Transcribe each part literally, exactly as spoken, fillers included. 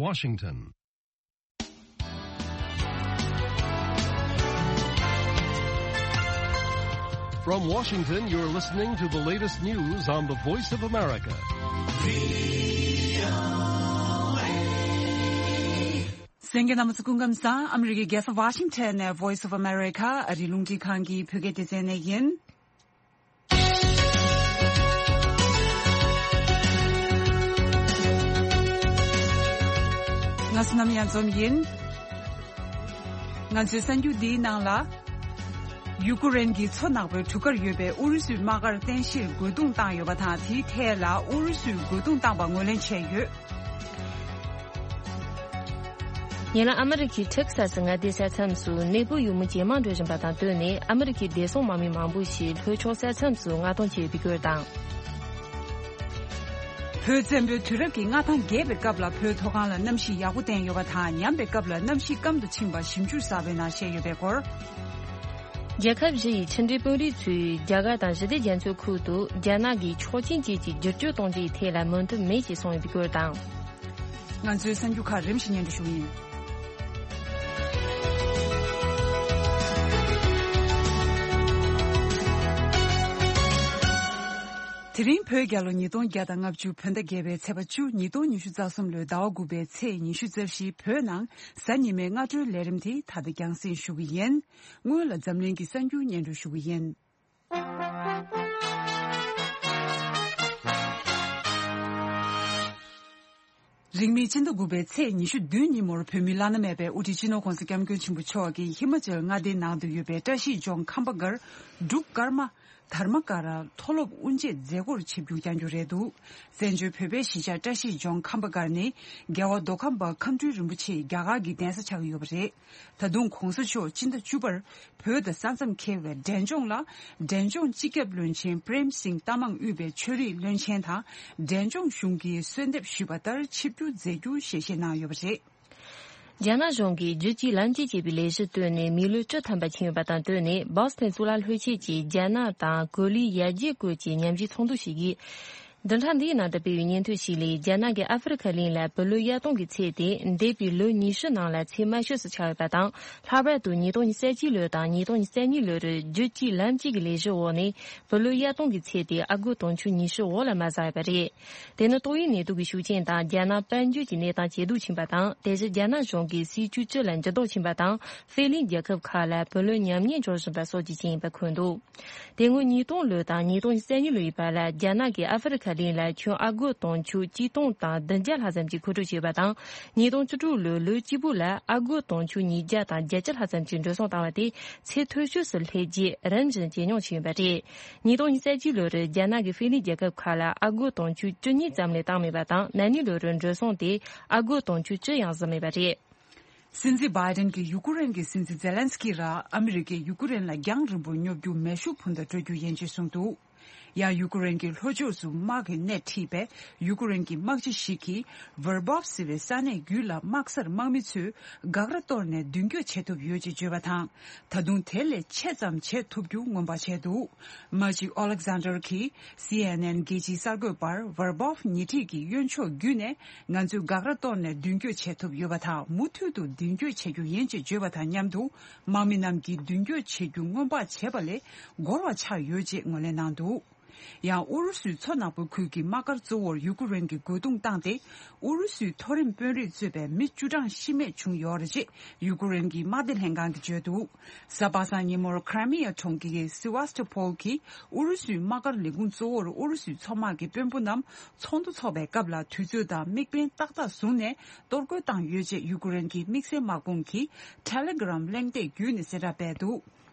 Washington. From Washington, you're listening to the latest news on the Voice of America. གསན་མཁན་རྣམ་པ་ཚོ་སྐུ་ཁམས་བཟང་། ཨ་མི་རི་ཀའི་རྒྱལ་ས་ཝ་ཤིང་ཊོན་ནས་Voice of America ཨ་རིའི་རླུང་འཕྲིན་ཁང་གི་བོད་སྐད་སྡེ་ཚན་ནས་ཡིན། ང་བསོད་ནམས་གཡང་འཛོམས་ཡིན། ང་ཚོའི་གསར་འགྱུར་འདིའི་ནང་ལ། ཡུ་ཀེ་རེན་གྱི་མཚོ་ནག་པོའི་གྲུ་ཁར་ཡོད་པའི་ཨུ་རུ་སུའི་དམག་སྒར་རྟེན་གཞིར་རྒོལ་རྡུང་བཏང་ཡོད་པ་དང་། དེའི་ཐད་ལ་ཨུ་རུ་སུས་རྒོལ་རྡུང་བཏང་པ་ངོས་ལེན་བྱས་ཡོད། ཉེ་ལམ་ཨ་མི་རི་ཁའི་ཊེག་ས་སི་མངའ་སྡེའི་ས་མཚམས་སུ་གནས་སྤོས་ཡུལ་མི་ཇེ་མང་འགྲོ་བཞིན་པ་དང་བསྟུན་ནས། ཨ་མི་རི་ཁའི་བདེ་སྲུང་དམག་མི་མང་པོ་ཞིག་ལྷོ་ཕྱོགས་ས་མཚམས་སུ་མངགས་གཏོང་བྱས་ཡོད་པའི་སྐོར་དང་། བོད་བཙན་པོའི་དུས་རབས་ཀྱི་མངའ་ཐང་རྒྱས་པའི་སྐབས་ལ་བོད་མཐོ་སྒང་ལ་གནམ་གཤིས་ཡག་པོ་བསྟན་ཡོད་པ་དང་། ཉམས་པའི་སྐབས་ལ་གནམ་གཤིས་སྐམ་དུ་ཕྱིན་པ་ཞིབ་འཇུག་གསར་པའི་ནང་བཤད་ཡོད་པའི་སྐོར། རྒྱལ་ཁབ་བཞི་ཡི་ཕྱི་འབྲེལ་དཔོན་རིགས་ཚོས་རྒྱ་གར་དང་ཞི་བདེ་རྒྱ་མཚོའི་ཁུལ་དུ་རྒྱ་ནག་གིས་ཆོག་མཆན་བཅས་ཀྱི་བསྒྱུར་བཅོས་གཏོང་རྒྱུའི་ཐད་ལ་མོས་མཐུན་མེད་ཅེས་གསུངས་ཡོད་པའི་སྐོར་དང་། ང་ཚོའི་གསར་འགྱུར་ཁག་རིམ་བཞིན་སྙན་སྒྲོན་ཞུ་གི་ཡིན། དེ་རིང་བོད་རྒྱལ་ལོ་ཉིས་སྟོང་བརྒྱ་དང་ལྔ་བཅུ་བོད་ཟླ་བརྒྱད་པའི་ཚེས་པ་བཅུ། ཉིས་སྟོང་ཉི་ཤུ་རྩ་གསུམ་ལོའི་ཟླ་བ་དགུ་པའི་ཚེས་ཉི་ཤུ་རྩ་བཞི། བོད་ནང་གཟའ་ཉི་མའི་སྔ་དྲོའི་ལས་རིམ་དེ་ད་ལྟ་རྒྱང་སྲིང་ཞུ་གི་ཡིན། སྔོན་ལ་འཛམ་གླིང་གི་གསར་འགྱུར་སྙན་སྒྲོན་ཞུ་གི་ཡིན། རིང་མིན་སྤྱི་ཟླ་དགུ་པའི་ཚེས་ཉི་ཤུ་བདུན་ཉིན་མོར་བོད་མིའི་བླ་ན་མེད་པའི་དབུ་ཁྲིད་སྤྱི་ནོར་༧གོང་ས་༧སྐྱབས་མགོན་ཆེན་པོ་མཆོག་གིས་ཧི་མ་ཅལ་མངའ་སྡེའི་ནང་དུ་ཡོད་པའི་བཀྲ་ཤིས་ལྗོངས་ཁམས་པ་སྒར་འབྲུག་ཀརྨ་དྷརྨ་ཀ་ར་མཐོ་སློབ་དབུ་འབྱེད་མཛད་སྒོར་ཆིབས་བསྒྱུར་བསྐྱངས་རྒྱུ་རེད་འདུག། བཙན་བྱོལ་བོད་པའི་གཞིས་ཆགས་བཀྲ་ཤིས་ལྗོངས་ཁམས་པ་སྒར་ནི་རྒྱལ་བ་མདོ་ཁམས་པ་མཁའ་འགྲོའི་རིན་པོ་ཆེ་རྒྱ་གར་གྱི་གདན་ས་ཆགས་ཀྱི་ཡོད་པ་རེད། ད་དུང་གོང་ས་མཆོག་སྤྱི་ཟླ་བཅུ་པར་བོད་དང་ས་མཚམས་འཁེལ་བའི་འབྲས་ལྗོངས་ལ། འབྲས་ལྗོངས་སྤྱི་ཁྱབ་བློན་ཆེན་པྲེམ་སིང་ཏ་མང་དབུས་པའི་ཆོས་རིག་བློན་ཆེན་དང་། འབྲས་ལྗོངས་གཞུང་གིས་གསོལ་འདེབས་ཞུས་པ་ལྟར་ཆིབས་བསྒྱུར་མཛད་རྒྱུ་ཞལ་བཞེས་གནང་ཡོད་པ་རེད། རྒྱ་ནག་གཞུང་གིས་རྒྱུད་གཅིག་ལམ་གཅིག་ཅེས་པའི་ལས་གཞི་བཏོན་ནས་མི་ལོ་བཅུ་ཐམ་པ་ཕྱིན་ཡོད་པ་དང་བསྟུན་ནས། སྦོ་སི་ཐན་གཙུག་ལག་སློབ་ཆེན་གྱིས་རྒྱ་ནག་དང་ཀོ་ལི་ཡ་བརྒྱུད་སྐོར་གྱི་མཉམ་ཞུགས་ཚོགས་འདུ་ཞིག་གིས། བདུན་ཕྲག་འདིའི་ནང་དུ་སྤེལ་བའི་སྙན་ཐོ་ཞིག་ལས། རྒྱ་ནག་གིས་ཨ་ཧྥེ་རི་ཁ་གླིང་ལ་བུ་ལོན་གཡར་གཏོང་གི་ཚད་དེ་འདས་པའི་ལོ་ཉི་ཤུ་ནང་ལ་ཚད་དམའ་ཤོས་སུ་ཆགས་ཡོད་པ་དང་། ལྷག་པར་དུ་ཉིས་སྟོང་ཉི་ཤུ་རྩ་གཅིག་ལོ་དང་ཉིས་སྟོང་ཉི་ཤུ་རྩ་གཉིས་ལོར་རྒྱུད་གཅིག་ལམ་གཅིག་གི་ལས་གཞི་འོག་ནས་བུ་ལོན་གཡར་གཏོང་གི་ཚད་དེ་ཨ་སྒོར་དུང་ཕྱུར་ཉི་ཤུ་འོག་ལ་མ་ཟ་ཡོད་པ་རེད། དེ་ནི་ཏོག་དབྱིབས་ནད་དུག་གི་ཤུགས་རྐྱེན་དང་རྒྱ་ནག་དཔལ་འབྱོར་གྱི་གནས་སྟངས་ཇེ་སྡུག་ཕྱིན་པ་དང་། དེ་བཞིན་རྒྱ་ནག་གཞུང་གིས་སྲིད་ཇུས་སྤྱི་ལ་འགྱུར་ལྡོག་ཕྱིན་པ་དང་། ཧྥེ་གླིང་རྒྱལ་ཁབ་ཁག་ལ་བུ་ལོན་ཉམས་ཉེས་འབྱུང་བཞིན་པ་སོགས་ཀྱི་རྐྱེན་ཡིན་པ་འཁོད་འདུག། དེ་སྔོན་ཉིས་སྟོང་ལོ་དང་ཉིས་སྟོང་ཉི་ཤུ་རྩ་གཉིས་ལོའི་བར་ལ། རྒྱ་ནག་གིས་ཨ་ཧྥེ་རི་ཁ་གླིང་ལ་ཁྱོན་ཨ་སྒོར་དུང་ཕྱུར་གཅིག་སྟོང་དང་བདུན་བརྒྱ་ལྷག་ཙམ་གྱི་མཁོ་སྤྲོད་བྱས་པ་དང་། ཉིས་སྟོང་བཅུ་དྲུག་ལོའི་ལོ་གཅིག་པུ་ལ་ཨ་སྒོར་དུང་ཕྱུར་ཉིས་བརྒྱ་དང་བརྒྱད་ཅུ་ལྷག་ཙམ་གྱི་འགྲོ་སོང་བཏང་བ་དེ་ཚད་མཐོ་ཤོས་སུ་སླེབས་རྗེས་རིམ་བཞིན་ཇེ་ཉུང་ཕྱིན་ཡོད་པ་རེད། ཉིས་སྟོང་ཉི་ཤུ་རྩ་གཅིག་ལོར་རྒྱ་ནག་གིས་ཧྥེ་གླིང་རྒྱལ་ཁབ་ཁག་ལ་ཨ་སྒོར་དུང་ཕྱུར་བཅུ་གཉིས་ཙམ་ལས་བཏང་མེད་པ་དང་། ན་ནིང་ལོར་འགྲོ་སོང་དེ་ཨ་སྒོར་དུང་ཕྱུར་བཅུ་ཡང་ཟིན་མེད་པ་རེད། སྲིད་འཛིན་བྷའི་ཌེན་གྱིས་ཡུ་ཀེ་རེན་གྱི་སྲིད་འཛིན་ཛེ་ལན་སི་ཀི་ར་ཨ་མི་རི་ཀས་ཡུ་ཀེ་རེན་ལ་རྒྱང་རིང་པོར་སྙོབ་རྒྱུ་མེ་ཤུགས་འཕུར་མདའ་སྤྲོད་རྒྱུ་ཡིན་ཅེས་གསུངས་འདུག། ཡང་ཡུ་ཀེ་རེན་གྱི་ལྷོ་ཕྱོགས་སུ་དམག་གི་སྣེ་ཁྲིད་པའི་ཡུ་ཀེ་རེན་གྱི་དམག་སྤྱི་ཞིག་གིས་ཝེར་བྷོབ་ཟེར་བའི་ས་གནས་བརྒྱུད་ལ་དམག་སར་དམག་མི་ཚོས་འགག་ར་གཏོར་ནས་མདུན་སྐྱོད་བྱེད་ཐུབ་ཡོད་ཅེས་བརྗོད་པ་དང་། ད་དུང་དེ་ལས་ཆེ་ཙམ་བྱེད་ཐུབ་རྒྱུ་སྔོན་དཔག་བྱས་འདུག། མ་གཅིག་ཨོ་ལེག་ཟན་ཌར་གྱིས་སི་ཨེན་ཨེན་རྒྱལ་སྤྱིའི་གསར་འགོད་པར་ཝེར་བྷོབ་ཉེ་འཁྲིས་ཀྱི་གཡོན་ཕྱོགས་བརྒྱུད་ནས་ང་ཚོས་འགག་ར་གཏོར་ནས་མདུན་སྐྱོད་བྱེད་ཐུབ་ཡོད་པ་དང་། མུ་མཐུད་དུ་མདུན་སྐྱོད་བྱེད་རྒྱུ་ཡིན་ཅེས་བརྗོད་པ་དང་མཉམ་དུ། དམག་མི་རྣམས་ཀྱིས་མདུན་སྐྱོད་བྱེད་རྒྱུ་སྔོན་དཔག་བྱས་པ་ལས་འགོར་བ་ཆགས་ཡོད་ཅེས་ངོས་ལེན་གནང་འདུག། ཡང་ཨུ་རུ་སུའི་མཚོ་ནག་པོའི་ཁུལ་གྱི་དམག་སྒར་གཙོ་བོར་ཡུ་ཀེ་རེན་གྱིས་རྒོལ་རྡུང་བཏང་སྟེ། ཨུ་རུ་སུའི་མཐོ་རིམ་དཔོན་རིགས་གཙོས་པའི་མི་བཅུ་གྲངས་ཤི་རྨས་བྱུང་ཡོད་རེད་ཅེས་ཡུ་ཀེ་རེན་གྱི་དམག་སྡེ་ལྷན་ཁང་གིས་བརྗོད་འདུག། གཟའ་པ་སངས་ཉིན་མོར་ཁྲ་མི་ཡ་གྲོང་ཁྱེར་སི་ཝཱ་སི་ཊོ་ཕོལ་གྱི་ཨུ་རུ་སུའི་དམག་སྒར་ལས་ཁུངས་གཙོ་བོར་ཨུ་རུ་སུའི་མཚོ་དམག་གི་དཔོན་པོ་རྣམས་ཚོགས་འདུ་འཚོགས་པའི་སྐབས་ལ་དུས་ཚོད་དང་དམིགས་འབེན་ཏག་ཏག་བཟུང་ནས་གཏོར་རྒོལ་བཏང་ཡོད་ཅེས་ཡུ་ཀེ་རེན་གྱི་དམིགས་བསལ་དམག་དཔུང་གིས་ཊེ་ལེ་གྷི་རམ་གླེང་སྟེགས་བརྒྱུད་ནས་གསལ་བསྒྲགས་སྤེལ་འདུག།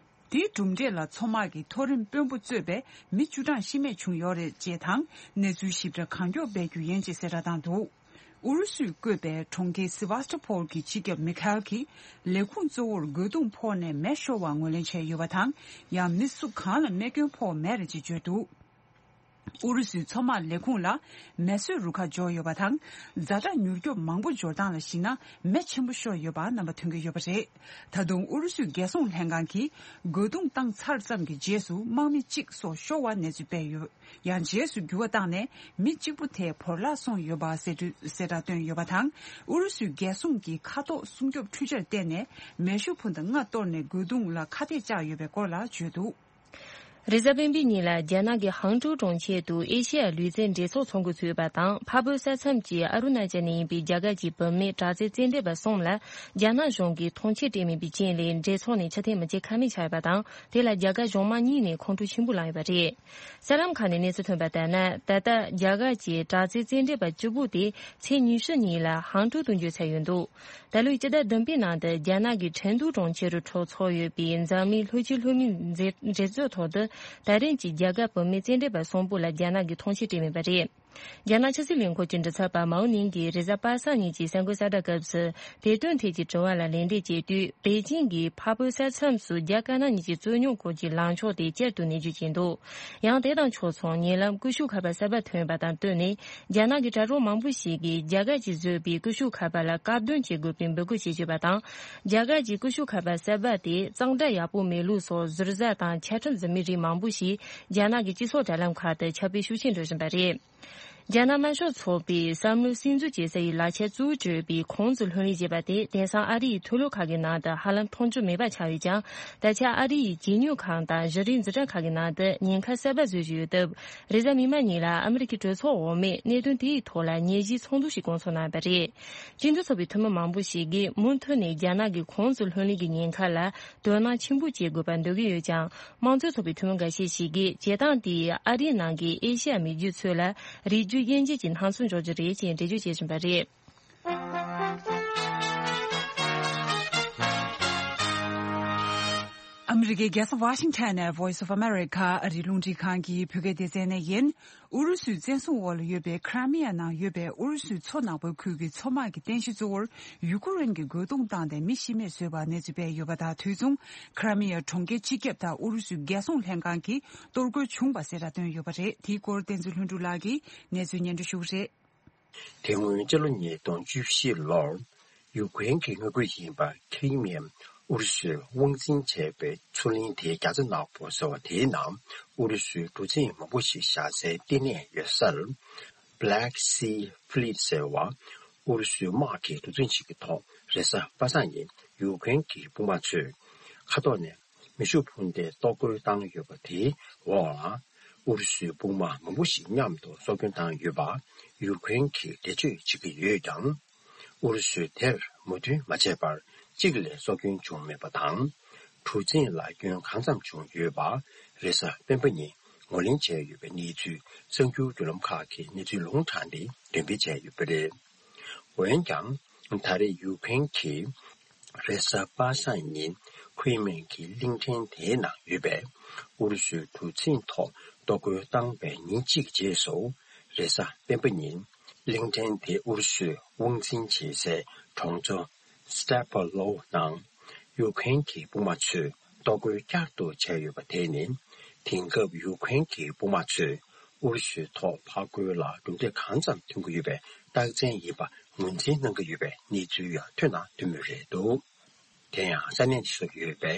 དེའི་གྲུབ་འབྲས་ལ་མཚོ་དམག་གི་མཐོ་རིམ་དཔོན་པོ་གཙོས་པའི་མི་བཅུ་གྲངས་ཤི་རྨས་བྱུང་ཡོད་རེད་ཅེས་དང་། གནས་ཚུལ་ཞིབ་ཕྲ་གང་མགྱོགས་སྤེལ་རྒྱུ་ཡིན་ཅེས་གསལ་བསྒྲགས་བཏང་འདུག། ཨུ་རུ་སུས་བསྐོས་པའི་གྲོང་ཁྱེར་སི་ཝཱ་སི་ཊོ་ཕོལ་གྱི་སྤྱི་ཁྱབ་མི་ཁ་ཨེལ་གྱིས་ལས་ཁུངས་གཙོ་བོར་རྒོལ་རྡུང་ཕོག་ནས་མེ་ཤོར་བ་ངོས་ལེན་བྱས་ཡོད་པ་དང་། ཡང་མི་སུ་གང་ལ་རྨས་སྐྱོན་ཕོག་མེད་རེད་ཅེས་བརྗོད་འདུག། ཨུ་རུ་སུའི་མཚོ་དམག་ལས་ཁུངས་ལ་མེ་གསོད་རུ་ཁག་འབྱོར་ཡོད་པ་དང་། ཛ་དྲག་མྱུར་སྐྱོབ་མང་པོ་འབྱོར་སྟངས་ལ་གཞིགས་ན་མེ་ཆེན་པོ་ཤོར་ཡོད་པ་རྣམ་པ་ཐོན་གྱི་ཡོད་པ་རེད། ད་དུང་ཨུ་རུ་སུའི་རྒྱལ་སྲུང་ལྷན་ཁང་གིས་རྒོལ་རྡུང་བཏང་ཚར་ཙམ་གྱི་རྗེས་སུ་དམག་མི་གཅིག་སོགས་ཤོར་བ་གནས་ཚུལ་སྤེལ་ཡོད། ཡང་རྗེས་སུ་འགྱུར་བ་བཏང་ནས་མི་གཅིག་པུ་དེ་བོར་བརླག་སོང་ཡོད་པ་གསལ་སྟོན་གསལ་བསྒྲགས་བཏོན་ཡོད་པ་དང་། ཨུ་རུ་སུའི་རྒྱལ་སྲུང་གི་མཁའ་ཐོག་སྲུང་སྐྱོབ་འཕྲུལ་ཆར་བརྟེན་ནས་མེ་ཤུགས་འཕུར་མདའ་ལྔ་གཏོར་ནས་རྒོལ་རྡུང་ལ་ཁ་གཏད་བཅག་ཡོད་པའི་སྐོར་ལ་བརྗོད་འདུག་རེས་གཟའ་སྤེན་པའི་ཉིན་ལ་རྒྱ་ནག་གི་ཧང་ཀྲོའུ་གྲོང་ཁྱེར་དུ་ཨེ་ཤེ་ཡ་ལུས་རྩལ་འགྲན་ཚོགས་ཚོགས་འགོ་ཚུགས་པ་དང་། འཕགས་བོད་ས་མཚམས་ཀྱི་ཨ་རུ་ན་ཅལ་ནས་ཡིན་པའི་རྒྱ་གར་གྱི་བུད་མེད་དྲག་རྩལ་རྩེད་འགྲན་པ་གསུམ་ལ་རྒྱ་ནག་གཞུང་གིས་ཐོངས་མཆན་སྤྲད་མེད་པའི་རྐྱེན་ལས། འགྲན་ཚོགས་ནས་ཆ་ཐེངས་མ་བརྒྱད་ཁ་མེད་ཆགས་ཡོད་པ་དང་། དེ་ལ་རྒྱ་གར་གཞུང་མང་གཉིས་ནས་ཁོང་ཁྲོ་ཆེན་པོ་ལངས་ཡོད་པ་རེད། གསར་ལམ་ཁག་ནས་གནས་ཚུལ་ཐོན་པ་ལྟར་ན། ད་ལྟ་རྒྱ་གར་གྱི་དྲག་རྩལ་རྩེད་འགྲན་པ་བཅུ་དགུ་དེ་ཚེས་ཉི་ཤུ་ཉིན་ལ་ཧང་ཀྲོའུ་དུ་འབྱོར་ཚར་ཡོད་འདུག་ད་ལོའི་སྤྱི་ཟླ་བདུན་པའི་ནང་དུ་རྒྱ་ནག་གི་ཁྲེང་ཏུའུ་གྲོང་ཁྱེར་དུ་འཚོགས་ཡོད་པའི་འཛམ་གླིང་ལྷོ་སྤྱི་ལྷོ་མིའི་མཛད་མཛད་གཙོའི་ཐོག་ཏུ། ད་རིང་གྱི་རྒྱ་གར་བུད་མེད་རྩེད་འགྲན་པ་གསུམ་པོ་ལ་རྒྱ་ནག་གིས་ཐོངས་མཆན་སྤྲད་མེད་པ་རེད། རྒྱ་ནག་ཕྱི་སྲིད་ལས་ཁུངས་ཀྱི་མགྲིན་ཚབ་པ་མའོ་ནིང་གིས་རེས་གཟའ་པ་སངས་ཉིན་གྱི་གསར་འགོད་གསལ་བསྒྲགས་སྐབས་སུ། དེ་དོན་ཐད་ཀྱི་དྲི་བ་ལ་ལན་འདེབས་བྱས་དུས། པེ་ཅིང་གིས་འཕགས་བོད་ས་མཚམས་སུ་རྒྱ་དཀར་ནག་གཉིས་ཀྱི་རྩོད་རྙོག་སྐོར་གྱི་ལངས་ཕྱོགས་དེ་བསྐྱར་དུ་ནན་བརྗོད་བྱས་འདུག་ཡང་དེ་དང་ཕྱོགས་མཚུངས། ཉེ་ལམ་ཀུ་ཤུ་མཁར་པ་གསར་པ་ཐོན་པ་དང་བསྟུན་ནས། རྒྱ་ནག་གི་དྲ་གྲོགས་མང་པོ་ཞིག་གིས་རྒྱ་གར་གྱིས་བཟོས་པའི་ཀུ་ཤུ་མཁར་པ་ལ་བཀག་སྡོམ་བྱེད་དགོས་པའི་འབོད་སྐུལ་བྱེད་བཞིན་པ་དང་། རྒྱ་གར་གྱི་ཀུ་ཤུ་མཁར་པ་གསར་པ་དེ་གཙང་སྦྲ་ཡག་པོ་མེད་ལུགས་སོགས་ཟུར་ཟ་དང་ཆ་འཕྲིན་ཟིན་མེད་རིགས་མང་པོ་ཞིག་རྒྱ་ནག་གི་སྤྱི་ཚོགས་དྲ་ལམ་ཁག་ཏུ་ཁྱབ་སྤེལ་ཤུགས་ཆེན་འགྲོ་བཞིན་པ་རེད། རྒྱ་ནག་དམར་ཤོག་ཚོགས་པས་བསམ་བློ་སིམ་འཛུལ་བྱེད་ས་ཡི་ལག་ཆ་གཙོ་བོ་གྱུར་པའི་ཁོང་ཙི་ལྷོད་ལེན་བྱས་པ་དེ། དེང་སང་ཨ་རི་ཡི་མཐོ་སློབ་ཁག་གི་ནང་དུ་ཧ་ལམ་མཐོང་རྒྱུ་མེད་པ་ཆགས་ཡོད་ཀྱང་། ད་ཆ་ཨ་རི་ཡི་བྱེད་ནུས་ཁང་དང་གཞི་རིམ་འཛིན་གྲྭ་ཁག་གི་ནང་དུ་ཉེན་ཁ་གསར་པ་བཟོས་བཞིན་ཡོད་སྟབས། རེས་གཟའ་མིག་དམར་ཉིན་ལ་ཨ་མི་རི་ཀའི་གྲོས་ཚོགས་འོག་མས་གནད་དོན་དེའི་ཐོག་ལ་ཉན་ཞིབ་ཚོགས་འདུ་ཞིག་བསྐོང་ཚོགས་གནང་བ་རེད། སྤྱི་མཐུན་ཚོགས་པའི་འཐུས་མི་མང་པོ་ཞིག་གིས་མུ་མཐུད་ནས་རྒྱ་ནག་གི་ཁོང་ཙི་ལྷོད་ལེན་གྱི་ཉེན་ཁ་ལ་དོ་སྣང་ཆེན་པོ་བྱེད་དགོས་པ་འདོད་ཀྱི་ཡོད་ཀྱང་། དམངས་གཙོའི་ཚོགས་པའི་འཐུས་མི་འགའ་ཤས་ཤིག་གིས་བྱེད་སྟངས་དེས་ཨ་རིའི་ནང་གི་ཨེ་ཤེ་ཡ་མི་རྒྱུད་ཚོ་ལ་རིགས་རྒྱུད་དབྱེ་འབྱེད་ཀྱི་སྣང་ཚུལ་འཇོག་རྒྱུ་རེད་ཅེས་འགྲེལ་བརྗོད་བྱེད་བཞིན་པ་རེད། ཨ་མི་རི་ཀའི་རྒྱལ་ས་ཝ་ཤིང་ཊོན་ནས་Voice of America ཨ་རིའི་རླུང་འཕྲིན་ཁང་གི་བོད་སྐད་སྡེ་ཚན་ནས་ཡིན། ཨུ་རུ་སུའི་བཙན་བཟུང་འོག་ལ་ཡོད་པའི་ཁྲ་མི་ཡ་ནང་ཡོད་པའི་ཨུ་རུ་སུའི་མཚོ་ནག་པོའི་ཁུལ་གྱི་མཚོ་དམག་གི་རྟེན་གཞི་གཙོ་བོར་ཡུ་ཀེ་རེན་གྱིས་རྒོལ་རྡུང་བཏང་སྟེ་མི་ཤི་རྨས་བཟོས་པ་གནས་ཚུལ་སྤེལ་ཡོད་པ་དང་དུས་མཚུངས། ཁྲ་མི་ཡ་གྲོང་ཁྱེར་སྤྱི་ཁྱབ་དང་ཨུ་རུ་སུའི་རྒྱལ་སྲུང་ལྷན་ཁང་གིས་གཏོར་རྒོལ་བྱུང་བ་གསལ་བསྒྲགས་བཏོན་ཡོད་པ་རེད། དེའི་སྐོར་བསྟན་འཛིན་ལྷུན་གྲུབ་ལགས་ཀྱིས་གནས་ཚུལ་སྙན་སྒྲོན་ཞུ་གི་རེད། དེ་སྔོན་སྤྱི་ལོ་ཉིས་སྟོང་བཅུ་བཞི་ལོར་ཡུ་ཀེ་རེན་གྱི་མངའ་ཁུལ་ཡིན་པ་ཁི་རི་མི་ཡ་ཨུ་རུ་སུས་དབང་འཛིན་བྱས་པའི་མཚོ་གླིང་དེའི་རྒྱ་མཚོ་ནག་པོ་ཟེར་བ་དེའི་ནང་ཨུ་རུ་སུའི་གྲུ་གཟིངས་མང་པོ་ཞིག་བཞག་སའི་བསྟི་གནས་ཡོད་སར། Black Sea Fleet ཟེར་བ། ཨུ་རུ་སུའི་དམག་གི་གྲུ་གཟིངས་ཤིག་གི་ཐོག་རེས་གཟའ་པ་སངས་ཉིན་ཡུ་ཀེ་རེན་གྱི་དཔུང་དམག་ཚོས་མཁའ་ཐོག་ནས་མེ་ཤུགས་འཕུར་མདའི་གཏོར་རྒོལ་བཏང་ཡོད་པ་དེའི་འོག་ལ། ཨུ་རུ་སུའི་དཔུང་དམག་མང་པོ་ཞིག་མཉམ་དུ་སྲོག་སྐྱོན་བཏང་ཡོད་པ་ཡུ་ཀེ་རེན་གྱིས་འགྲེལ་བརྗོད་བྱེད་ཀྱི་ཡོད་ཀྱང་། ཨུ་རུ་སུས་དེར་མོས་མཐུན་མ་བྱས་པར་གཅིག་ལས་སྲོག་སྐྱོན་བྱུང་མེད་པ་དང་། གྲུ་གཟིངས་ལ་སྐྱོན་གང་འཚམ་བྱུང་ཡོད་པ་རེས་གཟའ་སྤེན་པ་ཉིན་ངོས་ལེན་བྱས་ཡོད་པའི་གནས་ཚུལ་གསར་འགྱུར་བརྒྱུད་ལམ་ཁག་གིས་གནས་ཚུལ་ལུང་དྲངས་ཏེ་འགྲེམས་སྤེལ་བྱས་ཡོད་པ་རེད། འོན་ཀྱང་། ད་རེས་ཡུ་ཀེ་རེན་གྱིས་རེས་གཟའ་པ་སངས་ཉིན་ཁུའེ་མེན་གྱི་གླིང་ཕྲན་དེའི་ནང་ཡོད་པའི་ཨུ་རུ་སུའི་གྲུ་གཟིངས་ཐོག་གཏོར་རྒོལ་བཏང་བའི་ཉིན་གཅིག་རྗེས་སུ། རེས་གཟའ་སྤེན་པ་ཉིན་གླིང་ཕྲན་དེ་ཨུ་རུ་སུས་དབང་འཛིན་བྱེད་སའི་གྲོང་ཚོ་Stepalov ནང་ཡུ་ཀེ་རེན་གྱི་དཔུང་དམག་ཚོས་གཏོར་རྒོལ་བསྐྱར་དུ་བྱས་ཡོད་པ་དེ་ནི། དེང་སྐབས་ཡུ་ཀེ་རེན་གྱི་དཔུང་དམག་ཚོས་ཨུ་རུ་སུའི་ཐོག་ཕར་རྒོལ་ལ་གྲུབ་འབྲས་གང་འཚམ་ཐོན་གྱི་ཡོད་པའི་རྟགས་མཚན་ཡིན་པ་ངོས་འཛིན་གནང་གི་ཡོད་པའི་གནས་ཚུལ་ཡང་ཐོན་དང་ཐོན་མུས་རེད་འདུག་དེ་ཡང་ས་གནས་དེ་སུ་ཡོད་པའི་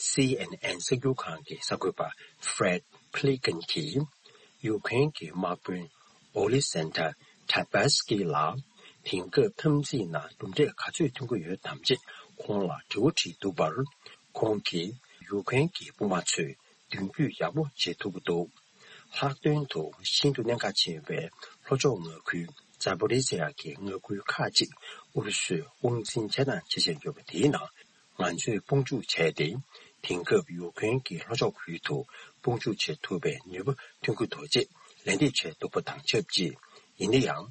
སི་ཨེན་ཨེན་གསར་འགྱུར་ཁང་གི་གསར་འགོད་པ་Fred Plekan གིས། ཡུ་ཀེ་རེན་གྱི་དམག་དཔོན་Oleksandr Tabarskiy ལ་དེང་སྐབས་འཐབ་འཛིང་ནང་གྲུབ་འབྲས་ག་ཚོད་ཐོན་གྱི་ཡོད་དམ་ཅེས་ཁོང་ལ་དྲི་བ་དྲིས་འདུག་པར། ཁོང་གིས་ཡུ་ཀེ་རེན་གྱི་དཔུང་དམག་ཚོས་མདུན་སྐྱོད་ཡག་པོ་བྱེད་ཐུབ་ཀྱི་འདུག་ལྷག་དོན་དུ་ཤིན་ཏུ་གནད་འགག་ཆེ་བའི་ལྷོ་ཕྱོགས་མངའ་ཁུལ་Zaporizhzhia གྱི་མངའ་ཁུལ་ཁག་ཅིག་ཨུ་རུ་སུས་དབང་འཛིན་བྱས་དང་བྱེད་བཞིན་ཡོད་པ་དེའི་ནང་། ང་ཚོས་དཔུང་འཇུག་བྱས་ཏེ། དེང་སྐབས་ཡུཀ་རེན་གྱི་ལྷོ་ཕྱོགས་ཁུལ་དུ་དཔུང་འཇུག་བྱེད་ཐུབ་པའི་ནུས་པ་ཐོན་གྱི་འདུག་ཅེས་ལན་འདེབས་བྱས་འདུག་པ་དང་ཆབས་ཅིག་ཡིན་ན་ཡང་།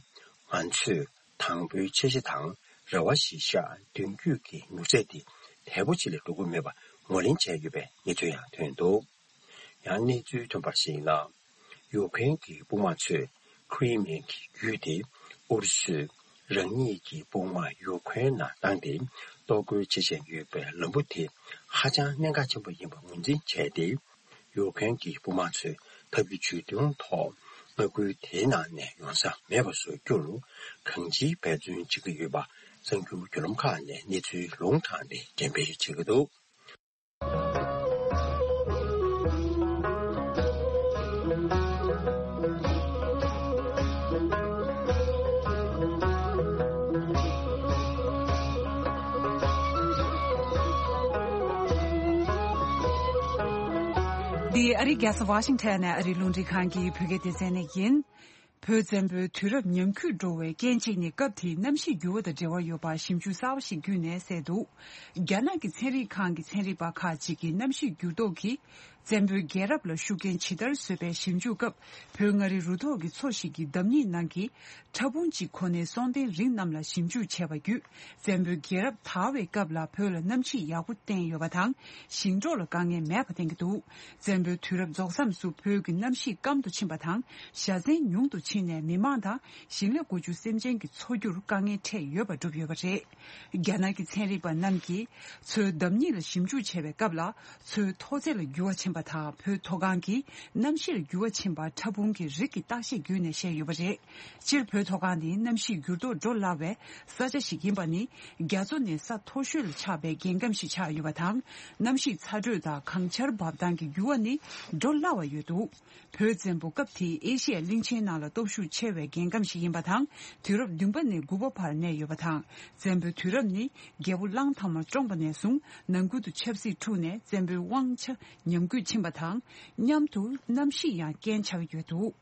ང་ཚོས་དང་པོའི་འཆར་གཞི་དང་རེ་བ་གཞིར་བཞག་མདུན་སྐྱོད་ཀྱི་མྱུར་ཚད་དེ་དལ་པོ་ཅིག་ལས་འགྲོ་གི་མེད་པ་ངོས་ལེན་བྱས་ཡོད་པའི་གནས་ཚུལ་ཡང་ཐོན་འདུག་ཡང་གནས་ཚུལ་ཐོན་པར་གཞིགས་ན། ཡུཀ་རེན་གྱི་དཔུང་དམག་ཚོས་ཁི་རི་མེན་གྱི་རྒྱུད་དེ་ཨུ་རུ་སུས་རང་ཉིད་ཀྱི་དཔུང་དམག་ཡུཀ་རེན་ནང་བཏང་སྟེ་གཏོར་རྒོལ་བྱེད་བཞིན་ཡོད་པའི་ལམ་བུ་དེ་ཧ་ཅང་གནད་འགག་ཆེན་པོ་ཡིན་པ་ངོས་འཛིན་བྱས་ཏེ། ཡུཀ་རེན་གྱི་དཔུང་དམག་ཚོས་ཐབས་ཀྱི་ཇུས་གདོན་ཐོག་ ས་ཁུལ་དེའི་ནང་ནས་ཡོང་ས་མེད་པ་བཟོ་རྒྱུར་གང་ཅིའི་འབད་བརྩོན་བྱེད་ཀྱི་ཡོད་པ་གསར་འགྱུར་བརྒྱུད་ལམ་ཁག་ནས་གནས་ཚུལ་ལུང་དྲངས་ཏེ་འགྲེམས་སྤེལ་བྱེད་ཀྱི་འདུག། འདི་ཨ་རིའི་རྒྱལ་ས་ཝ་ཤིང་ཊོན་ནས་ཨ་རིའི་རླུང་འཕྲིན་ཁང་གི་བོད་སྐད་སྡེ་ཚན་ནས་ཡིན། བོད་བཙན་པོའི་དུས་རབས་ཉམས་རྒུད་འགྲོ་བའི་རྐྱེན་གཅིག་ནི་སྐབས་དེའི་གནམ་གཤིས་འགྱུར་བ་དང་འབྲེལ་བ་ཡོད་པ་ཞིབ་འཇུག་གསར་བ་ཞིག་བརྒྱུད་ནས་གསལ་འདུག། རྒྱ་ནག་གི་ཚན་རིག་ཁང་གི་ཚན་རིག་པ་ཁག་ཅིག་གིས་གནམ་གཤིས་འགྱུར་ལྡོག་གིས་བཙན་པོའི་རྒྱལ་རབས་ལ་ཤུགས་རྐྱེན་ཇི་ལྟར་བཟོས་པའི་ཞིབ་འཇུག་སྐབས། བོད་མངའ་རིས་རུ་ཐོག་གི་མཚོ་ཞིག་གི་འདམ་སྙིགས་ནང་གི་ཕྲ་ཕུང་གཅིག་གོ་ནས་སྲོག་ལྡན་རིགས་རྣམས་ལ་ཞིབ་འཇུག་བྱས་པ་བརྒྱུད། བཙན་པོའི་རྒྱལ་རབས་དར་བའི་སྐབས་ལ་བོད་ལ་གནམ་གཤིས་ཡག་པོ་བསྟན་ཡོད་པ་དང་། ཞིང་འབྲོག་ལ་དཀའ་ངལ་མེད་པ་བསྟན་གྱི་འདུག། བཙན་པོའི་དུས་རབས་རྫོགས་མཚམས་སུ་བོད་ཀྱི་གནམ་གཤིས་སྐམ་དུ་ཕྱིན་པ་དང་། བཞའ་ཚན་ཉུང་དུ་ཕྱིན་ནས་མི་མང་དང་ཞིང་ལས་དགུ་བཅུ་སེམས་ཅན་གྱི་འཚོ་རྒྱུར་དཀའ་ངལ་འཕྲད་ཡོད་པ་བསྒྲུབས་ཡོད་པ་རེད། རྒྱ་ནག་གི་ཚན་རིག་པ་རྣམས་ཀྱིས་མཚོའི་འདམ་སྙིགས་ལ་ཞིབ་འཇུག་བྱས་པའི་སྐབས་ལ། མཚོའི་མཐོ་ཚད་ལ་འགྱུར་བ་ཕྱིན་པ་དང་། བོད་མཐོ་སྒང་གི་གནམ་གཤིས་ལ་འགྱུར་བ་ཕྱིན་པ་ཕྲ་ཕུང་གི་རིགས་ཀྱི་བརྟག་དཔྱད་བརྒྱུད་ནས་བཤད་ཡོད་པ་རེད། སྤྱིར་བོད་མཐོ་སྒང་ནི་གནམ་གཤིས་འགྱུར་ལྡོག་འགྲོ་སླ་བའི་ས་ཆ་ཞིག་ཡིན་པ་ནི། རྒྱ་མཚོ་ནི་ས་མཐོ་ཤོས་ལ་ཆགས་པའི་རྒྱལ་ཁམས་ཤིག་ཆགས་ཡོད་པ་དང་། གནམ་གཤིས་ཚ་དྲོད་དང་གངས་ཆར་འབབ་སྟངས་ཀྱི་འགྱུར་བ་ནི་འགྲོ་སླ་བ་ཡོད་འདུག། བོད་བཙན་པོ་སྐབས་དེའི་ཨེ་ཤི་ཡ་གླིང་ཆེན་ནང་ལ་སྟོབས་ཤུགས་ཆེ་བའི་རྒྱལ་ཁམས་ཤིག་ཡིན་པ་དང་། དུས་རབས་བདུན་པ་ནས་དགུ་པ་བར་གནས་ཡོད་པ་དང་། བཙན་པོའི་དུས་རབས་ནི་རྒྱལ་པོ་གླང་དར་མ་བཀྲོངས་པ་ནས་བཟུང་ནང་ཁུལ་དུ་ཆབ་སྲིད་འཁྲུགས་ནས་བཙན་པོའི་དབང་ཆ་ཉམས་རྒུད་ཕྱིན་པ་དང་། མཉམ་དུ་གནམ་གཤིས་ཡང་རྐྱེན་ཆགས་ཡོད་འདུག།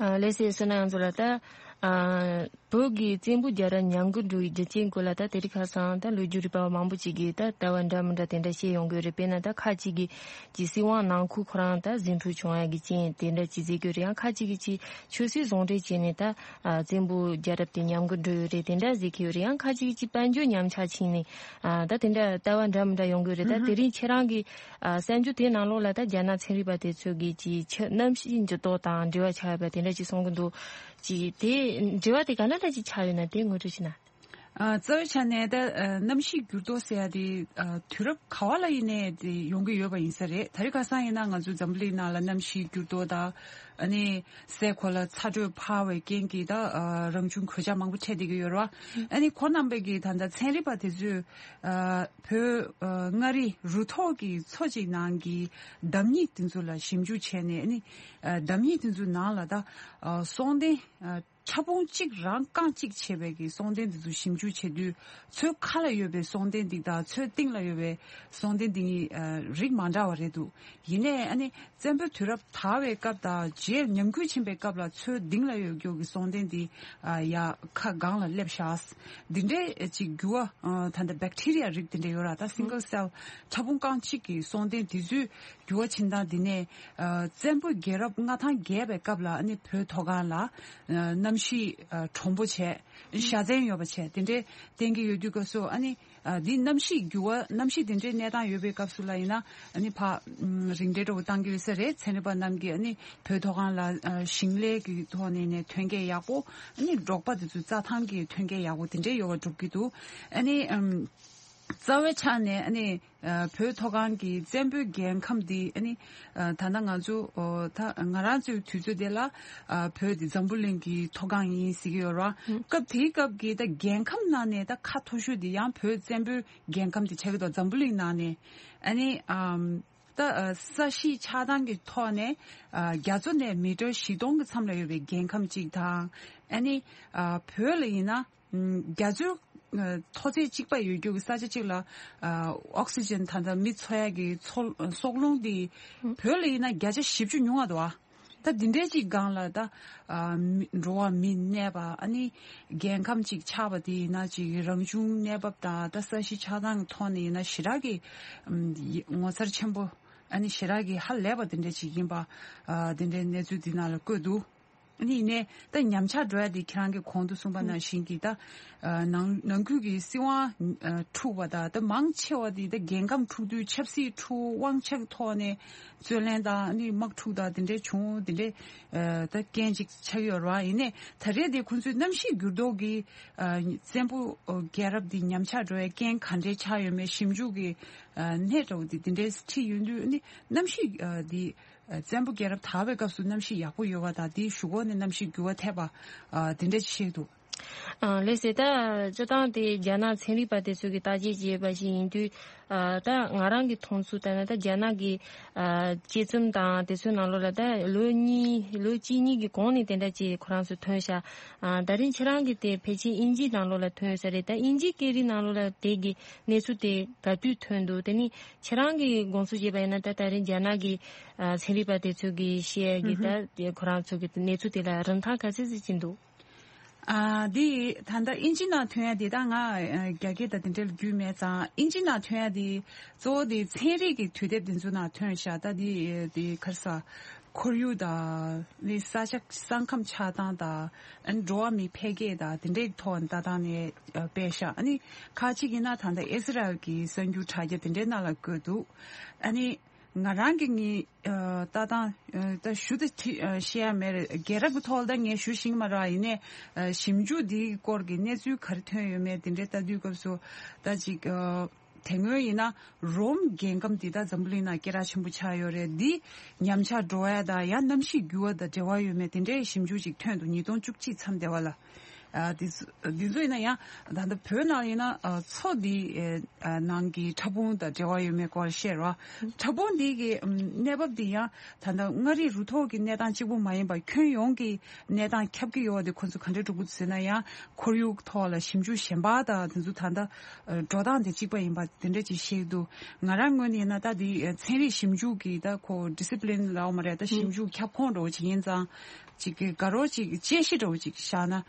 ཨ། ལགས་སོ། བསོད་ནམས་ཡོངས་རྫོགས་ལགས། ད། ཨ། བོད་ཀྱི་བཙན་པོའི་རྒྱལ་རབས་ཉམས་རྒུད་འགྲོ་བའི་རྒྱུ་རྐྱེན་སྐོར་ལ་ད་དེ་རིང་ཁ་སང་ད་ལོ་རྒྱུས་རིག་པ་བ་མང་པོ་ཅིག་གིས་ད་ལྟ་བ་འདྲ་མི་འདྲ་དེ་འདྲ་བཤད་ཡོང་གི་ཡོད་རེད། དཔེར་ན་ད་ཁ་ཅིག་གིས་ཀྱི་སྲིད་དབང་ནང་ཁུལ་ཁོ་རང་ད་ཟིང་འཁྲུག་བྱུང་ཡ་གི་རྐྱེན་དེ་འདྲ་ཅིག་ཟེར་གྱི་ཡོད་རེད། ཡང་ཁ་ཅིག་གིས་ཀྱི་ཆོས་སྲིད་ཟུང་འབྲེལ་བྱས་ནས་ད། ཨ། བཙན་པོའི་རྒྱལ་རབས་དེ་ཉམས་རྒུད་འགྲོ་ཡོད་རེད་དེ་འདྲ་ཟེར་གྱི་ཡོད་རེད། ཡང་ཁ་ཅིག་གིས་ཀྱི་དཔལ་འབྱོར་ཉམས་ཆག་ཕྱིན་ནས། ཨ། ད་དེ་འདྲ་ལྟ་བ་འདྲ་མི་འདྲ་ཡོང་གི་རེད། ད་དེ་རིང་ཁྱེད་རང་གི། ཨ། གསར་འགྱུར་དེའི་ནང་ལོགས་ལ་ད་རྒྱ་ནག་ཚན་རིག་པ་དེ་ཚོ་གིས་ཀྱི་ཆ་གནམ་གཤིས་འགྱུར་ལྡོག་དང་འབྲེལ་བ་ཆགས་ཡོད་པ་དེ་འདྲ་ཅིག་གསུང་གི་འདུག། ཅིག་དེ་འབྲེལ་བ་དེ་ག་འདྲ་འདྲ་ཅིག་ཆགས་ཡོད་ན་དེ་ངོ་སྤྲོད་བྱེད་ན། ཨ། རྩ་བའི་ཆ་ནས་ད། ཨ། གནམ་གཤིས་འགྱུར་ལྡོག་ཟེར་ཡ་དེ། ཨ། དུས་རབས་ག་བ་ལ་ཡིན་ནའི་དེ་ཡོང་གི་ཡོད་པ་ཡིན་ས་རེད། དེ་རིང་ཁ་སང་ཡིན་ན་ང་ཚོའི་འཛམ་བུ་གླིང་ནང་ལ་གནམ་གཤིས་འགྱུར་ལྡོག་དང་། ཨ་ནི་སའི་གོ་ལ་ཚ་དྲོད་འཕར་བའི་རྐྱེན་གྱིས་ད། ཨ། རང་བྱུང་གོད་ཆག་མང་པོ་འཕྲད་བསྡད་ཀྱི་ཡོད་རེད་བ། ཨ་ནི་ཁོང་རྣམ་པས་ཀྱིས་ད་ལྟ་ཚན་རིག་པ་དེ་ཚོས། ཨ། བོད། ཨ། མངའ་རིས་རུ་ཐོག་གི་མཚོ་གཅིག་ནང་གི་འདམ་སྙིགས་དེ་ཚོ་ལ་ཞིབ་འཇུག་བྱས་ནས། ཨ་ནི། ཨ། འདམ་སྙིགས་དེ་ཚོའི་ནང་ལ་ད། ཨ། སྲོག་ལྡན། ཨ། ཕྲ་ཕུང་གཅིག་རང་རྐང་གཅིག་བྱས་པའི་གི་སྲོག་ལྡན་འདི་ཚོ་ཞིབ་འཇུག་བྱེད་དུས། མཚོའི་ཁ་ལ་ཡོད་པའི་སྲོག་ལྡན་འདི་དང་མཚོའི་གཏིང་ལ་ཡོད་པའི་སྲོག་ལྡན་འདི་གཉིས། ཨ། རིགས་མ་འདྲ་བ་རེད་འདུག། ཡིན་ནའི་ཨ་ནི་བཙན་པོའི་དུས་རབས་དར་བའི་སྐབས་དང་རྗེས་ཉམས་རྒུད་ཕྱིན་པའི་སྐབས་ལ་མཚོའི་གཏིང་ལ་ཡོད་རྒྱུ་གི་སྲོག་ལྡན་འདི། ཨ། ཡ་ཁ་སྒང་ལ་སླེབས་ཤག། འདི་འདྲའི་ཅིག་འགྱུར་བ། ཨ། ད་ལྟ་བེག་ཊི་རི་ཡ་རིགས་འདི་འདྲ་ཡོད་ར། ད་སིང་གལ་སེལ་ཕྲ་ཕུང་རྐང་གཅིག་གི་སྲོག་ལྡན་འདི་ཚོའི་འགྱུར་བ་ཕྱིན་སྟངས་འདི་ནས། ཨ། བཙན་པོའི་རྒྱལ་རབས་མངའ་ཐང་རྒྱས་པའི་སྐབས་ལ་ཨ་ནི་བོད་མཐོ་སྒང་ལ། ཨ། གནམ་གཤིས། ཨ། དྲོན་པོ་བྱས། བཞའ་ཚན་ཡོད་པ་བྱས། དེ་འདྲའི་བསྟན་གྱི་ཡོད་དུས་སྐབས་སུ་ཨ་ནི། ཨ། འདི་གནམ་གཤིས་འགྱུར་བ། གནམ་གཤིས་དེ་འདྲའི་གནས་སྟངས་ཡོད་པའི་སྐབས་སུ་ལ་ཡིན་ན། ཨ་ནི་ཕར། ཨམ། རིགས་འགྲེ་འདྲ་བོ་བཏང་གི་ཡོད་ས་རེད། ཚན་རིག་པ་རྣམས་ཀྱིས་ཨ་ནི་བོད་མཐོ་སྒང་ལ། ཨ། ཞིང་ལས་ཀྱི་ཐོག་ནས་ནས་ཐོན་སྐྱེད་ཡག་པོ། ཨ་ནི་འབྲོག་པ་དེ་ཚོའི་རྩྭ་ཐང་གི་ཐོན་སྐྱེད་ཡག་པོ་དེ་འདྲའི་ཡོད་པ་སྒྲུབ་ཀྱི་འདུག། ཨ་ནི། ཨམ། རྩ་བའི་ཆ་ནས་ཨ་ནི། ཨ། བོད་མཐོ་སྒང་གི་བཙན་པོའི་རྒྱལ་ཁམས་འདི་ཨ་ནི། ཨ། ད་ལྟ་ང་ཚོ། ཨོ། ད་ང་རང་ཚོའི་དུས་ཚོད་དེ་ལ། ཨ། བོད་འདི་འཛམ་བུ་གླིང་གི་མཐོ་སྒང་ཡིན་ཟེར་གྱི་ཡོད་རེད་བ། ཨུ། སྐབས་དེའི་སྐབས་ཀྱི་ད་རྒྱལ་ཁམས་ནང་ནས་ད་ཁ་མཐོ་ཤོས་འདི་ཡང་བོད་བཙན་པོའི་རྒྱལ་ཁམས་འདི་ཆགས་ཀྱི་འདུག། འཛམ་བུ་གླིང་ནང་ནས། ཨ་ནི། ཨམ། ད། ཨ། ས་གཞི་ཆགས་སྟངས་ཀྱི་ཐོག་ནས། ཨ། རྒྱ་མཚོ་ནས་མི་ཊར་བཞི་སྟོང་གི་མཚམས་ལ་ཡོད་པའི་རྒྱལ་ཁམས་གཅིག་དང་། ཨ་ནི། ཨ། བོད་ལ་ཡིན་ན། ཨམ། རྒྱ་མཚོའི། ཨ། མཐོ་ཚད་གཅིག་པ་ཡོད་རྒྱུ་གི་ས་ཆ་གཅིག་ལ། ཨ། ཨོག་སི་ཇན་ད་ལྟ་མི་འཚོ་ཡ་གི་མཚོ། སྲོག་རླུང་འདི་བོད་ལ་ཡིན་ན་བརྒྱ་ཆ་བཞི་བཅུ་ཉུང་བ་འདུག་ཨ། ད་འདི་འདྲའི་གཅིག་སྒང་ལ་ད། ཨ། མི། འགྲོ་བ་མི་གནས་པ། ཨ་ནི་རྒྱལ་ཁམས་གཅིག་ཆགས་པ་དེ་ཡིན་ན་ཅིག་རང་བྱུང་གནས་བབ་དང་ད་ས་གཞི་ཆགས་སྟངས་ཀྱི་ཐོག་ནས་ཡིན་ན་ཞེ་དྲག་གི། ཨམ། ངོ་མཚར་ཆེན་པོ། ཨ་ནི་ཞེ་དྲག་གི་ཧ་ལས་པ་དེ་འདྲ་ཅིག་ཡིན་པ། ཨ། དེ་འདྲའི་གནས་ཚུལ་འདི་ནང་ལ་བཀོད་འདུག། ཨ་ནི་ཡིན་ནའི་ད་ཉམས་ཆག་འགྲོ་ཡ་དེ་ཁྱེད་རང་གིས་གོང་དུ་གསུངས་པ་ནང་བཞིན་གྱི་ད། ཨ། ནང་ནང་ཁུལ་གྱི་སྲིད་དབང་། ཨ། འཁྲུག་པ་དང་ད་མང་ཆེ་བ་དེ་ད་རྒྱལ་ཁམས་འཁྲུག་དུས་ཆབ་སྲིད་འཁྲུག། དབང་ཆ་གི་ཐོག་ནས་རྩོད་གླེང་དང་ཨ་ནི་དམག་འཁྲུག་དང་དེ་འདྲའི་བྱུང་། དེ་འདྲའི། ཨ། ད་རྐྱེན་ཅིག་ཆགས་ཡོད་རེད་བ། ཡིན་ནའི་ད་རེས་དེ་ཁོང་ཚོས་གནམ་གཤིས་འགྱུར་ལྡོག་གིས། ཨ། བཙན་པོ། ཨ། རྒྱལ་རབས་འདི་ཉམས་ཆག་འགྲོ་བའི་རྐྱེན་ག་འདྲའི་ཆགས་ཡོད་མེད་ཞིབ་འཇུག་གི། ཨ། སྣེ་འདྲ་བོ་འདི་དེ་འདྲའི་ཁྲིད་ཡོང་དུས་ཨ་ནི་གནམ་གཤིས། ཨ། འདི། བཙན་པོ་རྒྱལ་རབས་དར་བའི་སྐབས་སུ་གནམ་གཤིས་ཡག་པོ་ཡོད་པ་དང་དེའི་གཞུག་གུ་ནས་གནམ་གཤིས་འགྱུར་བ་ཐེབས་པ་དེ་འདྲ་ཅིག་བཤད་འདུག་ཨ་ལགས་སེ། ད་སྤྱིར་བཏང་དེ་རྒྱ་ནག་ཚན་རིག་པ་དེ་ཚོ་གིས་བརྟག་དཔྱད་བྱས་པ་ཞིག་ཡིན་དུས། ཨ་ད་ང་རང་གི་མཐོང་ཚུལ་ལྟར་ན་ད་རྒྱ་ནག་གི་ཨ་དཔྱད་རྩོམ་དང་དེ་ཚོའི་ནང་ལོགས་ལ་ད་ལོ་གཉིས་ལོ་གཅིག་གཉིས་ཀྱི་གོང་ནས་དེ་འདྲ་ཅིག་ཁོ་རང་ཚོ་ཐོན་ཤག་ཨ་ད་རིང་ཁྱེད་རང་གི་དེ་ཕལ་ཆེར་དབྱིན་ཇིའི་ནང་ལོགས་ལ་ཐོན་ཡོད་ས་རེད། ད་དབྱིན་ཇིའི་སྐད་རིགས་ནང་ལོགས་ལ་དེ་གི་གནས་ཚུལ་དེ་ག་དུས་ཐོན་འདུག་དེ་ནི་ཁྱེད་རང་གི་དགོངས་ཚུལ་བྱས་པ་ཡིན་ན་ད་ད་རིང་རྒྱ་ནག་གི་ཨ་ཚན་རིག་པ་དེ་ཚོ་གིས་བཤད་ཡ་གི་ད་ཁོ་རང་ཚོ་གི་གནས་ཚུལ་དེ་ལ་རིན་ཐང་ག་ཚད་ཅིག་ཅིག་འདུག་ཨ་འདི་ད་ལྟ་ཨིན་ཇི་ནང་ཐོན་ཡ་དེ་ད་ང་ཨ་རྒྱ་སྐད་དང་དེ་འདྲ་ལ་རྒྱུས་མེད་ཙང་། ཨིན་ཇི་ནང་ཐོན་ཡ་དེ་གཙོ་བོ་དེ་ཚན་རིག་གི་དུས་དེབ་དེ་ཚོ་ནང་ཐོན་ཤག་ད་དེ་དེ་ག་རེ་ཟ། ཁོར་ཡུག་དང་ནི་ས་ཆ་ས་ཁམས་ཆགས་སྟངས་དང་ཨ་ནི་འགྲོ་བ་མིའི་འཕེལ་རྒྱས་དང་དེ་འདྲའི་ཐོག་ནས་ལྟ་སྟངས་ནས་ཨ་སྤེལ་ཤག་ཨ་ནི་ཁ་ཅིག་ཡིན་ན་ད་ལྟ་ཨི་སི་རལ་གྱི་གསར་འགྱུར་དྲ་རྒྱ་དེ་འདྲའི་ནང་ལ་བཀོད་འདུག་ཨ་ནི་ང་རང་གི་ངའི་ཨ་ལྟ་སྟངས་ཨ་ད་ཞུ་ད་ཅི་ཨ་བཤད་ཡ་མེད་རེད། རྒྱལ་རབས་ཀྱི་ཐོག་ལ་ད་ངས་ཞུ་ཤེས་ཀྱི་མ་རེད། ཡིན་ནའི་ཨ་ཞིབ་འཇུག་འདིའི་སྐོར་གྱི་གནས་ཚུལ་ག་རེ་ཐོན་ཡོད་མེད་དེ་འདྲའི་ལྟ་དུས་སྐབས་སུ་ད་ཅིག་ཨ་དེ་སྔོན་ཡིན་ན་རོམ་རྒྱལ་ཁམས་འདི་ད་འཛམ་བུ་གླིང་ནང་སྐད་གྲགས་ཆེན་པོ་ཆགས་ཡོད་རེད། འདི་ཉམས་ཆག་འགྲོ་ཡ་དང་ཡང་གནམ་གཤིས་འགྱུར་བ་དང་འབྲེལ་བ་ཡོད་མེད་དེ་འདྲའི་ཞིབ་འཇུག་ཅིག་ཐོན་འདུག་ཉིས་སྟོང་བཅུ་གཅིག་མཚམས་དེ་བ་ལ། ཨ་འདི་ཚོ་འདི་ཚོ་ཡིན་ན་ཡང་ད་ལྟ་བོད་ནང་ཡིན་ན་ཨ་མཚོ་འདི་ཨ་ནང་གི་ཕྲ་ཕུང་དང་འབྲེལ་བ་ཡོད་མེད་སྐོར་བཤད་རོགས། ཕྲ་ཕུང་འདི་གི་ཨམ་གནས་བབ་འདི་ཡང་ད་ལྟ་མངའ་རིས་རུ་ཐོག་གི་གནས་སྟངས་གཅིག་པུ་མ་ཡིན་པར་ཁྱོན་ཡོངས་ཀྱི་གནས་སྟངས་ཁྱབ་ཀྱི་ཡོད་པ་དེ་ཁོ་ཚོ་ག་འདྲས་འགྲོ་གི་འདུག་ཟེར་ན། ཡང་ཁོར་ཡུག་ཐོག་ལ་ཞིབ་འཇུག་གཞན་པ་དང་དེ་ཚོ་ད་ལྟ་འགྲོ་སྟངས་དེ་གཅིག་པ་ཡིན་པ་དེ་འདྲས་ཅིག་བཤད་ཀྱི་འདུག་ང་རང་ངོས་ནས་ཡིན་ན་ད་འདི་ཚན་རིག་ཞིབ་འཇུག་གི་ད་ཁོ་ཌི་སི་པི་ལིན་ལབ་མ་རེད། ད་ཞིབ་འཇུག་ཁྱབ་ཁོངས་འདྲ་བོ་ཅིག་ཡིན་ཙང་། ཅིག་གི་དགའ་རོགས་ཅིག་དཔྱད་གཞི་འདྲ་བོ་ཅིག་བཞག་ན་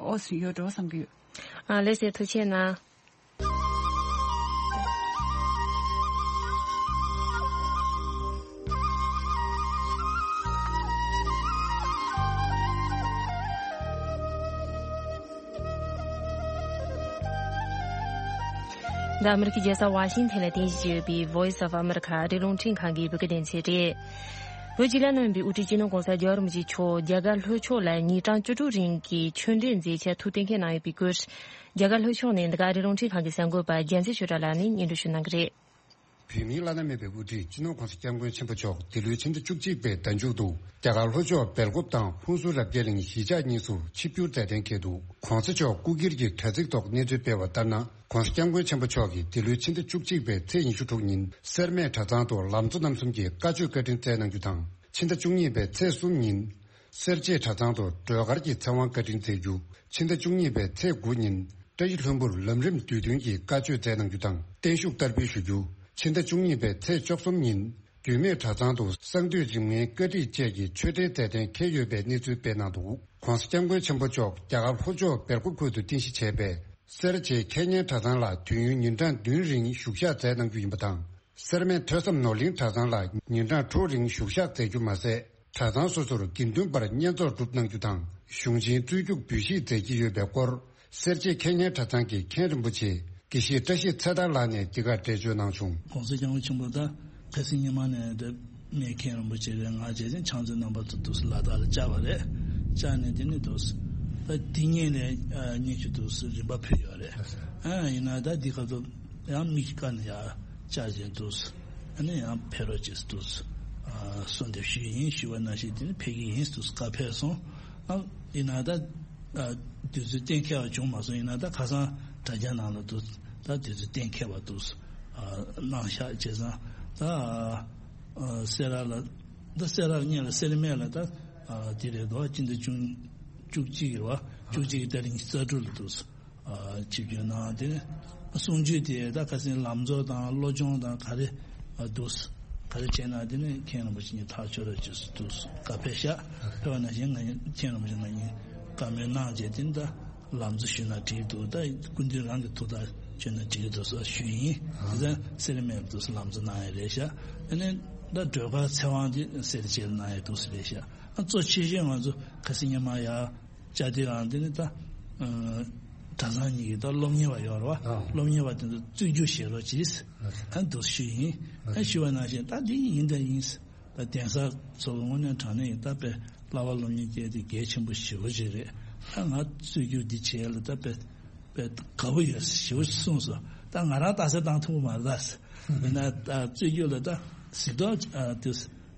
ཨོ་སི་ཡོད་འགྲོ་བསམ་གྱི་ཡོད། ཨ་ལགས་སེ། ཐུགས་རྗེ་གནང་། འདི་ཨ་མི་རི་ཀའི་རྒྱལ་ས་ཝ་ཤིང་ཐན་ལ་རྟེན་གཞི་བྱས་ཡོད་པའི་Voice of America ཨ་རིའི་རླུང་འཕྲིན་ཁང་གི་བོད་སྐད་སྡེ་ཚན་རེད། བོད་སྤྱི་བླ་ན་མེད་པའི་དབུ་ཁྲིད་སྤྱི་ནོར་༸གོང་ས་༸རྒྱལ་བ་རིན་པོ་ཆེ་མཆོག་རྒྱ་གར་ལྷོ་ཕྱོགས་ལ་ཉིན་གྲངས་བཅུ་དྲུག་རིང་གི་ཆོས་འབྲེལ་མཛད་འཆར་ཐུགས་གཏན་འཁེལ་གནང་ཡོད་པའི་སྐོར། རྒྱ་གར་ལྷོ་ཕྱོགས་ནས་འདི་ག་ཨ་རིའི་རླུང་འཕྲིན་ཁང་གི་གསར་འགོད་པ་རྒྱལ་མཚན་ཆོས་གྲགས་ལགས་ནས་སྙན་སྒྲོན་ཞུ་གནང་གི་རེད། བོད་མིའི་བླ་ན་མེད་པའི་དབུ་ཁྲིད་སྤྱི་ནོར་༸གོང་ས་༸སྐྱབས་མགོན་ཆེན་པོ་མཆོག་འདི་ལོའི་ཕྱི་ཟླ་བཅུ་གཅིག་པའི་ཟླ་མཇུག་ཏུ་རྒྱ་གར་ལྷོ་ཕྱོགས་སྦེལ་ཀོབ་དང་ཧུན་སུར་རབ་རྒྱས་གླིང་གཞིས་ཆགས་གཉིས་སུ་ཆིབས་བསྒྱུར་མཛད་གཏན་འཁེལ་འདུག ༸གོང་ས་མཆོག་སྐུ་སྒེར་གྱི་དྲ་ཚིགས་ཐོག་གནས་ཚུལ་སྤེལ་བ་ལྟར་ན། ༸གོང་ས་༸སྐྱབས་མགོན་ཆེན་པོ་མཆོག་གིས་འདི་ལོའི་ཕྱི་ཟླ་བཅུ་གཅིག་པའི་ཚེས་ཉི་ཤུ་དྲུག་ཉིན་སེར་སྨད་གྲྭ་ཚང་དུ་ལམ་གཙོ་རྣམ་གསུམ་གྱི་བཀའ་ཆོས་བཀའ་དྲིན་སྩལ་གནང་རྒྱུ་དང་། ཕྱི་ཟླ་བཅུ་གཉིས་པའི་ཚེས་གསུམ་ཉིན་སེར་བྱེས་གྲྭ་ཚང་དུ་སྒྲོལ་དཀར་གྱི་ཚེ་དབང་བཀའ་དྲིན་སྩལ་རྒྱུ། ཕྱི་ཟླ་བཅུ་གཉིས་པའི་ཚེས་དགུ་ཉིན་བཀྲ་ཤིས་ལྷུན་པོར་ལམ་རིམ་དུས་སྟོན་གྱི་བཀའ་ཆོས་སྩལ་གནང་རྒྱུ་དང་བརྟན་བཞུགས་བསྟར་འབུལ་ཞུ་རྒྱུ། ཕྱི་ཟླ་བཅུ་གཉིས་པའི་ཚེས་བཅུ་གསུམ་ཉིན་རྒྱུད་སྨད་གྲྭ་ཚང་དུ་གསང་འདུས་རིམ་ལྔའི་བཀའ་ཁྲིད་བཅས་ཀྱི་ཆོས་འབྲེལ་མཛད་གཏན་འཁེལ་ཡོད་པའི་གནས་ཚུལ་སྤེལ་གནང་འདུག ༸གོང་ས་༸སྐྱབས་མགོན་ཆེན་པོ་མཆོག་རྒྱ་གར་ལྷོ་ཕྱོགས་སྦེལ་ཀོབ་ཁུལ་དུ་རྟེན་གཞི་བྱས་པའི་སེར་བྱེས་ཁེ་ཉན་གྲྭ་ཚང་ལ་དུས་ཡུན་ཉིན་གྲངས་བདུན་རིང་བཞུགས་ཞག་མཛད་གནང་རྒྱུ་ཡིན་པ་དང་། སེར་སྨད་ཐོས་བསམ་ནོར་གླིང་གྲྭ་ཚང་ལ་ཉིན་གྲངས་དྲུག་རིང་བཞུགས་ཞག་མཛད་རྒྱུ་མ་ཟད། གྲྭ་ཚང་སོ་སོར་དགེ་འདུན་པར་བསྙེན་རྫོགས་སྒྲུབ་གནང་རྒྱུ་དང་གཞུང་ཆེན་རྩོད་རྒྱུགས་འབུལ་བཞེས་མཛད་ཀྱི་ཡོད་པའི་སྐོར། སེར་བྱེས་ཁེ་ཉན་གྲྭ་ཚང་གི་མཁན་རིན་པོ་ཆེ་དགེ་བཤེས་བཀྲ་ཤིས་ཚེ་ཐར་ལགས་ནས་འདི་གར་འགྲེལ་བརྗོད་གནང་བྱུང་། ༸གོང་ས་༸སྐྱབས་མགོན་ཆེན་པོ་ད་ཁ་སང་ཉི་མ་ནས་ད་མི་མཁན་རིན་པོ་ཆེ་གིས་ང་རྗེ་བཙུན་ཕྱག་མཛོད་རྣམ་པ་ཚོ་འདུག་སེ་ལ་དྭགས་ལ་བཅར་བ་རེད། བཅར་ནས་དེ་ནས་འདུག་སེ་ད་དེ་སྔོན་ལ་ཨ་སྔོན་ཆད་འདུག་སེ་རིམ་པ་ཕུལ་ཡོད་རེད། ཨ་ཡིན་ན་ད་འདི་ག་ཚོད་ཡང་མི་ཁ་ནས་ཡར་བཅར་བྱས་འདུག་ཨ་ནི་ཡང་ཕེབས་རོགས་བྱེད་འདུག་ཨ་གསོལ་འདེབས་ཞུས་ཡིན་ཞུས་པ་ནང་བཞིན་དེ་ནི་ཕེབས་ཀྱི་ཡིན་འདུག་བཀའ་ཕེབས་སོང་། ཨ་ཡིན་ན་ད་ཨ་དུས་ཚོད་གཏན་འཁེལ་བ་བྱུང་མ་སོང་། ཡིན་ན་ད་ཁ་སང་དྲ་རྒྱ་ནང་ལ་འདུག་ད་དུས་ཚོད་གཏན་འཁེལ་བ་འདུག་ཨ་གནང་ཤག་བྱས་ཙང་ད་ཨ་སེ་ར་ལ་ད་སེ་ར་ལ་སྔོན་ལ་སེར་སྨད་ལ་ད་ཨ་དེ་རེད་དོ། སྤྱི་ཟླ་བཅུ་བཅུ་གཅིག་རེད་བ། བཅུ་གཅིག་གི་ཏ་རིག་ཉི་ཤུ་རྩ་དྲུག་ལ་འདུག་ཨ་ཆིབས་བསྒྱུར་གནང་། དེ་ནས་གསུང་ཆོས་དེ་ད་ཁ་སང་ལམ་གཙོ་དང་བློ་སྦྱོང་དང་ག་རེ་ཨ་འདུག་ག་རེ་བྱས་ན་དེ་ནས་མཁན་རིན་པོ་ཆེ་གཉིས་ཐག་ཆོད་རོགས་བྱེད་འདུག་བཀའ་ཕེབས་ཤག་ཕེབས་པ་ནང་བཞིན་ང་གཉིས་མཁན་རིན་པོ་ཆེ་ང་གཉིས་བཀའ་མོལ་གནང་རྗེས་དེ་ནས་ད་ལམ་གཙོ་ཞུས་ན་འགྲིག་འདུག་ད་སྐུ་མདུན་རང་གི་ཐུགས་ཐག་ཆོད་ན་འགྲིག་འདུག་ཟེར་ཞུས་ཡིན། དེ་ཙང་སེར་སྨད་ལ་འདུག་ལམ་གཙོ་གནང་ཡ་རེད་ཤག་དེ་ནས་ད་སྒྲོལ་དཀར་ཚེ་དབང་དེ་སེར་བྱེས་ལ་གནང་ཡ་འདུག་ཟེར་རེད་ཤག་ཨ་གཙོ་ཆེ་ཤོས་ང་ཚོ་ཁ་སང་ཉི་མ་ཡར་བཅར་དུས་ཨང་དེ་ནི་ད་ཨ་གྲྭ་ཚང་གཉིས་ཀྱི་ད་སློབ་གཉེར་བ་ཡོད་རེད་བ། ཨ། སློབ་གཉེར་བ་དེ་ཚོ་རྩོད་རྒྱུགས་བྱེད་རོགས་གྱིས། ཨ། ཨ་འདུག་ཞུས་ཡིན། ཨ་ཞུས་པ་ནང་བཞིན་ད་འདི་ཡིན་ད་ཡིན། ད་གདན་ས་ཚོ་དངོས་གནས་དྲང་གནས་ཡིན་ད་དཔེ་བསླབ་པ་སློབ་གཉེར་སྐྱེལ་དེ་གལ་ཆེན་པོ་ཞེ་པོ་ཅིག་རེད། ད་ང་རྩོད་རྒྱུགས་འདི་བྱས་ལ་ད་དཔེ་དཔེ་དགའ་པོ་ཡོད་ཞེ་པོ་ཅིག་གསུངས་སོང་། ད་ང་རང་རྟགས་གསལ་བཏང་ཐུབ་ཀྱི་མ་རེད་ད། ཡིན་ན་ད་རྩོད་རྒྱུགས་ལ་ད་གཟིགས་རྟོག་ཨ་དེ།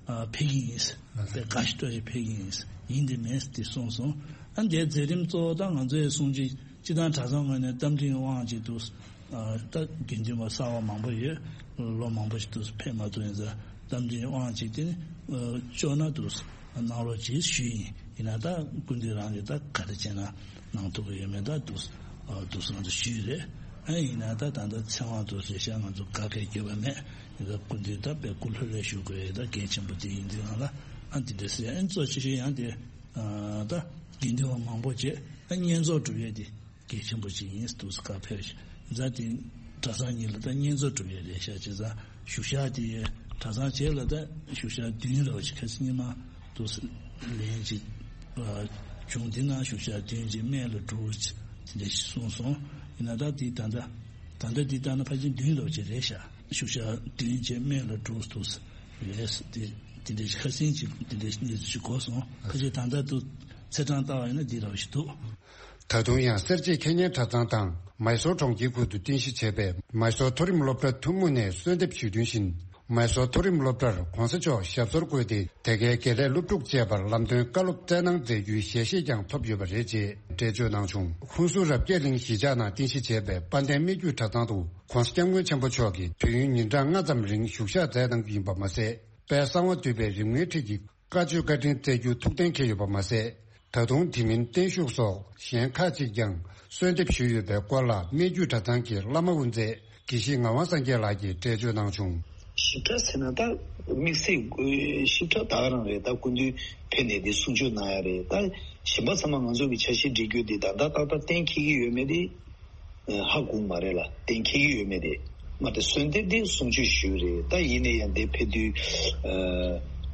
ཕེབས་ཀྱི་ཡིན། དཔེ་དགའ་ཞིག་སྤྲོ་ཞིག་ཕེབས་ཀྱི་ཡིན། ཡིན་དེ་མེད་དེ་གསུངས་སོང་། ཨ་འདིའི་མཛད་རིམ་གཙོ་བོ་ད་ང་ཚོའི་གསུང་ཆོས་སྤྱི་བཏང་གྲྭ་ཚང་ངོས་ནས་རྟ་མགྲིན་དབང་ཅིག་འདུག་ད་དགེ་འདུན་པ་གསར་བ་མང་པོ་ཡོད། ལོ་མང་པོ་ཞིག་འདུག་ཕེབས་མ་ཐུབ་ཡིན་ཙང་རྟ་མགྲིན་དབང་ཅིག་དེ་ནི་ཨ་ལྕོགས་ན་འདུག་གནང་རོགས་གྱིས་ཞུས་ཡིན། ཡིན་ན་ད་སྐུ་མདུན་རང་གིས་ད་ག་རེ་བྱས་ན་གནང་ཐུབ་ཀྱི་ཡོད་མེད་ད་འདུག་འདུག་ང་ཚོ་ཞུས་རེད། ཨ་ཡིན་ན་ད་ད་ལྟ་ཚེ་དབང་འདུག་རེད་ཤག་ང་ཚོ་ག་གེ་རྒྱབ་པ་མེད། ཡིན་ད་སྐུ་མདུན་ད་དཔེ་སྐུ་ལྷོད་ལྷོད་བཞུགས་དགོས་ཡོད། ད་གལ་ཆེན་པོ་དེ་ཡིན་དུས་ང་ལ་ཨ་འདི་འདྲ་ཟེར། ཨ་གཙོ་ཆེ་ཤོས་ཡང་དེ་ད་དགེ་འདུན་པ་མང་པོ་བྱས་ཨ་བསྙེན་རྫོགས་སྒྲུབ་ཡས་དེ་གལ་ཆེན་པོ་ཅིག་ཡིན་འདུག་ཁ་ཕེབས་ཤིང་། ཛ་དེ་གྲྭ་ཚང་གཉིས་ལ་ད་བསྙེན་རྫོགས་སྒྲུབ་ཡས་རེད་ཤག་བྱས་ཙང་བཞུགས་ཤག་དེ་གྲྭ་ཚང་བྱས་ལ་ད་བཞུགས་ཤག་བདུན་རེད་བ། ཅིག་ཁ་སང་ཉི་མ་འདུག་ལན་ཅིག་བྱུང་། དེ་ནང་བཞུགས་ཤག་བདུན་ཅིག་སྨད་ལ་འགྲོ་དེ་འདྲ་ཞིག་གསུངས་སོང་། ཡིན་ན་ད་དེ་ད་ལྟ་ད་ལྟ་དེ་ལྟ་ན་ཕལ་ཆེར་བདུན་རེད་བ་ཅིག་རེད་ཤག་བཞུགས་ཤག་བདུན་ཅིག་སྨད་ལ་འགྲོ་འདུག་རེད། དེ་དེ་འདྲ་ཞིག་ཁ་སང་ཅིག་དེ་འདྲ་ཞིག་གནས་ཚུལ་ཞིག་གོ་སོང་། ཁ་ཅིག་ད་ལྟ་འདུག་ཚེས་གྲངས་ལྟ་བ་ཡིན་ན་འདི་རེད་བ་ཞིག་འདུག་ད་དུང་ཡང་སེར་བྱེས་ཁེ་ཉན་གྲྭ་ཚང་དང་མའི་སོར་གྲོང་ཁྱེར་ཁུལ་དུ་རྟེན་གཞི་བྱས་པའི་མའི་སོར་མཐོ་རིམ་སློབ་གྲྭ་ཐུན་མོང་ནས་གསོལ་འདེབས་ཞུས་དོན་བཞིན། མའི་སོར་མཐོ་རིམ་སློབ་གྲྭར་༧གོང་ས་མཆོག་ཞབས་སོར་བཀོད་དེ། དེ་གའི་དགེ་ལས་སློབ་ཕྲུག་བཅས་པར་ལམ་སྟོན་བཀའ་སློབ་སྩལ་གནང་མཛད་རྒྱུའི་ཞལ་བཞེས་ཀྱང་ཐོབ་ཡོད་པ་རེད་ཅེས་འགྲེལ་བརྗོད་གནང་བྱུང་། ཧུན་སུར་རབ་རྒྱས་གླིང་གཞིས་ཆགས་ནང་རྟེན་གཞི་བྱས་པའི་དཔལ་ལྡན་སྨད་རྒྱུད་གྲྭ་ཚང་དུ་༧གོང་ས་༧སྐྱབས་མགོན་ཆེན་པོ་མཆོག་གིས་དུས་ཡུན་ཉིན་གྲངས་ལྔ་ཙམ་རིང་བཞུགས་ཞག་མཛད་གནང་རྒྱུ་ཡིན་པ་མ་ཟད། དཔལ་གསང་བ་འདུས་པའི་རིམ་ལྔའི་ཁྲིད་ཀྱི་བཀའ་ཆོས་བཀའ་དྲིན་སྩལ་རྒྱུ་ཐུགས་གཏན་འཁེལ་ཡོད་པ་མ་ཟད། ད་དུང་དེ་མིན་བརྟན་བཞུགས་སོགས་གཞན་ཁག་ཅིག་ཀྱང་གསོལ་འདེབས་ཞུས་ཡོད་པའི་སྐོར་ལ་སྨད་རྒྱུད་གྲྭ་ཚང་གི་བླ་མ་དབུ་མཛད་དགེ་བཤེས་ངག་དབང་སངས་རྒྱས་ལགས་ཀྱིས་འགྲེལ་བརྗོད་གནང་བྱུང་། ཞིབ་ཕྲ་ཟེར་ན་ད་དམིགས་བསལ་ཞིབ་ཕྲ་ད་ག་རང་རེད། ད་སྐུ་མདུན་ཕེབས་ནས་འདི་གསུང་ཆོས་གནང་ཡ་རེད། ད་གཞན་པ་ཚང་མ་ང་ཚོ་གི་འཆར་གཞི་སྒྲིག་རྒྱུ་འདི་ད་ད་ཏག་ཏག་གཏན་འཁེལ་གྱི་ཡོད་མེད་དེ། ཧ་གོ་མ་རེད་ལ། གཏན་འཁེལ་གྱི་ཡོད་མེད་དེ། མ་དེ་གསོལ་འདེབས་དེ་གསུང་ཆོས་ཞུས་རེད། ད་ཡིན་ནའི་ཡང་དེ་ཕེབས་དུས་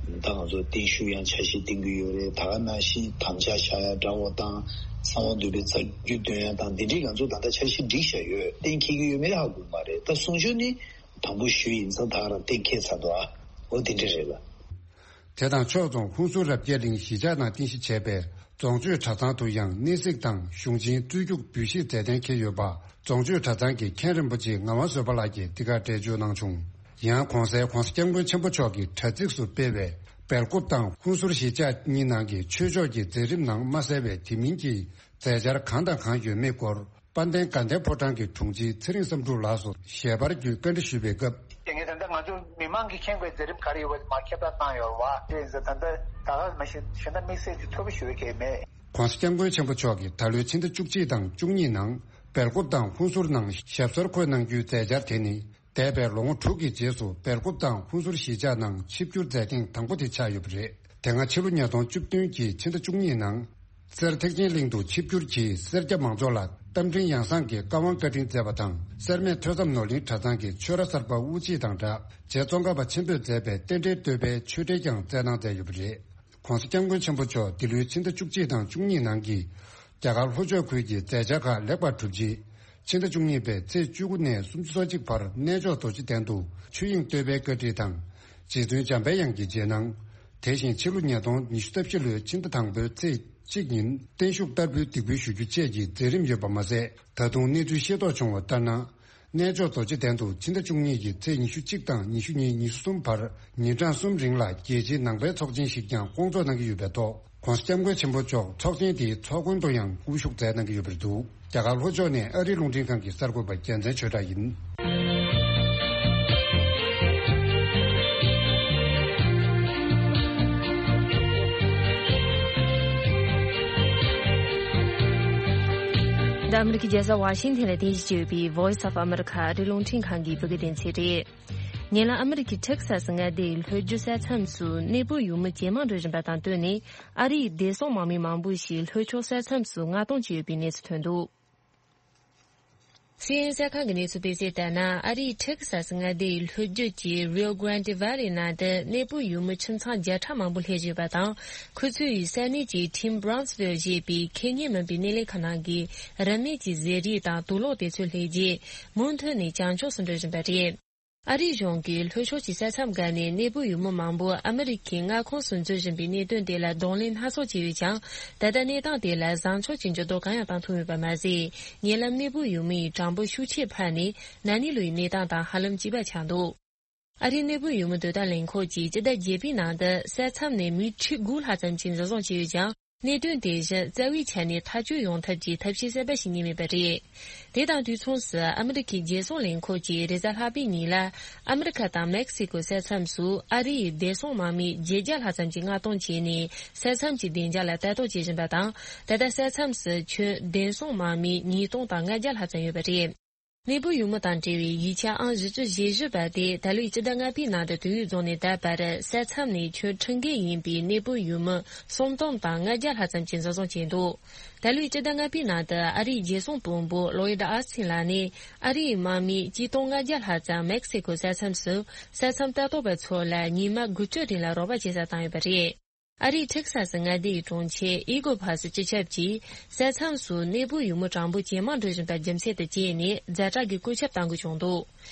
ད་ང་ཚོ་བརྟན་བཞུགས་ཡང་འཆར་གཞི་བཏིང་གི་ཡོད་རེད། ད་ག་ནང་བཞིན་དམ་བཅའ་བཞག་ཡ་འདྲ་བོ་དང་གསང་བ་འདུས་པའི་རྩ་རྒྱུད་འདོན་ཡ་དང་འདི་འདྲའི་ང་ཚོ་ད་ལྟ་འཆར་གཞི་སྒྲིག་བཞག་ཡོད། གཏན་འཁེལ་གྱི་ཡོད་མེད་ཧ་གོ་མ་རེད། ད་གསུང་ཆོས་ནི་དང་པོ་ཞུས་ཡིན་ཙང་ད་ག་རང་གཏན་འཁེལ་ཚར་འདུག་ཨ། འོ་དེ་འདྲ་རེད་ལ། དེ་དང་ཕྱོགས་མཚུངས་ཧུན་སུར་རབ་རྒྱས་གླིང་གཞིས་ཆགས་ནང་རྟེན་གཞི་བྱས་པའི་རྫོང་ཆོས་གྲྭ་ཚང་དུ་ཡང་གནས་གཟིགས་དང་གཞུང་ཆེན་རྩོད་རྒྱུགས་འབུལ་བཞེས་མཛད་གཏན་འཁེལ་ཡོད་པ་རྫོང་ཆོས་གྲྭ་ཚང་གི་མཁན་རིན་པོ་ཆེ་ངག་དབང་བཟོད་པ་ལགས་ཀྱིས་འདི་གར་འགྲེལ་བརྗོད་གནང་བྱུང་། ཡང་གོང་གསལ་༧གོང་ས་༧སྐྱབས་མགོན་ཆེན་པོ་མཆོག་གིས་དྲ་ཚིགས་སུ་སྤེལ་བའི་སྦེལ་ཀོབ་དང་ཧུན་སུར་གཞིས་ཆགས་གཉིས་ནང་གི་ཆོས་ཕྱོགས་ཀྱི་མཛད་རིམ་ནང་མ་གསལ་བའི་དེ་མིན་གྱི་མཛད་འཆར་གང་དང་གང་ཡོད་མེད་སྐོར། དཔལ་ལྡན་དགའ་ལྡན་ཕོ་བྲང་གི་དྲུང་ཆེ་ཚེ་རིང་བསམ་འཕྲུལ་ལགས་སུ་ཞལ་པར་བརྒྱུད་བཀའ་འདྲི་ཞུས་པའི་སྐབས། དེ་ངས་ད་ལྟ་ང་ཚོ་མི་མང་གིས་མཁྱེན་དགོས་མཛད་རིམ་ག་རེ་ཡོད་པ་མར་ཁྱབ་བསྒྲགས་བཏང་ཡོད་རེད་བ། དེ་ཡིན་ཙང་ད་ལྟ་ད་ག་མ་གཞི་གཞན་དག་དམིགས་བསལ་གྱི་ཐོས་པ་ཞུ་བའི་གལ་མེད། ༧གོང་ས་༧སྐྱབས་མགོན་ཆེན་པོ་མཆོག་གིས་ད་ལོའི་ཕྱི་ཟླ་བཅུ་གཅིག་དང་བཅུ་གཉིས་ནང་སྦེལ་ཀོབ་དང་ཧུན་སུར་ནང་ཞབས་སོར་འཁོད་གནང་རྒྱུའི་མཛད་འཆར་དེ་ནི། འདས་པའི་ལོ་ངོ་དྲུག་གི་རྗེས་སུ་སྦེལ་ཀོབ་དང་ཧུན་སུར་གཞིས་ཆགས་ནང་ཆིབས་བསྒྱུར་མཛད་ཐེངས་དང་པོ་དེ་ཆགས་ཡོད་པ་རེད། དེ་སྔ་ཕྱི་ལོ་ཉིས་སྟོང་བཅུ་བདུན་གྱི་ཕྱི་ཟླ་བཅུ་གཉིས་ནང་། གསེར་ཐེག་ཆེན་གླིང་དུ་ཆིབས་བསྒྱུར་གྱིས་སེར་སྐྱ་མང་ཚོགས་ལ་རྟ་མགྲིན་ཡང་གསང་གི་བཀའ་དབང་བཀའ་དྲིན་སྩལ་བ་དང་། སེར་སྨད་ཐོས་བསམ་ནོར་གླིང་གྲྭ་ཚང་གི་ཆོས་ར་གསར་པ་དབུ་འབྱེད་དང་སྦྲགས། རྗེ་ཙོང་ཁ་པ་ཆེན་པོས་མཛད་པའི་རྟེན་འབྲེལ་བསྟོད་པའི་ཆོས་འབྲེལ་ཀྱང་སྩལ་གནང་མཛད་ཡོད་པ་རེད། ༧གོང་ས་༧སྐྱབས་མགོན་ཆེན་པོ་མཆོག་འདི་ལོའི་ཕྱི་ཟླ་བཅུ་གཅིག་དང་བཅུ་གཉིས་ནང་གི་རྒྱ་གར་ལྷོ་ཕྱོགས་ཁུལ་གྱི་མཛད་འཆར་ཁག་ལེགས་པར་གྲུབ་རྗེས། ཕྱི་ཟླ་བཅུ་གཉིས་པའི་ཚེས་བཅུ་དགུ་ནས་སུམ་ཅུ་སོ་གཅིག་བར་གནས་མཆོག་རྡོ་རྗེ་གདན་དུ་ཆོས་དབྱིངས་བསྟོད་པའི་བཀའ་ཁྲིད་དང་། རྗེ་བཙུན་འཇམ་དཔལ་དབྱངས་ཀྱི་རྗེས་གནང་། དེ་བཞིན་ཕྱི་ལོ་ཉིས་སྟོང་ཉི་ཤུ་རྩ་བཞི་ལོའི་ཕྱི་ཟླ་དང་པོའི་ཚེས་གཅིག་ཉིན་བརྟན་བཞུགས་བསྟར་འབུལ་འདེགས་འབུལ་ཞུ་རྒྱུ་བཅས་ཀྱི་མཛད་རིམ་ཡོད་པ་མ་ཟད། ད་དུང་གནས་ཚུལ་ཤེས་རྟོགས་བྱུང་བ་ལྟར་ན། གནས་མཆོག་རྡོ་རྗེ་གདན་དུ་ཕྱི་ཟླ་བཅུ་གཉིས་ཀྱི་ཚེས་ཉི་ཤུ་གཅིག་དང་ཉི་ཤུ་གཉིས་ཉི་ཤུ་གསུམ་བར་ཉིན་གྲངས་གསུམ་རིང་ལ་རྒྱལ་སྤྱིའི་ནང་པའི་ཚོགས་ཆེན་ཞིག་ཀྱང་སྐོང་ཚོགས་གནང་གི་ཡོད་པའི་ཐོག ༸གོང་ས་༸སྐྱབས་མགོན་ཆེན་པོ་མཆོག་ཚོགས་ཆེན་དེའི་ཚོགས་མགོན་དུ་ཡང་དབུ་བཞུགས་མཛད་གནང་གི་ཡོད་པ་རེད་འདུག་རྒྱ་གར་ལྷོ་ཕྱོགས་ནས་ཨ་རིའི་རླུང་འཕྲིན་ཁང་གི་གསར་འགོད་པ་རྒྱལ་མཚན་ཆོས་གྲགས་ཡིན། འདི་ཨ་མི་རི་ཀའི་རྒྱལ་ས་ཝ་ཤིང་ཐན་ལ་རྟེན་གཞི་བྱས་ཡོད་པའི་Voice of America ཨ་རིའི་རླུང་འཕྲིན་ཁང་གི་བོད་སྐད་སྡེ་ཚན་རེད། ཉེ་ལམ་ཨ་མི་རི་ཀའི་ཊེག་སཱ་སི་མངའ་སྡེའི་ལྷོ་རྒྱུད་ས་མཚམས་སུ་གནས་སྤོས་ཡུལ་མི་ཇེ་མང་འགྲོ་བཞིན་པ་དང་བསྟུན་ནས། ཨ་རིའི་བདེ་སྲུང་དམག་མི་མང་པོ་ཞིག་ལྷོ་ཕྱོགས་ས་མཚམས་སུ་མངགས་གཏོང་བྱས་ཡོད་པའི་གནས་ཚུལ་ཐོན་འདུག་སི་ཨེན་ཨེན་གསར་ཁང་གི་གནས་ཚུལ་སྤེལ་གསལ་ལྟར་ན། ཨ་རིའི་ཊེག་སཱ་སི་མངའ་སྡེའི་ལྷོ་རྒྱུད་ཀྱི་Rio Grande Valley ནང་དུ་གནས་སྤོས་ཡུལ་མི་ཁྱིམ་ཚང་བརྒྱ་ཕྲག་མང་པོ་སླེབས་བཞིན་པ་དང་། ཁོ་ཚོས་ས་གནས་ཀྱི་Tim Brownsville ཞེས་པའི་ཁེ་ཉེན་མིན་པའི་གནས་ལས་ཁང་ནང་གི་རིན་མེད་ཀྱི་ཟས་རིགས་དང་དུག་ལོག་དེ་ཚོ་སླེབས་རྗེས། མུ་མཐུད་ནས་བྱང་ཕྱོགས་སུ་འགྲོ་བཞིན་པ་རེད། ཨ་རིའི་གཞུང་གིས་ལྷོ་ཕྱོགས་ཀྱི་ས་མཚམས་བརྒལ་ནས་གནས་སྤོས་ཡུལ་མི་མང་པོ་ཨ་མི་རི་ཀའི་མངའ་ཁོངས་སུ་འཛུལ་བཞིན་པའི་གནད་དོན་དེ་ལ་གདོང་ལེན་སྣ་ཚོགས་བྱས་ཡོད་ཀྱང་། ད་ལྟ་གནས་སྟངས་དེ་ལ་བཟང་ཕྱོགས་ཀྱི་འགྱུར་ལྡོག་གང་ཡང་བཏང་ཐུབ་མེད་པ་མ་ཟད། ཉེ་ལམ་གནས་སྤོས་ཡུལ་མི་ཡི་གྲངས་འབོར་ཤུགས་ཆེ་འཕར་ནས། ན་ནིང་ལོའི་གནས་སྟངས་དང་ཧ་ལམ་གཅིག་པ་ཆགས་འདུག་ཨ་རིའི་གནས་སྤོས་ཡུལ་མི་དོ་དམ་ལས་ཁུངས་ཀྱིས་སྤྱི་ཟླ་བརྒྱད་པའི་ནང་དུ་ས་མཚམས་ནས་མི་ཁྲི་དགུ་ལྷག་ཙམ་ཞིག་འཛིན་བཟུང་བྱས་ཡོད་ཀྱང་། གནད་དོན་དེ་བཞིན་རྩ་བའི་ཆ་ནས་ཐག་གཅོད་ཡོང་ཐབས་ཀྱི་ཐབས་ཤེས་གསར་པ་ཞིག་རྙེད་མེད་པ་རེད། དེ་དང་དུས་མཚུངས་སུ་ཨ་མི་རི་ཁའི་རྒྱལ་སྲུང་ལས་ཁུངས་ཀྱིས་རེས་གཟའ་ལྷག་པའི་ཉིན་ལ་ཨ་མི་རི་ཁ་དང་མེག་སི་ཀོའི་ས་མཚམས་སུ་ཨ་རིའི་བདེ་སྲུང་དམག་མི་བརྒྱད་བརྒྱ་ལྷག་ཙམ་གྱིས་མངགས་གཏོང་བྱས་ནས་ས་མཚམས་ཀྱི་བདེ་འཇགས་ལ་ལྟ་རྟོག་བྱེད་བཞིན་པ་དང་། ད་ལྟ་ས་མཚམས་སུ་ཁྱོན་བདེ་སྲུང་དམག་མི་ཉིས་སྟོང་དང་ལྔ་བརྒྱ་ལྷག་ཙམ་ཡོད་པ་རེད། གནས་སྤོས་ཡུལ་མི་དང་འབྲེལ་བའི་ཡིག་ཆ་ཨང་བཞི་བཅུ་ཞེ་བཞི་པ་དེ་ད་ལོའི་སྤྱི་ཟླ་ལྔ་པའི་ནང་དུ་དུས་ཡུན་རྫོགས་ནས་ད་བར་ས་མཚམས་ནས་ཁྱོན་ཁྲིམས་འགལ་ཡིན་པའི་གནས་སྤོས་ཡུལ་མི་སུམ་སྟོང་དང་ལྔ་བརྒྱ་ལྷག་ཙམ་གྱིས་འཛིན་བཟུང་བྱས་འདུག་ད་ལོའི་སྤྱི་ཟླ་ལྔ་པའི་ནང་དུ་ཨ་རིའི་རྒྱལ་སྲུང་དཔོན་པོ་ལོ་ཡིད་ཨ་སིན་ལགས་ནས་ཨ་རིའི་དམག་མི་གཅིག་སྟོང་ལྔ་བརྒྱ་ལྷག་ཙམ་མེག་སི་ཀོའི་ས་མཚམས་སུ་ས་མཚམས་ལྟ་རྟོག་པ་ཚོ་ལ་ཉི་མ་དགུ་བཅུ་རིང་ལ་རོགས་པ་བྱེད་སར་བཏང་ཡོད་པ་རེད། ཨ་རིའི་ཊེག་ས་སི་མངའ་སྡེའི་གྲོང་ཁྱེར་ཨི་གོ་ཕ་སི་སྤྱི་ཁྱབ་ཀྱིས་ས་མཚམས་སུ་གནས་སྤོས་ཡུལ་མི་གྲངས་འབོར་ཇེ་མང་འགྲོ་བཞིན་པ་རྒྱུ་མཚན་དུ་བྱས་ནས་ཛ་དྲག་གི་བཀོད་ཁྱབ་གཏང་དགོས་བྱུང་འདུག་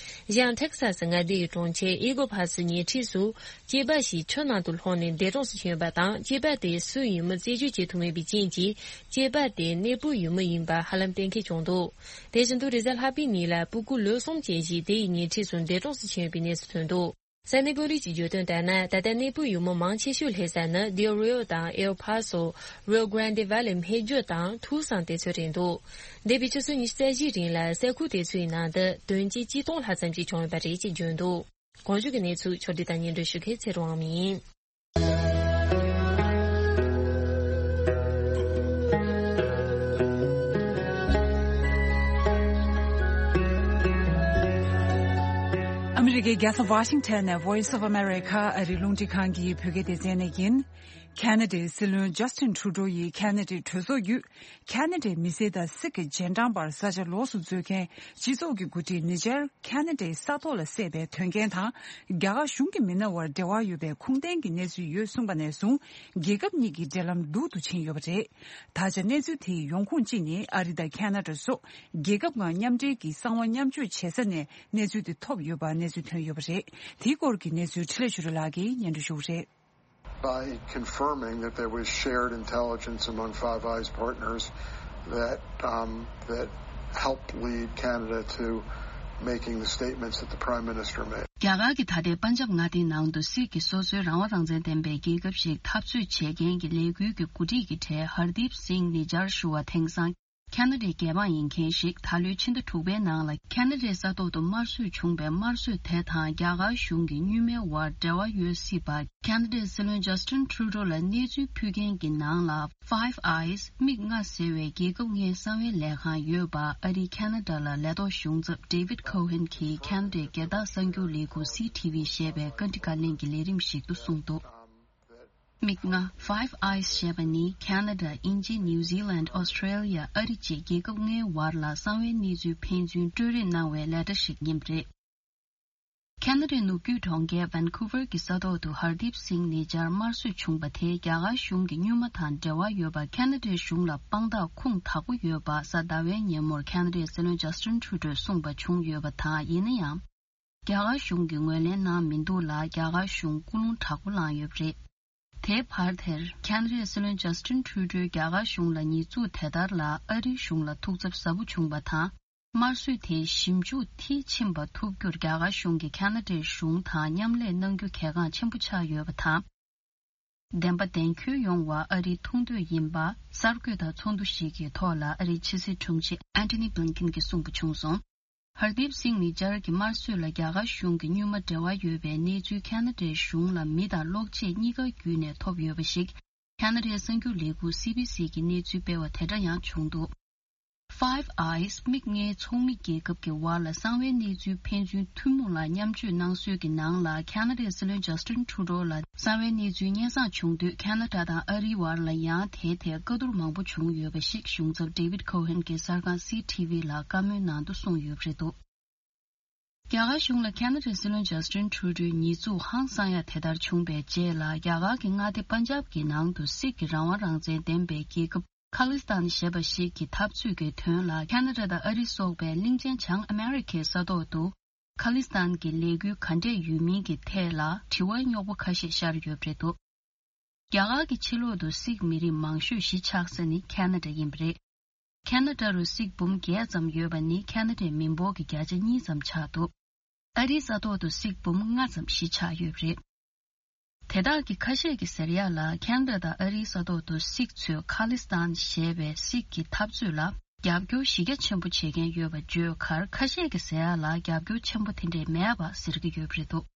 གཞན་ཊེག་ས་སི་མངའ་སྡེའི་གྲོང་ཁྱེར་ཨི་གོ་ཕ་སི་ཉེ་འཁྲིས་སུ་སྐྱེས་པ་ཞིག་ཆུ་ནང་དུ་ལྷུང་ནས་འདས་གྲོངས་སུ་ཕྱིན་ཡོད་པ་དང་། སྐྱེས་པ་དེ་སུ་ཡིན་མིན་རྩད་གཅོད་བྱེད་ཐུབ་མེད་པའི་རྐྱེན་གྱིས་སྐྱེས་པ་དེ་གནས་སྤོས་ཡུལ་མི་ཡིན་པ་ཧ་ལམ་གཏན་འཁེལ་བྱུང་འདུག་དེ་བཞིན་དུ་རེས་གཟའ་ལྷག་པའི་ཉིན་ལ་སྤུ་གུ་ལོ་གསུམ་ཅན་ཞིག་དེ་ཡི་ཉེ་འཁྲིས་སུ་འདས་གྲོངས་སུ་ཕྱིན་ཡོད་པའི་གནས་ཚུལ་ཐོན་འདུག་ས་གནས་དཔོན་རིགས་ཀྱིས་བརྗོད་དོན་ལྟར་ན། ད་ལྟ་གནས་སྤོས་ཡུལ་མི་མང་ཆེ་ཤོས་སླེབས་ས་ནི་དེལ་རིའོ་དང་ཨེལ་ཕ་སོ། རིའོ་གྷ་རན་དེ་ཝེ་ལི་སྨད་རྒྱུད་དང་ཐུག་སང་དེ་ཚོ་རེད་འདུག་འདས་པའི་ཆུ་ཚོད་ཉི་ཤུ་རྩ་བཞིའི་རིང་ལ་ས་ཁུལ་དེ་ཚོའི་ནང་དུ་དོན་རྐྱེན་གཅིག་སྟོང་ལྷག་ཙམ་ཞིག་བྱུང་ཡོད་པ་རེད་ཅེས་བརྗོད་འདུག་གོང་ཞུས་ཀྱི་གནས་ཚུལ་ཕྱོགས་བསྒྲིགས་དང་སྙན་སྒྲོན་ཞུ་མཁན་ཚེ་རིང་དབང་མོ་ཡིན། ཨ་མི་རི་ཀའི་རྒྱལ་ས་ཝ་ཤིང་ཊོན་ནས་Voice of America ཨ་རིའི་རླུང་འཕྲིན་ཁང་གི་བོད་སྐད་སྡེ་ཚན་ནས་ཡིན། ཁ་ན་ཌའི་སྲིད་བློན་ཇ་སི་ཊིན་ཁྲུ་ཌོ་ཡིས་ཁ་ན་ཌའི་གྲོས་ཚོགས་བརྒྱུད། ཁ་ན་ཌའི་མི་སེར་དང་སིག་གི་རྗེས་འབྲང་བར་ས་ཆ་ལོགས་སུ་འཛུལ་མཁན་སྤྱི་ཚོགས་ཀྱི་འགོ་ཁྲིད་ནི་ཇར་ཁ་ན་ཌའི་ས་ཐོག་ལ་བསད་པའི་དོན་རྐྱེན་དང་། རྒྱ་གར་གཞུང་གི་མི་སྣ་བར་འབྲེལ་བ་ཡོད་པའི་ཁུངས་ལྡན་གྱི་གནས་ཚུལ་ཡོད་གསུངས་པ་ནས་བཟུང་། རྒྱལ་ཁབ་གཉིས་ཀྱི་འབྲེལ་ལམ་སྡུག་ཏུ་ཕྱིན་ཡོད་པ་རེད། ད་ཆ་གནས་ཚུལ་དེའི་ཡོང་ཁུངས་གཅིག་ནི་ཨ་རི་དང་ཁ་ན་ཌ་སོགས་རྒྱལ་ཁབ་ཁག་མཉམ་འབྲེལ་གྱི་གསང་བ་མཉམ་སྤྱོད་བྱེད་ས་ནས་གནས་ཚུལ་དེ་ཐོབ་ཡོད་པ་གནས་ཚུལ་ཐོན་ཡོད་པ་རེད། དེའི་སྐོར་གྱི་གནས་ཚུལ་འཕྲིན་ལས་ཆོས་སྒྲོན་ལགས་ཀྱིས་སྙན་སྒྲོན་ཞུ་གི་རེད། By confirming that there was shared intelligence among Five Eyes partners that, um, that helped lead Canada to making the statements that the Prime Minister made. རྒྱ་གར་གྱི་ད་ལྟའི་པན་ཇབ་མངའ་སྡེའི་ནང་དུ་སིག་གི་སོ་སོའི་རང་དབང་རང་བཙན་ལྡན་པའི་རྒྱལ་ཁབ་ཞིག་འཐབ་རྩོད་བྱེད་མཁན་གྱི་ལས་འགུལ་གྱི་འགོ་ཁྲིད་ཀྱི་གྲས་ཧར་དིབ་སིང་ནི་ཇར་ཞུ་བ་དེང་སང་ཁ་ན་ཌའི་རྒྱལ་འབངས་ཡིན་མཁན་ཞིག་ད་ལོའི་ཕྱི་ཟླ་དྲུག་པའི་ནང་ལ་ཁ་ན་ཌའི་ས་ཐོག་ཏུ་དམར་གསོད་བྱུང་བའི་དམར་གསོད་དེ་དང་རྒྱ་གར་གཞུང་གི་གཉུག་མའི་དབར་འབྲེལ་བ་ཡོད་སྲིད་པ། ཁ་ན་ཌའི་སྲིད་བློན་ཇ་སི་ཊིན་ཁྲུ་ཌོ་ལ་གནས་ཚུལ་ཕུལ་མཁན་གྱི་ནང་ལ་Five Eyes མིག་ལྔ་ཟེར་བའི་རྒྱལ་ཁབ་ལྔའི་གསང་བའི་ལས་ཁང་ཡོད་པ་ཨ་རིའི་ཁ་ན་ཌ་ལ་ལས་ཐོག་གཞུང་ཚབ་David Cohen གྱིས་ཁ་ན་ཌའི་སྒེར་བདག་གསར་འགྱུར་ལས་ཁུངས་སི་ཊི་ཝི་ཞེས་པའི་བཀའ་འདྲི་བཀའ་ལན་གྱི་ལས་རིམ་ཞིག་ཏུ་གསུངས་འདུག་མིག་ལྔ། Five Eyes ཞེས་པ་ནི་ཁ་ན་ཌ། དབྱིན་ཇི། ནིའུ་ཛི་ལན། ཨོ་སི་ཀྲེ་ལི་ཡ། ཨ་རི་བཅས་རྒྱལ་ཁབ་ལྔའི་བར་ལ་གསང་བའི་གནས་ཚུལ་ཕན་ཚུན་སྤྲོད་རེས་གནང་བའི་ལས་གྲྭ་ཞིག་ཡིན་པ་རེད། ཁ་ན་ཌའི་ནུབ་རྒྱུད་གྲོང་ཁྱེར་ཝན་ཁུ་ཝར་གྱི་ས་ཐོག་ཏུ་ཧར་དིབ་སིང་ནི་ཇར་དམར་གསོད་བྱུང་པ་དེ་རྒྱ་གར་གཞུང་གི་གཉུག་མ་དང་འབྲེལ་བ་ཡོད་པ། ཁ་ན་ཌའི་གཞུང་ལ་དཔང་རྟགས་ཁུངས་དག་པོ་ཡོད་པ་གཟའ་ཟླ་བའི་ཉིན་མོར་ཁ་ན་ཌའི་སྲིད་བློན་ཇ་སི་ཊིན་ཁྲུ་ཌོས་གསུངས་པ་བྱུང་ཡོད་པ་དང་། ཡིན་ན་ཡང་། རྒྱ་གར་གཞུང་གིས་ངོས་ལེན་གནང་མི་འདུག་ལ། རྒྱ་གར་གཞུང་སྐུ་རླུང་དྲག་པོ་བསླངས་ཡོད་པ་རེད། དེའི་བར་དེར་ཁ་ན་ཌའི་སྲིད་བློན་ཇ་སི་ཊིན་ཁྲུ་ཌོས་རྒྱ་གར་གཞུང་ལ་ཉེས་འཛུགས་དེ་ལྟར་ལ་ཨ་རིའི་གཞུང་ལ་ཐུགས་འཚབ་ཟབ་པོ་བྱུང་བ་དང་། དམར་གསོད་དེའི་ཞིབ་འཇུག་མཐིལ་ཕྱིན་པ་ཐུབ་རྒྱུར་རྒྱ་གར་གཞུང་གིས་ཁ་ན་ཌའི་གཞུང་དང་མཉམ་ལས་གནང་རྒྱུ་གལ་འགངས་ཆེན་པོ་ཆགས་ཡོད་པ་དང་། བདེན་པ་བདེན་འཁྱོལ་ཡོང་བ་ཨ་རིའི་ཐུགས་འདོད་ཡིན་པ་གསར་འགོད་དང་ཚོགས་འདུ་ཞིག་གི་ཐོག་ལ་ཨ་རིའི་ཕྱི་སྲིད་དྲུང་ཆེ་ཨན་ཐོ་ནི་བྷི་ལིན་ཀིན་གྱིས་གསུངས་པ་བྱུང་སོང་། ཧར་དིབ་སིང་ནི་ཇར་གྱི་དམར་གསོད་ལ་རྒྱ་གར་གཞུང་གི་གཉུག་མ་འབྲེལ་བ་ཡོད་པའི་གནས་ཚུལ་ཁ་ན་ཌའི་གཞུང་ལ་མི་དང་གློག་ཆས་གཉིས་ཀ་བརྒྱུད་ནས་ཐོབ་ཡོད་པ་ཞིག་ཁ་ན་ཌའི་གསར་འགྱུར་ལས་ཁུངས་སི་བི་སི་གིས་གནས་ཚུལ་སྤེལ་བ་དེ་འདྲ་ཡང་བྱུང་འདུག Five Eyes མིག་ལྔའི་ཚོགས་མི་རྒྱལ་ཁབ་ཀྱི་བར་ལ་གསང་བའི་གནས་ཚུལ་ཕན་ཚུན་ཐུན་མོང་ལ་མཉམ་སྤྱོད་གནང་སྲོལ་གྱི་ནང་ལ། ཁ་ན་ཌའི་སྲིད་བློན་ཇ་སི་ཊིན་ཁྲུ་ཌོ་ལ་གསང་བའི་གནས་ཚུལ་སྙན་སེང་བྱུང་དུས། ཁ་ན་ཌ་དང་ཨ་རིའི་བར་ལ་ཡང་དེའི་ཐད་བཀའ་བསྡུར་མང་པོ་བྱུང་ཡོད་པ་ཞིག་གཞུང་ཚབ་David Cohen གྱིས་གསར་ཁང་སི་ཊི་ཝི་ལ་བཀའ་མོལ་ནང་དུ་གསུངས་ཡོད་པ་རེད་འདུག་རྒྱ་གར་གཞུང་ལ་ཁ་ན་ཌའི་སྲིད་བློན་ཇ་སི་ཊིན་ཁྲུ་ཌོའི་ཉེས་འཛུགས་ཧང་སང་ཡ་དེ་ལྟར་བྱུང་བའི་རྗེས་ལ། རྒྱ་གར་གྱི་མངའ་སྡེ་པན་ཇབ་ཀྱི་ནང་དུ་སིག་གི་རང་དབང་རང་བཙན་ལྡན་པའི་རྒྱལ་ཁབ་ཁ་ལི་སི་ཐན་ཞེས་པ་ཞིག་གི་འཐབ་རྩོད་ཀྱི་དོན་ལ་ཁ་ན་ཌ་དང་ཨ་རི་སོགས་པའི་གླིང་ཆེན་བྱང་ཨ་མེ་རི་ཁའི་ས་ཐོག་ཏུ་ཁ་ལི་སི་ཐན་གྱི་ལས་འགུལ་ག་འདྲས་ཡོད་མིན་གྱི་ཐད་ལ་དྲི་བ་རྙོག་པོ་ཁ་ཤས་ཤར་ཡོད་པ་རེད་འདུག་རྒྱ་གར་གྱི་ཕྱི་ལོགས་སུ་སིག་མི་རིགས་མང་ཤོས་གཞིས་ཆགས་ས་ནི་ཁ་ན་ཌ་ཡིན་པ་རེད། ཁ་ན་ཌ་རུ་སིག་འབུམ་བརྒྱད་ཙམ་ཡོད་པ་ནི་ཁ་ན་ཌའི་མི་འབོར་གྱི་བརྒྱ་ཆ་གཉིས་ཙམ་ཆགས་འདུག་ཨ་རིའི་ས་ཐོག་ཏུ་སིག་འབུམ་ལྔ་ཙམ་གཞིས་ཆགས་ཡོད་པ་རེད། དེ་དག་གི་ཁ་ཤས་ཀྱིས་ཟེར་ཡག་ལ། ཁེ་ན་ཌ་དང་ཨ་རིའི་ས་ཐོག་ཏུ་སིག་ཚོས་ཁ་ལི་སི་ཐན་ཞེས་པའི་སིག་གི་འཐབ་རྩོད་ལ་རྒྱབ་སྐྱོར་གཞི་རྒྱ་ཆེན་པོ་བྱེད་མཁན་ཡོད་པ་བརྗོད་ཁར། ཁ་ཤས་ཀྱིས་ཟེར་ཡག་ལ་རྒྱབ་སྐྱོར་ཆེན་པོ་དེ་འདྲས་མེད་པ་ཟེར་གྱི་ཡོད་པ་རེད་འདུག་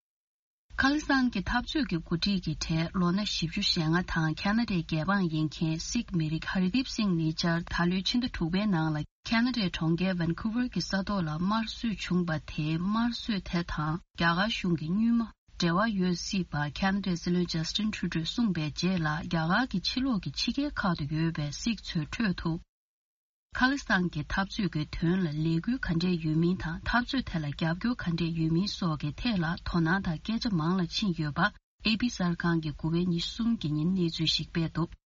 ཁ་ལི་སི་ཐན་གྱི་འཐབ་རྩོད་ཀྱི་འགོ་ཁྲིད་ཀྱི་གྲས་ལོ་ན་བཞི་བཅུ་ཞེ་ལྔ་དང་ཁེ་ན་ཌའི་རྒྱལ་འབངས་ཡིན་མཁན་སིག་མི་རིགས་ཧར་དིབ་སིང་ནེ་ཆར་ད་ལོའི་ཕྱི་ཟླ་དྲུག་པའི་ནང་ལ་ཁེ་ན་ཌའི་གྲོང་ཁྱེར་ཝན་ཁུ་ཝར་གྱི་ས་ཐོག་ལ་དམར་གསོད་བྱུང་པ་དེའི་དམར་གསོད་དེ་དང་རྒྱ་གར་གཞུང་གི་གཉུལ་མ་འབྲེལ་བ་ཡོད་སྲིད་པ་ཁེ་ན་ཌའི་སྲིད་བློན་ཇ་སི་ཊིན་ཁྲུ་ཌོས་གསུངས་པའི་རྗེས་ལ། རྒྱ་གར་གྱི་ཕྱི་ལོགས་ཀྱི་ཕྱི་རྒྱལ་ཁག་ཏུ་ཡོད་པའི་སིག་ཚོའི་ཁྲོད་དུ། ཁ་ལི་སི་ཐན་གྱི་འཐབ་རྩོད་ཀྱི་དོན་ལ་ལས་འགུལ་ག་འདྲས་ཡོད་མིན་དང་། འཐབ་རྩོད་དེ་ལ་རྒྱབ་སྐྱོར་ག་འདྲས་ཡོད་མིན་སོགས་ཀྱི་ཐད་ལ་དོ་སྣང་དང་སྐད་ཆ་མང་ལ་ཕྱིན་ཡོད་པ། ཨེ་པི་གསར་ཁང་གིས་དགུ་པའི་ཉི་ཤུ་གསུམ་གྱི་ཉིན་གནས་ཚུལ་ཞིག་སྤེལ་འདུག་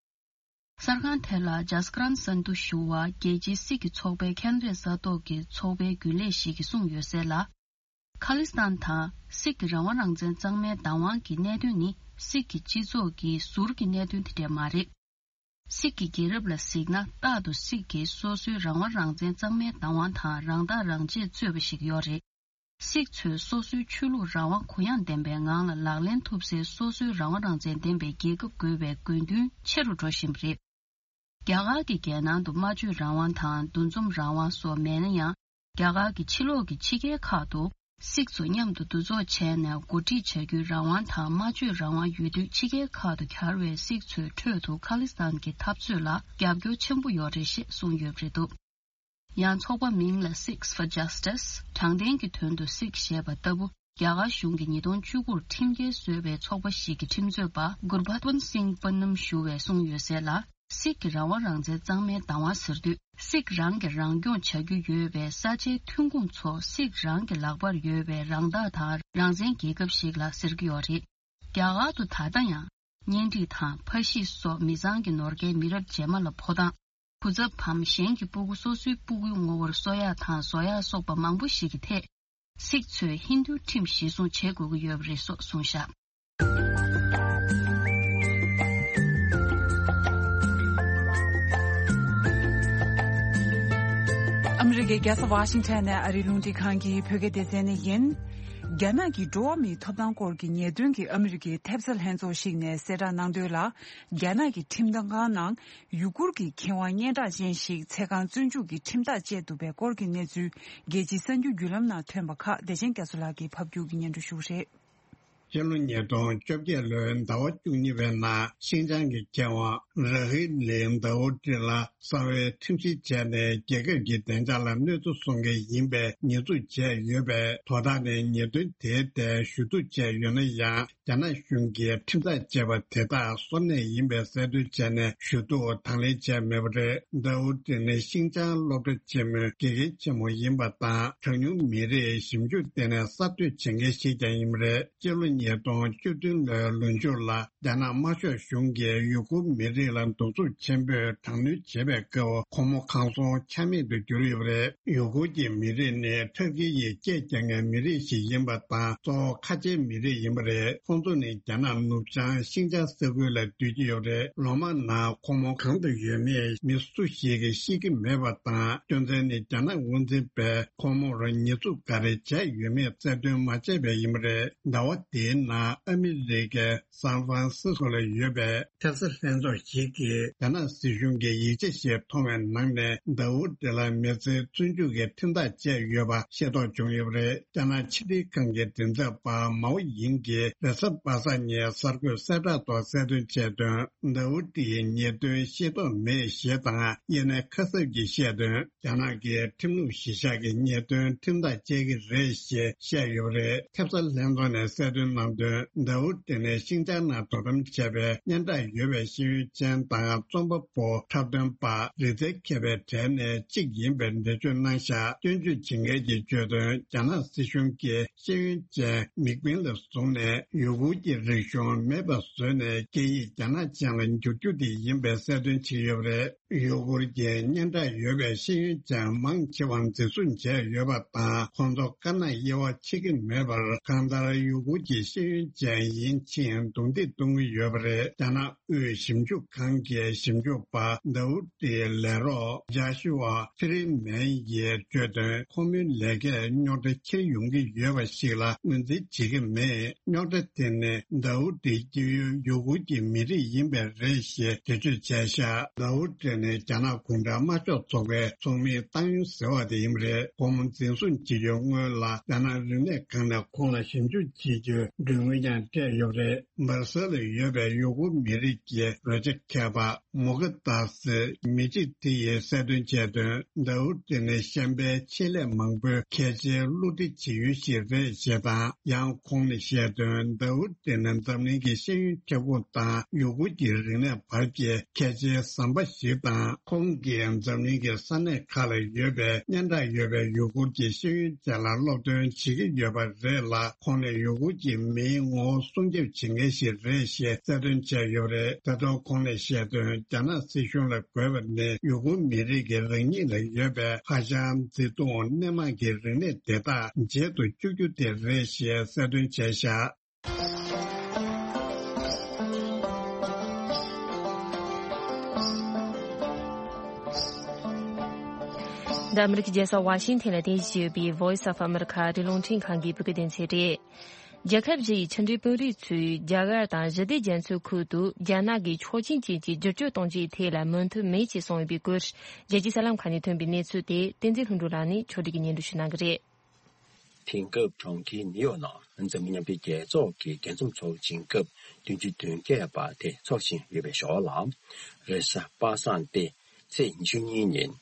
གསར་ཁང་དེ་ལ་ཇཱ་སི་ཀི་རན་སན་དྷུ་ཞུ་བ། རྒྱལ་སྤྱིའི་སིག་གི་ཚོགས་པའི་ཁེ་ན་ཌའི་ས་ཐོག་གི་ཚོགས་པའི་རྒྱུན་ལས་ཤིག་གིས་གསུངས་ཡོད་གསལ་ལ། ཁ་ལི་སི་ཐན་དང་སིག་གི་རང་དབང་རང་བཙན་གཙང་མའི་བདག་དབང་གི་གནད་དོན་ནི་སིག་གི་སྤྱི་ཚོགས་ཀྱི་ཟུར་གྱི་གནད་དོན་དེ་འདྲ་མ་རེད། སིག་གི་རྒྱལ་རབས་ལ་གཟིགས་ན། རྟག་ཏུ་སིག་གིས་སོ་སོའི་རང་དབང་རང་བཙན་གཙང་མའི་བདག་དབང་དང་རང་ཐག་རང་བཅད་རྩོད་པ་ཞིག་ཡོད་རེད། སིག་ཚོས་སོ་སོའི་ཆོས་ལུགས་རང་དབང་གུ་ཡངས་ལྡན་པའི་ངང་ལ་ལག་ལེན་ཐུབ་སའི་སོ་སོའི་རང་དབང་རང་བཙན་ལྡན་པའི་རྒྱལ་ཁབ་དགོས་པའི་དགོས་འདུན་ཆེ་རུ་འགྲོ་བཞིན་པ་རེད། རྒྱ་གར་གྱི་རྒྱལ་ནང་དུ་སྨྲ་བརྗོད་རང་དབང་དང་འདུ་འཛོམས་རང་དབང་སོགས་མེད་ན་ཡང་། རྒྱ་གར་གྱི་ཕྱི་ལོགས་ཀྱི་ཕྱི་རྒྱལ་ཁག་ཏུ་སིག་ཚོ་མཉམ་དུ་འདུ་ཚོགས་བྱས་ནས་འགོ་ཁྲིད་བྱ་རྒྱུའི་རང་དབང་དང་སྨྲ་བརྗོད་རང་དབང་ཡོད་དུས། ཕྱི་རྒྱལ་ཁག་ཏུ་གྱར་བའི་སིག་ཚོའི་ཁྲོད་དུ་ཁ་ལི་སི་ཐན་གྱི་འཐབ་རྩོད་ལ་རྒྱབ་སྐྱོར་ཆེན་པོ་ཡོད་རེད་ཞེས་གསུངས་ཡོད་པ་རེད་འདུག་ཡང་ཚོགས་པ་མིང་ལ་Sikhs for Justice། དྲང་བདེན་གྱི་དོན་དུ་སིག་ཞེས་པ་ལྟ་བུ། རྒྱ་གར་གཞུང་གིས་ཉིས་སྟོང་བཅུ་དགུར་ཁྲིམས་འགལ་བཟོས་པའི་ཚོགས་པ་ཞིག་གི་ཁྲིམས་རྩོད་པ་གུར་བྷ་ཏོན་སིང་པ་ནམ་ཞུ་བས་གསུངས་ཡོད་གསལ་ལ། སིག་གི་རང་དབང་རང་བཙན་གཙང་མའི་བདག་དབང་ཟེར་དུས། སིག་རང་གིས་རང་སྐྱོང་བྱ་རྒྱུ་ཡོད་པའི་ས་ཆའི་ཐོན་ཁུངས་ཚོ་སིག་རང་གི་ལག་པར་ཡོད་པའི་རང་བདག་དང་རང་བཙན་རྒྱལ་ཁབ་ཞིག་ལ་ཟེར་གྱི་ཡོད་རེད། རྒྱ་གར་དུ་ད་ལྟ་ཡང་གཉེན་སྒྲིག་དང་ཕ་གཞིས་སོགས་མི་ཚང་གི་ནོར་སྐལ་མི་རབས་རྗེས་མ་ལ་འཕོ་སྟངས། བུ་ཚབ་བམ་གཞན་གྱི་སྤུ་གུ་སོ་སོའི་སྤུ་གུའི་ངོ་བོར་གསོ་ཡག་དང་བཟོ་ཡག་སོགས་པ་མང་པོ་ཞིག་གི་ཐད། སིག་ཚོས་ཧིན་རྡུའི་ཁྲིམས་གཞིར་བཟུང་བྱེད་དགོས་ཀྱི་ཡོད་པ་རེད་སོགས་གསུངས་བཞག་ཨ་མི་རི་ཀའི་རྒྱལ་ས་ཝ་ཤིང་ཊོན་ནས་ཨ་རིའི་རླུང་འཕྲིན་ཁང་གི་བོད་སྐད་སྡེ་ཚན་ནས་ཡིན། རྒྱ་ནག་གི་འགྲོ་བ་མིའི་ཐོབ་ཐང་སྐོར་གྱི་ཉེས་དོན་གྱི་ཨ་མི་རི་ཀའི་ཐེབས་རྩ་ལྷན་ཚོགས་ཤིག་ནས་གསལ་བསྒྲགས་གནང་དོན་ལ། རྒྱ་ནག་གི་ཁྲིམས་ཁང་ནང་ཡུ་གུར་གྱི་མཁས་དབང་སྙན་གྲགས་ཅན་ཞིག་ཚེ་གང་བཙོན་འཇུག་གི་ཁྲིམས་ཐག་བཅད་འདུག་པའི་སྐོར་གྱི་གནས་ཚུལ། རྒྱལ་སྤྱིའི་གསར་འགྱུར་བརྒྱུད་ལམ་ནང་ཐོན་པ་ཁག་བདེ་ཆེན་རྒྱ་མཚོ་ལགས་ཀྱིས་ཕབ་སྒྱུར་གྱིས་སྙན་སྒྲོན་ཞུ་གི་རེད། སྤྱི་ལོ་ཉིས་སྟོང་བཅོ་བརྒྱད་ལོའི་ཟླ་བ་བཅུ་གཉིས་པའི་ནང་ཤིན་ཅང་གི་མཁས་དབང་ར་ཧི་ལི་དཱ་ཨུ་ཏི་ལ་གསང་བའི་ཁྲིམས་ཞིབ་བྱས་ནས་རྒྱལ་ཁབ་ཀྱི་བདེ་འཇགས་ལ་གནོད་འཚེ་སོང་མཁན་ཡིན་པའི་ཉེས་འཛུགས་བྱས་ཡོད་པས། དོ་བདག་ནས་ཉེས་དོན་དེའི་ཐད་ཞུ་གཏུག་བྱས་ཡོད་ན་ཡང་། རྒྱ་ནག་གཞུང་གིས་ཁྲིམས་ཐག་བཅད་པ་དེ་དག་སོར་གནས་ཡིན་པའི་གསལ་སྟོན་བྱས་ནས་ཞུ་གཏུག་དང་ལེན་བྱས་མེད་པ་རེད། དཱ་ཨུ་ཏི་ནི་ཤིན་ཅང་སློབ་གྲྭ་ཆེན་མོའི་དགེ་རྒན་ཆེན་མོ་ཡིན་པ་དང་། གྲངས་ཉུང་མི་རིགས་ཞིབ་འཇུག་ལྟེ་གནས་གསར་གཏོད་བྱེད་མཁན་ཞིག་ཀྱང་ཡིན་པ་རེད། སྤྱི་ལོ་ཉིས་སྟོང་བཅུ་བདུན་ལོའི་ལོ་མཇུག་ལ་རྒྱ་ནག་དམར་ཤོག་གཞུང་གིས་ཡུ་གུར་མི་རིགས་ལ་གདུག་རྩུབ་ཆེན་པོས་དྲག་གནོན་བྱེད་པའི་སྐབས། ཁོང་མོ་གང་སོང་ཆ་མེད་དུ་གྱུར་ཡོད་པ་རེད། ཡུ་གུར་གྱི་མི་རིགས་ནི་ཐར་ཀི་ཡི་སྐད་རྒྱག་མཁན་མི་རིགས་ཤིག་ཡིན་པ་དང་། གཙོ་བོ་ཁ་ཆེའི་མི་རིགས་ཡིན་པ་རེད། ཁོང་ཚོ་ནི་རྒྱ་ནག་ནུབ་བྱང་ཤིན་ཅང་ས་ཁུལ་ལ་སྡོད་ཀྱི་ཡོད་པ་རེད། ལོ་མང་ནང་ཁོང་མོ་གང་དུ་ཡོད་མེད་མི་སུ་ཞིག་གིས་ཤེས་ཀྱི་མེད་པ་དང་། རྒྱུ་མཚན་ནི་རྒྱ་ནག་དབང་འཛིན་པས་ཁོང་མོར་ཉེས་འཛུགས་ག་རེ་བྱས་ཡོད་མེད་རྩད་འདོན་མ་བྱས་པས་ཡིན་པ་རེད། ཟླ་བ་འདིའི་ནང་ཨ་མི་རི་ཀའི་སན་ཧྥ་རན་སི་སྐོ་ལ་ཡོད་པའི་ཐེབས་རྩ་ལྷན་ཚོགས་ཤིག་གིས་རྒྱ་ནག་སྲིད་གཞུང་གི་ཡིག་ཆ་ཞིག་མཐོང་བའི་ནང་ནས། དཱ་ཨུ་ཏི་ལ་མི་ཚེ་བཙོན་འཇུག་གི་ཁྲིམས་ཐག་བཅད་ཡོད་པ་ཤེས་རྟོགས་བྱུང་ཡོད་པ་རེད། རྒྱ་ནག་ཕྱི་དྲིལ་ཁང་གི་མགྲིན་ཚབ་པ་མའོ་ཡིང་གིས་རེས་གཟའ་པ་སངས་ཉིན་གསར་འགོད་གསལ་བསྒྲགས་ཐོག་གསལ་སྟོན་བྱས་དོན། དཱ་ཨུ་ཏི་ཡི་ཉེས་དོན་ཤེས་རྟོགས་མེད་ཞེས་དང་། དབྱེ་གནས་ཁ་གསབ་ཀྱིས་བཤད་དོན། རྒྱ་ནག་གི་ཁྲིམས་ལུགས་གཞིར་བཞག་གི་ཉེས་དོན་ཁྲིམས་ཐག་བཅད་ཀྱི་རེད་ཞེས་བཤད་ཡོད་པ་རེད། ཐེབས་རྩ་ལྷན་ཚོགས་ནས་གསལ་སྟོན་གནང་དོན། དཱ་ཨུ་ཏི་ནས་ཤིན་ཅང་ནང་དོ་དམ་བྱས་པའི་སྙན་གྲགས་ཡོད་པའི་ཤེས་ཡོན་ཅན་དང་རྩོམ་པ་པོ་འཁྲབ་སྟོན་པ་རིག་རྩལ་མཁས་པའི་གྲས་ནས་གཅིག་ཡིན་པའི་འགྲེལ་བརྗོད་གནང་བཞག་སྐྱོན་བརྗོད་བྱེད་མཁན་གྱིས་བརྗོད་དོན། རྒྱ་ནག་སྲིད་གཞུང་གིས་ཤེས་ཡོན་ཅན་མིག་དཔེ་ལ་བཟུང་ནས་ཡུ་གུར་གྱི་རིག་གཞུང་མེད་པ་བཟོས་ནས་སྐད་ཡིག་རྒྱ་ནག་ཅན་ལ་འགྱུར་རྒྱུ་དེ་ཡིན་པའི་གསལ་སྟོན་བྱས་ཡོད་པ་རེད། ཡུ་གུར་གྱི་སྙན་གྲགས་ཡོད་པའི་ཤེས་ཡོན་ཅན་མང་ཆེ་བ་འཛིན་བཟུང་བྱས་ཡོད་པ་དང་། ཁོང་ཚོ་དཀར་ནག་དབྱེ་བ་ཕྱེ་གི་མེད་པར། གང་ལྟར་ཡུ་གུར་གྱི་ ཤེས་ཡོན་ཅན་ཡིན་ཕྱིན་རྡུང་རྡེག་གཏོང་གི་ཡོད་པ་རེད། རྒྱ་ནག་དབུས་ཞིབ་འཇུག་ཁང་གི་ཞིབ་འཇུག་པ་ཟླ་ཝུ་ཏིའི་ལས་རོགས་ཇཱ་ཤུ་ཨ་ཕི་རི་མན་གྱིས་བརྗོད་དོན། ཁོ་མོའི་ལས་ཀས་རྙོག་དྲ་འཁྱེར་ཡོང་གི་ཡོད་པ་ཞིག་ལ་ངོས་འཛིན་བྱེད་ཀྱི་མེད། རྙོག་དྲ་དེ་ནི་ཟླ་ཝུ་ཏི་སྐྱེ་ཡུལ་ཡུ་གུར་གྱི་མི་རིགས་ཡིན་པས་རེད་ཞེས་འགྲེལ་བརྗོད་བྱས་བཞག་ཟླ་ཝུ་ཏི་ནི་རྒྱ་ནག་གུང་ཁྲན་དམར་ཤོག་ཚོགས་པའི་ཚོགས་མིའི་ཏང་ཡོན་ཟེར་བ་དེ་ཡིན་པ་རེད། ཁོང་འཛིན་བཟུང་བྱེད་རྒྱུའི་སྔོན་ལ་རྒྱ་ནག་རིག་གནས་ཁང་ནས་ཁོང་ལ་ཞིབ་འཇུག་བྱེད་རྒྱུའི་མགྲོན་དངུལ་ཀྱང་སྤྲད་ཡོད་པ་རེད། སྦར་སེལ་ལ་ཡོད་པའི་ཡུ་གུར་མི་རིགས་ཀྱི་རོལ་ཆ་མཁས་པ་མུ་ཀ་ཏཱ་སི་མི་གཅིག་དེ་ཡིས་གསལ་སྟོན་བྱས་དོན། ཟླ་ཝུ་ཏི་ནི་གཤམ་པའི་ཆེད་ལས་མང་པོའི་གལ་ཆེའི་བསླུ་བྲིད་བྱེད་ཡུལ་ཞིག་རེད་ཞེས་དང་། ཡང་ཁོང་ནས་བཤད་དོན། ཟླ་ཝུ་ཏི་ནི་འཛམ་གླིང་གི་ཤེས་ཡོན་ཁྱབ་ཁོངས་དང་ཡུ་གུར་གྱི་རིག་གནས་བར་གྱི་གལ་ཆེའི་ཟམ་པ་ཞིག་དང་། ཁོང་གིས་འཛམ་གླིང་གི་ས་གནས་ཁག་ལ་ཡོད་པའི་སྙན་གྲགས་ཡོད་པའི་ཡུ་གུར་གྱི་ཤེས་ཡོན་ཅན་ལ་སློབ་སྟོན་བྱེད་ཀྱི་ཡོད་པ་རེད་ལ། ཁོང་ནས་ཡུ་གུར་གྱི་མིའི་ངོ་བོ་སྲུང་སྐྱོབ་བྱེད་མཁན་ཞིག་རེད་ཞེས་གསལ་སྟོན་བྱས་ཡོད་པ་རེད། ད་དུང་ཁོང་ནས་བཤད་དོན། རྒྱ་ནག་སྲིད་གཞུང་ལ་དགོས་པ་ནི་ཡུ་གུར་མི་རིགས་ཀྱི་རང་ཉིད་ལ་ཡོད་པའི་ཧ་ཅང་བརྩེ་དུང་སྣེ་མང་གི་རིག་གནས་དེ་དག་མཇལ་དུ་བཅུག་རྒྱུ་དེ་རེད་ཞེས་གསལ་སྟོན་བྱས་བཞག་འདི་ཨ་མི་རི་ཀའི་རྒྱལ་ས་ཝ་ཤིང་ཐན་ལ་རྟེན་གཞི་བྱས་ཡོད་པའི་Voice of America ཨ་རིའི་རླུང་འཕྲིན་ཁང་གི་བོད་སྐད་སྡེ་ཚན་རེད། རྒྱལ་ཁབ་བཞི་ཡི་ཕྱི་འབྲེལ་དཔོན་རིགས་ཚོས་རྒྱ་གར་དང་ཞི་བདེ་རྒྱ་མཚོའི་ཁུལ་དུ་རྒྱ་ནག་གིས་ཆོག་མཆན་ཅན་གྱི་བསྒྱུར་བཅོས་གཏོང་རྒྱུའི་ཐད་ལ་མོས་མཐུན་མེད་ཅེས་གསུངས་ཡོད་པའི་སྐོར། རྒྱལ་སྤྱིའི་གསར་ལམ་ཁག་ནས་ཐོན་པའི་གནས་ཚུལ་དེ་བསྟན་འཛིན་ལྷུན་གྲུབ་ལགས་ནས་ཕྱོགས་སྒྲིག་གིས་སྙན་སྒྲོན་ཞུ་གནང་གི་རེད། དེང་སྐབས་གྲོང་ཁྱེར་ནིའུ་ཡོག་ནང་འཛམ་གླིང་མཉམ་འབྲེལ་རྒྱལ་ཚོགས་ཀྱི་རྒྱས་འཛོམས་ཚོགས་ཆེན་སྐབས་བདུན་ཅུ་དོན་བརྒྱད་པ་དེ་འཚོགས་བཞིན་ཡོད་པའི་ཞོར་ལ། རེས་གཟའ་པ་སངས་ཏེ་ཚེས་ཉི་ཤུ་གཉིས་ཉིན་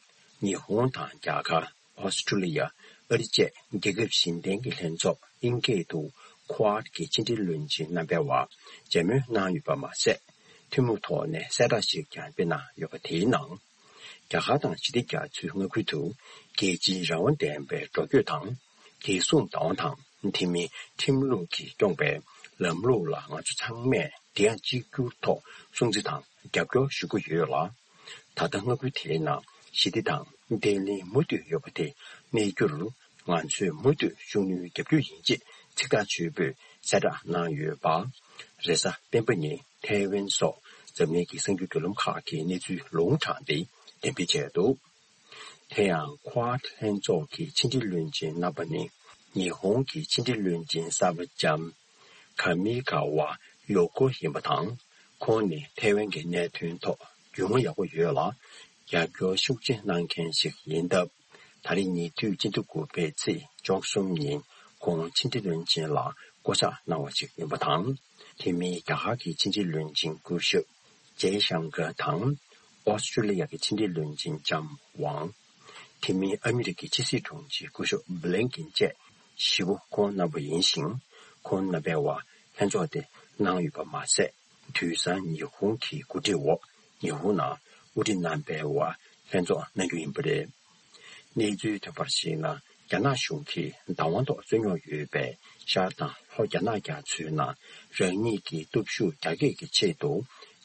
ཉི་ཧོང་དང་རྒྱ་གར། ཨོ་སི་ཀྲུ་ལི་ཡ། ཨ་རི་བཅས་རྒྱལ་ཁབ་གཞན་བརྟེན་གྱི་ལྷན་ཚོགས་དབྱིན་སྐད་དུ་Quad གི་ཕྱི་འབྲེལ་བློན་ཆེན་རྣམ་པའི་བར་མཇལ་མོལ་གནང་ཡོད་པ་མ་ཟད། ཐུན་མོང་ཐོག་ནས་གསལ་བསྒྲགས་ཤིག་ཀྱང་སྤེལ་གནང་ཡོད་པ་དེའི་ནང་། རྒྱ་གར་དང་ཞི་བདེ་རྒྱ་མཚོའི་མངའ་ཁུལ་དུ་རྒྱལ་སྤྱིའི་རང་དབང་ལྡན་པའི་འགྲོ་སྐྱོད་དང་། རྒྱལ་སྲུང་བདག་དབང་དང་། དེ་མིན་ཁྲིམས་ལུགས་ཀྱིས་སྐྱོང་པའི་ལམ་ལུགས་ལ་ང་ཚོ་ཚང་མས་བདེ་འཇགས་གཅིག་གྱུར་ཐོག་སྲུང་བརྩི་དང་རྒྱབ་སྐྱོར་ཞུ་གི་ཡོད་ལ། ད་ལྟ་མངའ་ཁུལ་དེའི་ནང་ཞི་བདེ་དང་བརྟན་ལྷིང་མུ་མཐུད་ཡོད་པ་དེ་གནས་རྒྱུར་ང་ཚོས་མུ་མཐུད་ཤུགས་སྣོན་རྒྱག་རྒྱུ་ཡིན་ཅེས་ཚིག་ཐག་ཆོད་པོས་གསལ་བསྒྲགས་གནང་ཡོད་པ། རེས་གཟའ་སྤེན་པ་ཉིན་ཐའེ་ཝན་སོགས་འཛམ་གླིང་གི་གསར་འགྱུར་བརྒྱུད་ལམ་ཁག་གིས་གནས་ཚུལ་ལུང་དྲངས་ཏེ་འགྲེམས་སྤེལ་བྱས་འདུག་དེ་ཡང་Quad ལྷན་ཚོགས་ཀྱི་ཕྱི་འབྲེལ་བློན་ཆེན་རྣམ་པ་ནི་ཉི་ཧོང་གི་ཕྱི་འབྲེལ་བློན་ཆེན་གསར་པ་ལྕམ་ཀ་མི་ཀ་ཝ་ཡོ་ཀོ་ཡིན་པ་དང་། ཁོང་ནི་ཐའེ་ཝན་གྱི་གནད་དོན་ཐོག་རྒྱུས་མངའ་ཡག་པོ་ཡོད་ལ། རྒྱབ་སྐྱོར་ཤུགས་ཆེ་གནང་མཁན་ཞིག་ཡིན་སྟབས། ད་རེས་ཉེ་དུས་སྤྱི་ཟླ་དགུ་པའི་ཚེས་བཅུ་གསུམ་ཉིན་ཁོང་ཕྱི་འབྲེལ་བློན་ཆེན་ལ་བསྐོ་གཞག་གནང་བ་ཞིག་ཡིན་པ་དང་། དེ་མིན་རྒྱ་གར་གྱི་ཕྱི་འབྲེལ་བློན་ཆེན་སྐུ་ཞབས་ཇེ་ཤང་ཀར་དང་། ཨོ་སི་ཀྲུ་ལི་ཡ་གི་ཕྱི་འབྲེལ་བློན་ཆེན་ལྕམ་ཝང་། དེ་མིན་ཨ་མི་རི་ཀའི་ཕྱི་སྲིད་དྲུང་ཆེ་སྐུ་ཞབས་བྷི་ལིན་ཀིན་བཅས་བཞི་པོ་ཁོང་རྣམ་པ་ཡིན་ཞིང་། ཁོང་རྣམ་པའི་བར་ལྷན་ཚོགས་དེ་གནང་ཡོད་པ་མ་ཟད། དུས་སང་ཉི་ཧོང་གི་གོ་སྒྲིག་འོག་ཉི་ཧོང་ནང་དབུ་ཁྲིད་རྣམ་པའི་བར་ལྷན་ཚོགས་གནང་རྒྱུ་ཡིན་པ་རེད། གནས་ཚུལ་ཐོན་པར་གཞིགས་ན། རྒྱ་ནག་གཞུང་གིས་བདག་དབང་ཐོག་རྩོད་རྙོག་ཡོད་པའི་ཤར་དང་ལྷོ་རྒྱ་ནག་རྒྱ་མཚོའི་ནང་རང་ཉིད་ཀྱི་སྟོབས་ཤུགས་རྒྱ་སྐྱེད་ཀྱི་ཆེད་དུ།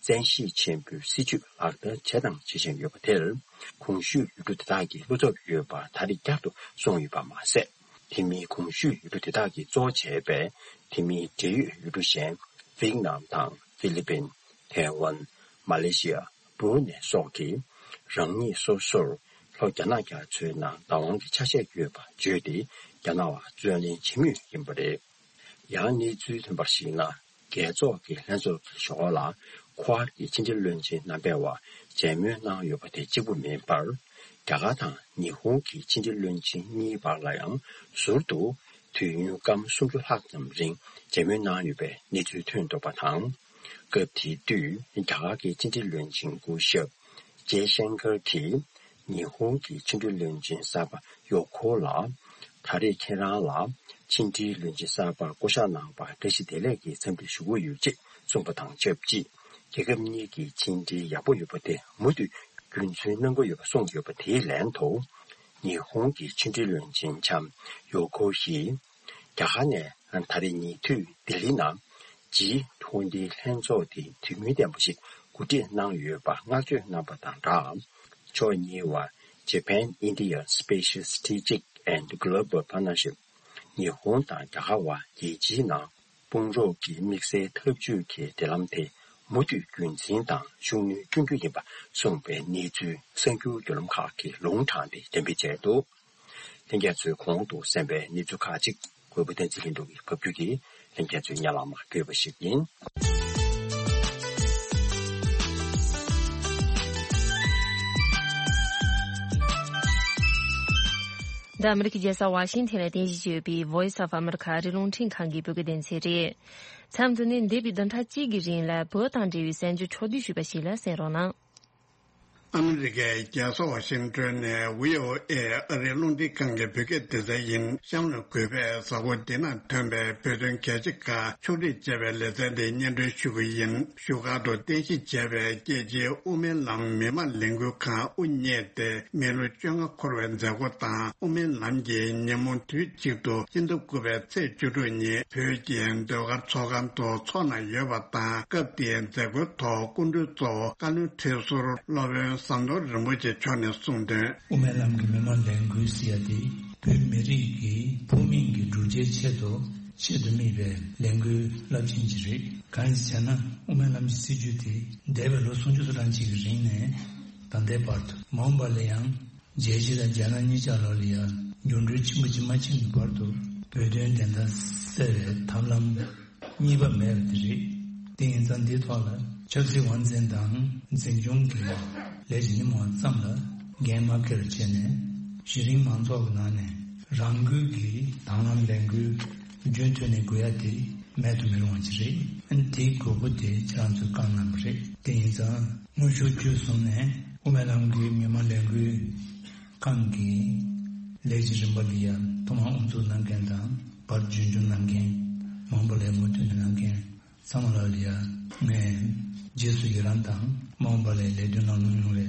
བཙན་ཤེད་ཆེན་པོའི་སྲིད་ཇུས་ལག་བསྟར་བྱས་དང་བྱེད་བཞིན་ཡོད་པ་དེར། གོང་ཞུས་ཡུལ་གྲུ་དེ་དག་གི་བློ་འཚབ་ཡོད་པ་ད་རེས་བསྐྱར་དུ་སོང་ཡོད་པ་མ་ཟད། དེ་མིན་གོང་ཞུས་ཡུལ་གྲུ་དེ་དག་གིས་གཙོ་བྱས་པའི་དེ་མིན་འབྲེལ་ཡོད་ཡུལ་གྲུ་གཞན། ཝེད་ནམ་དང་ཧྥི་ལི་པིན། ཐའེ་ཝན། མ་ལེ་ཤི་ཡ། སྦུ་རུ་ནེ་སོགས་ཀྱིས་རང་ཉིད་སོ་སོར་ལྷོ་རྒྱ་ནག་རྒྱ་མཚོའི་ནང་བདག་དབང་གི་ཆ་ཤས་ཡོད་པ་བརྗོད་དེ། རྒྱ་ནག་བར་རྩོད་ལེན་བྱེད་མུས་ཡིན་པ་རེད། ཡང་གནས་ཚུལ་ཐོན་པར་གཞིགས་ན། རྒྱལ་ཚོགས་ཀྱི་ལྷན་ཚོགས་ཀྱི་ཞོར་ལ། ཁོ་ཝཱཌ་ཀྱི་ཕྱི་འབྲེལ་བློན་ཆེན་རྣམ་པའི་བར་མཇལ་མོལ་གནང་ཡོད་པ་དེ་གཅིག་པུ་མིན་པར། རྒྱ་གར་དང་ཉི་ཧོང་གི་ཕྱི་འབྲེལ་བློན་ཆེན་གཉིས་བར་ལ་ཡང་ཟུར་དུ་དུས་ཡུན་སྐར་མ་སུམ་ཅུ་ལྷག་ཙམ་རིང་མཇལ་མོལ་གནང་ཡོད་པའི་གནས་ཚུལ་ཐོན་འདུག་པ་དང་། སྐབས་དེ་དུས་རྒྱ་གར་གྱི་ཕྱི་འབྲེལ་བློན་ཆེན་སྐུ་ཞབས་ཇེ་ཤན་ཀར་གྱིས། ཉི་ཧོང་གི་ཕྱི་འབྲེལ་བློན་ཆེན་གསར་པ་ཡོ་ཁོ་ལ། ད་རེས་ཁྱེད་རང་ལ་ཕྱི་འབྲེལ་བློན་ཆེན་གསར་པར་བསྐོ་གཞག་གནང་བར་བཀྲ་ཤིས་བདེ་ལེགས་ཀྱི་འཚམས་འདྲི་ཞུ་གི་ཡོད་ཅེས་གསུངས་པ་དང་ཆབས་ཅིག་རྒྱལ་ཁབ་གཉིས་ཀྱི་ཕྱི་འབྲེལ་ཡག་པོ་ཡོད་པ་དེ་མུ་མཐུད་རྒྱུན་འཛིན་གནང་གི་ཡོད་པ་གསུངས་ཡོད་པ་དེའི་ལན་དུ། ཉི་ཧོང་གི་ཕྱི་འབྲེལ་བློན་ཆེན་ལྕམ་ཡོ་ཁོ་ཡིས། རྒྱ་གར་ནས་ད་རེས་ཉེ་དུས་ལྡི་ལི་ནང་ཇི་ཊུ་ཝེན་ཊི་ལྷན་ཚོགས་དེ་དུས་ངན་ལྡན་པ་ཞིག་གོ་སྒྲིག་གནང་ཡོད་པར་བསྔགས་བརྗོད་གནང་པ་དང་སྦྲགས། ཕྱོགས་གཉིས་བར་Japan India Special Strategic and Global Partnership ཉི་ཧོང་དང་རྒྱ་གར་བར་རྒྱལ་སྤྱིའི་ནང་ དཔུང་རོགས་ཀྱི་དམིགས་བསལ་འཐབ་ཇུས་ཀྱི་འབྲེལ་ལམ་དེ་མུ་མཐུད་རྒྱུན་འཛིན་དང་ཤུགས་སྣོན་སྐྱོན་རྒྱུ་ཡིན་པ་གསུངས་པའི་གནས་ཚུལ་གསར་འགྱུར་བརྒྱུད་ལམ་ཁག་གིས་ལུང་དྲངས་ཏེ་འགྲེམས་སྤེལ་བྱས་འདུག། ལྷན་རྒྱས་ཚོས་གོང་དུ་གསན་པའི་གནས་ཚུལ་ཁག་ཅིག་གུས་པ་བསྟན་འཛིན་ལྷུན་གྲུབ་ཀྱིས་ཕབ་སྒྱུར་གྱིས་ལྷན་རྒྱས་ཚོའི་སྙན་ལམ་བསྐྱོད་པ་ཞིག་ཡིན། འདི་ཨ་མི་རི་ཀའི་རྒྱལ་ས་ཝ་ཤིང་ཐན་ལ་རྟེན་གཞི་བྱས་ཡོད་པའི་Voice of America ཨ་རིའི་རླུང་འཕྲིན་ཁང་གི་བོད་སྐད་སྡེ་ཚན་རེད། མཚམས་འདི་ནས་འདས་པའི་བདུན་ཕྲག་གཅིག་གི་རིང་ལ་བོད་དང་འབྲེལ་བའི་གསར་འགྱུར་ཕྱོགས་བསྡུས་ཞུས་པ་ཞིག་ལ་གསན་རོགས་གནང་། ཨ་མི་རི་ཀའི་རྒྱལ་ས་ཝ་ཤིང་ཊོན་ནས་བྷི་ཨོ་ཨེ་ཨ་རིའི་རླུང་འཕྲིན་ཁང་གི་བོད་སྐད་སྡེ་ཚན་ཡིན། གཤམ་ལ་གུས་པས་གཟའ་འཁོར་འདི་ན་ཐོན་པའི་བོད་དོན་གལ་ཆེ་ཁག་ཕྱོགས་སྒྲིག་བྱས་པའི་ལེ་ཚན་འདི་སྙན་སྒྲོན་ཞུ་གི་ཡིན། བཞུགས་སྒར་དུ་རྟེན་གཞི་བྱས་པའི་རྒྱལ་སྤྱིའི་དབུ་མའི་ལམ་མི་མང་ལས་འགུལ་ཁང་དབུ་བརྙེས་ཏེ་མི་ལོ་བཅོ་ལྔ་འཁོར་བའི་མཛད་སྒོ་དང་། དབུ་མའི་ལམ་གྱི་ཉིན་མོ་དུས་གཅིག་ཏུ་སྤྱི་ཟླ་དགུ་པའི་ཚེས་བཅུ་དྲུག་ཉིན་བོད་ཀྱི་ཟློས་གར་ཚོགས་ཁང་དུ་འཚོགས་གནང་ཡོད་པ་དང་། སྐབས་དེའི་མཛད་སྒོའི་ཐོག་སྐུ་མགྲོན་གཙོ་བོ་བཀའ་བློན་ཁྲི་ཟུར་སློབ་དཔོན་ཟམ་གདོང་རིན་པོ་ཆེ་མཆོག་ནས་གསུངས་དོན། དབུ་མའི་ལམ་གྱི་མི་མང་ལས་འགུལ་ཟེར་ཡ་དེ་བོད་མི་རིགས་ཀྱི་ཕུགས་དམིགས་ཀྱི་བསྒྲུབ་བྱའི་ཆེད་དུ་ཆེད་དུ་དམིགས་པའི་ལས་འགུལ་རླབས་ཆེན་ཅིག་རེད། གང་ཡིན་ཟེར་ན། དབུ་མའི་ལམ་གྱི་སྲིད་བྱུས་དེ་འདས་པའི་ལོ་སུམ་ཅུ་སོ་གྲངས་ཅིག་གི་རིང་ནས་ད་ལྟའི་བར་དུ། མ་འོངས་པ་ལ་ཡང་རྒྱལ་སྤྱི་དང་རྒྱལ་ནང་གཉིས་ཆར་ལོགས་ལ་ཡང་འགྱུར་འགྲོས་ཆེན་པོ་ཅིག་མ་ཕྱིན་གྱི་བར་དུ་བོད་དོན་བདེན་མཐའ་གསལ་བའི་ཐབས་ལམ་གཉིས་པ་མེད་པ་དེ་རེད། དེ་ཡིན་ཙང་འདིའི་ཐོག་ལ་ཆབ་སྲིད་དབང་འཛིན་དང་འཛིན་སྐྱོང་གི་ལས་ཀྱི་ཉིན་མོ་ཙམ་ལ་འགན་མ་འཁྱེར་བྱས་ནས། གཞི་རིམ་མང་ཚོགས་ཀྱི་ནང་ནས་རང་འགུལ་གྱིས་དང་བླངས་ལས་འགུལ་རྒྱུན་མཐུད་ནས་དགོས་ཡ་དེ་མེད་དུ་མི་རུང་བ་ཅིག་རེད། ཨ་ནི་དེའི་དགོས་མཁོ་དེ་ཁྱེད་རང་ཚོས་བསྐངས་གནང་བ་རེད། དེ་ཡིན་ཙང་དངོས་ཤུགས་བརྒྱུད་གསུམ་ནས་དབུ་མའི་ལམ་གྱི་མི་མང་ལས་འགུལ་ཁང་གི་ལས་ཀྱི་རིམ་པ་འདི་ཡང་ཐོག་མར་དབུ་འཛུགས་གནང་མཁན་དང་། བར་རྒྱུན་སྐྱོང་གནང་མཁན། མ་འོངས་པ་ལ་མུ་མཐུད་ནས་གནང་མཁན་ཚང་མ་ལ་ཡང་ངས་རྗེས་སུ་ཡི་རང་དང་། མ་འོངས་པ་ལ་ལས་དོན་གནང་ལུགས་ཡོང་བའི་